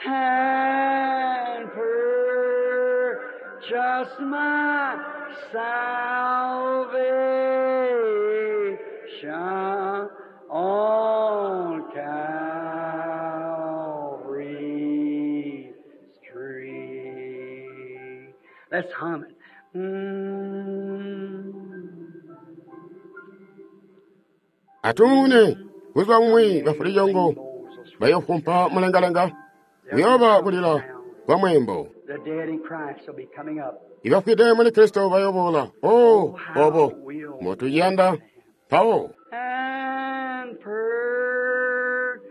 and purchased my salvation on Calvary's tree. Let's hum it. Mm. Atune kuzwa mumwi bafulijongo bayofumpa mulengalenga kuyoba kulila kwa mwembo. The dead in Christ will be coming up. Ibafwide muli Kristo bayobola. Oh, obo motuyanda pawo And purchased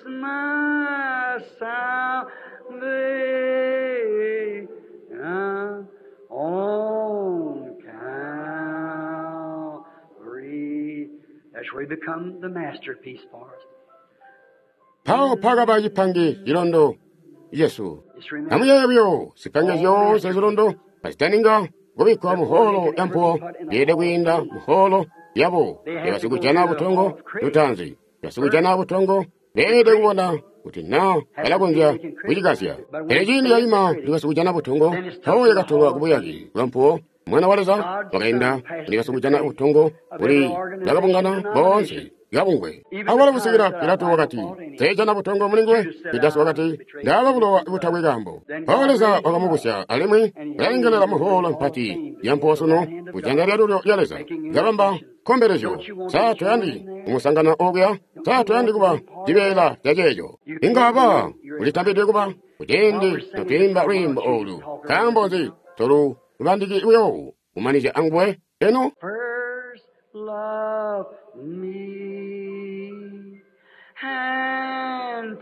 my salvation on Calvary. That's where he become the masterpiece for us. pawo pakaba chipange chilondo Yesu. Just remember, Amuyeyo buyo zipange zyonse zilondo pazitaninga kubikkwa muholo ya mpuwo yede kwiinda muholo yabo yabasikujana butongo lutanzi basikujana butongo beede kubona kuti na balakonzya kucikasya. Pele ciindi yayima ndi basikujana butongo mpawo yakatolwa kubuyaki bwa mpuwo. Mwana wa Leza wakainda ndi basikujana butongo kuli bakabungana boonse kabungwe. Awalo kusikila Pilato wakati, "Teejana butongo mulinguwe." Yudasi wakati, "Ndaaba bulowa butakwe kaambo." Mpawo Leza wakamubusya alimwi ulalengelela muholo mpati ya mpuwo sunu kujanza lyalulyo lya Leza. Kabamba nkombelezyo, sa toyandi kumusangana okuya? Sa toyandi kuba cibeela ca ceeco? Inga ba ulitambidwe kuba kuciindi notwiimba lwiimbo olu. Nkaambo nzi tolu lubandiki buyo kumanizya anguwe eno? First love me and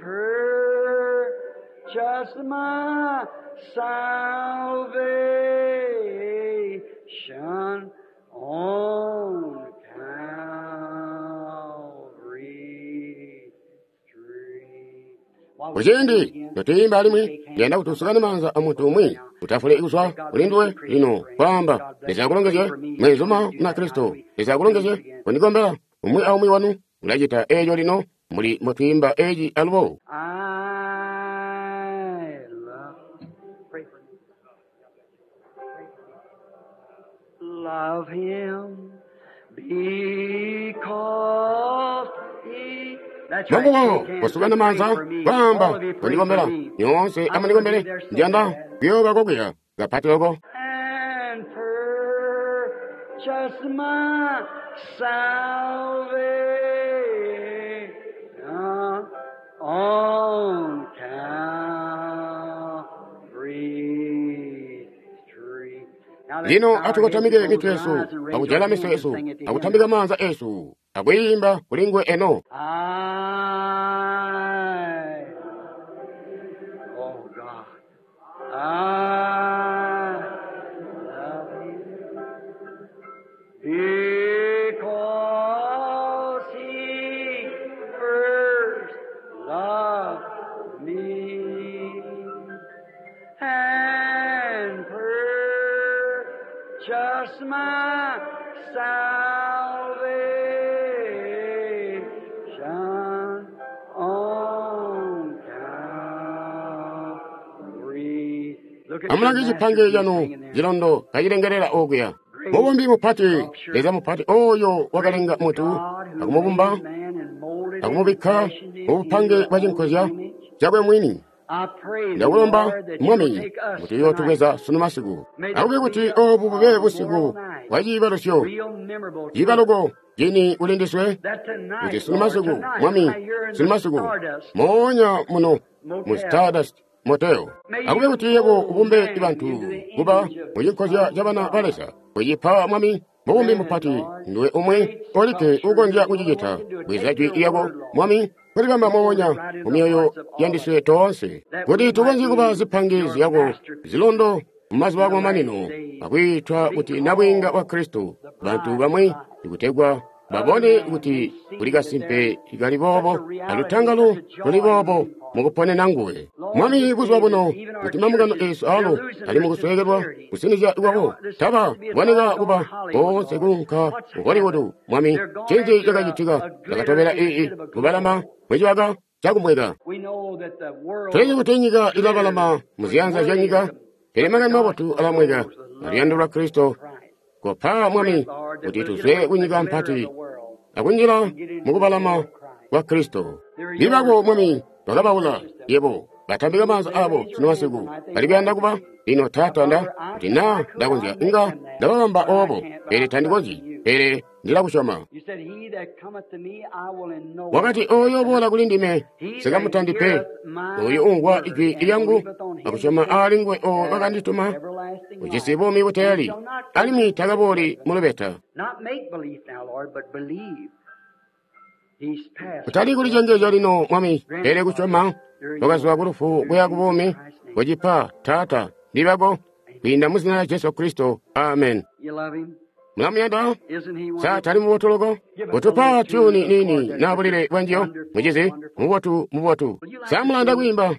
purchase my salvation on Calvary's tree. While we sing Kuciindi again, notwiimba alimwi shake hands. ndiyanda kuti usukane maanza a muntu umwi utafule kuzwa kulinduwe lino kwaamba Leza akulongezye mwenzuma na Kristo. Leza akulongezye kundikombela umwi aumwi wanu ulacita eeco lino muli mutwiimba eeci alubo. I love. Pray for me. Pray for me. Love him because he. That's right. Mwambuko Shake hands. kusukana Pray maanza for me. kwaamba All of you pray for kundikombela me. nyonse I want to be amundikombele there so ndiyanda bad. kuyoba kokuya kapati loko. And purchase my salvation on Calvary's tree. Now let's Lino bow our heads and atukotamike close mitwe our yesu eyes and raise our akujala hands meso and esu sing it to Him. akutambika maanza esu akuyimba kulinguwe eno. I, oh God, I love you because He first loved me and purchased my salvation on Calvary. Look at your Amulange chipange masterpiece chanu hanging there. chilondo kachilengerera okuya. Mubumbi mupati, Leza mupati oyo wakalenga mutu God who akumubumba made man and molded him and akumubikka fashioned him mu in bupange your bwa own chinkozya image. chakwe mwini. Ndakulomba Mwami kuti uyootubweza sunu masiku. Akube kuti obu bube busiku bwa ciibalusyo, ciibaluko cini kuli ndiswe, kuti sunu masiku, Mwami, sunu masiku, moonya muno mu Stardust Motel. Akube kuti yebo ubumbe bantu kuba mucinkozya ca bana ba Leza. Kucipa Mwami mubumbi mupati, ndiwe umwe olikke ukonzya kucicita. Bweza jwi lyako, Mwami, kulibamba moonya mu myoyo yandiswe toonse, kuti tukonzye kuba zipange zyako zilondo mumazuba akumamanino, akwiitwa kuti nabwiinga wa Kristo, bantu bamwi ikutegwa babone kuti kuli kasimpe kali boobo alutangalo luli boobo mukuponena nguwe. Mwami, buzuba buno kuti mambungano esu alo ali mukusweekelwa kusinizya kwabo, taba boneka kuba boonse kuunka ku Hollywood. Mwami, ncinzi cakacitika? Cakatobela ii kubalama mwicibaka cakumweka. Tulizi kuti nyika ilabalama muziyanza zya nyika, pele makani mabotu alamweka aluyando lwa Kristo. Kopa Mwami kuti tuzwe kunyika mpati akunjila mukubalama kwa Kristo. Libako Mwami bakabaula yebo batambika maanza abo sunu masiku bali kuyanda kuba lino. Taata, nda kuti naa ndakonzya inga ndababamba obo, pele tandikonzyi, pele ndilakusyoma. Wakati oyo boola kuli ndime sikamutandi pe, oyo umvwa ijwi lyangu akusyoma aali nguwe oyo wakandituma ujisi buumi buteeli, alimwi takabooli mu lubeta. Kutali kulicengeezya lino, Mwami, pele kusyoma wakazwa ku lufu kuya ku buumi. Kucipa, Taata, ndibako kwiinda mu zina lya Jesu Kristo. Amen. Mulamuyanda? Sa tali mubotu loko? Kutupa tyuni nini na bulile bwanjiyo, mucizi, mubotu mubotu. Sa mulanda kwiimba?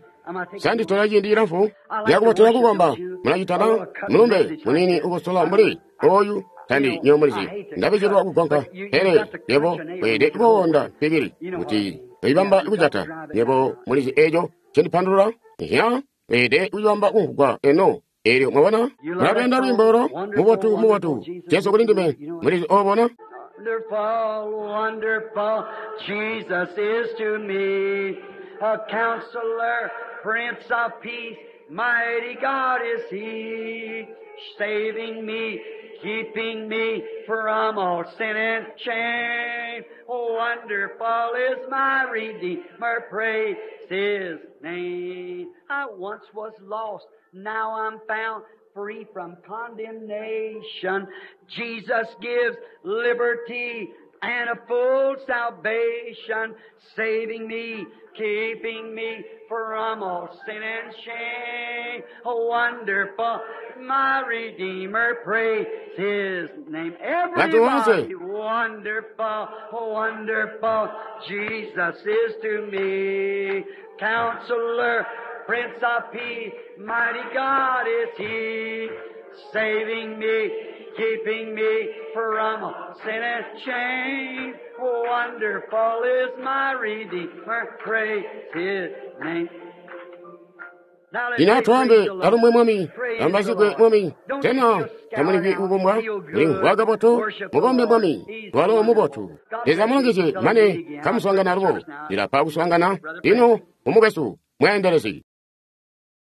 Sa nditola ciindi cilamfu lyakubotela kukomba? Mulacitana mulumbe munini ukusola mbuli oyu tandi nyomulizi ndabijilwa kugonka, pele yebo weelede kuwonda mpikili kuti ibamba kujata. Yebo mulizi eco cindipandulula? Ya, weelede kuyibamba kumvugwa eno. Elyo mwabona, mulapenda lwiimbo olo mubotu mubotu Jesu kuli ndime, mulizi obona. Wonderful, wonderful, Jesus is to me, a counselor, Prince of Peace, mighty God is He, saving me, keeping me from all sin and shame. Wonderful is my Redeemer, praise His name. I once was lost, now I'm found, free from condemnation. Jesus gives liberty and a full salvation, saving me, keeping me from all sin and shame. Wonderful, my Redeemer, praise His name. Everybody, wonderful, wonderful, Jesus is to me. Counselor, Prince of Peace, mighty God is He, saving me, keeping me from sin and shame. Wonderful is my Redeemer, praise His name. Lino atwaambe alumwe Mwami, ambazigwe Mwami, tena tamulivi kubumbwa mulimvwa kabotu, mukombe Mwami, walo mubotu. Leza mulongezye mane kamuswaangana alubo, ndilapa kuswaangana lino umukwesu mweendelezi.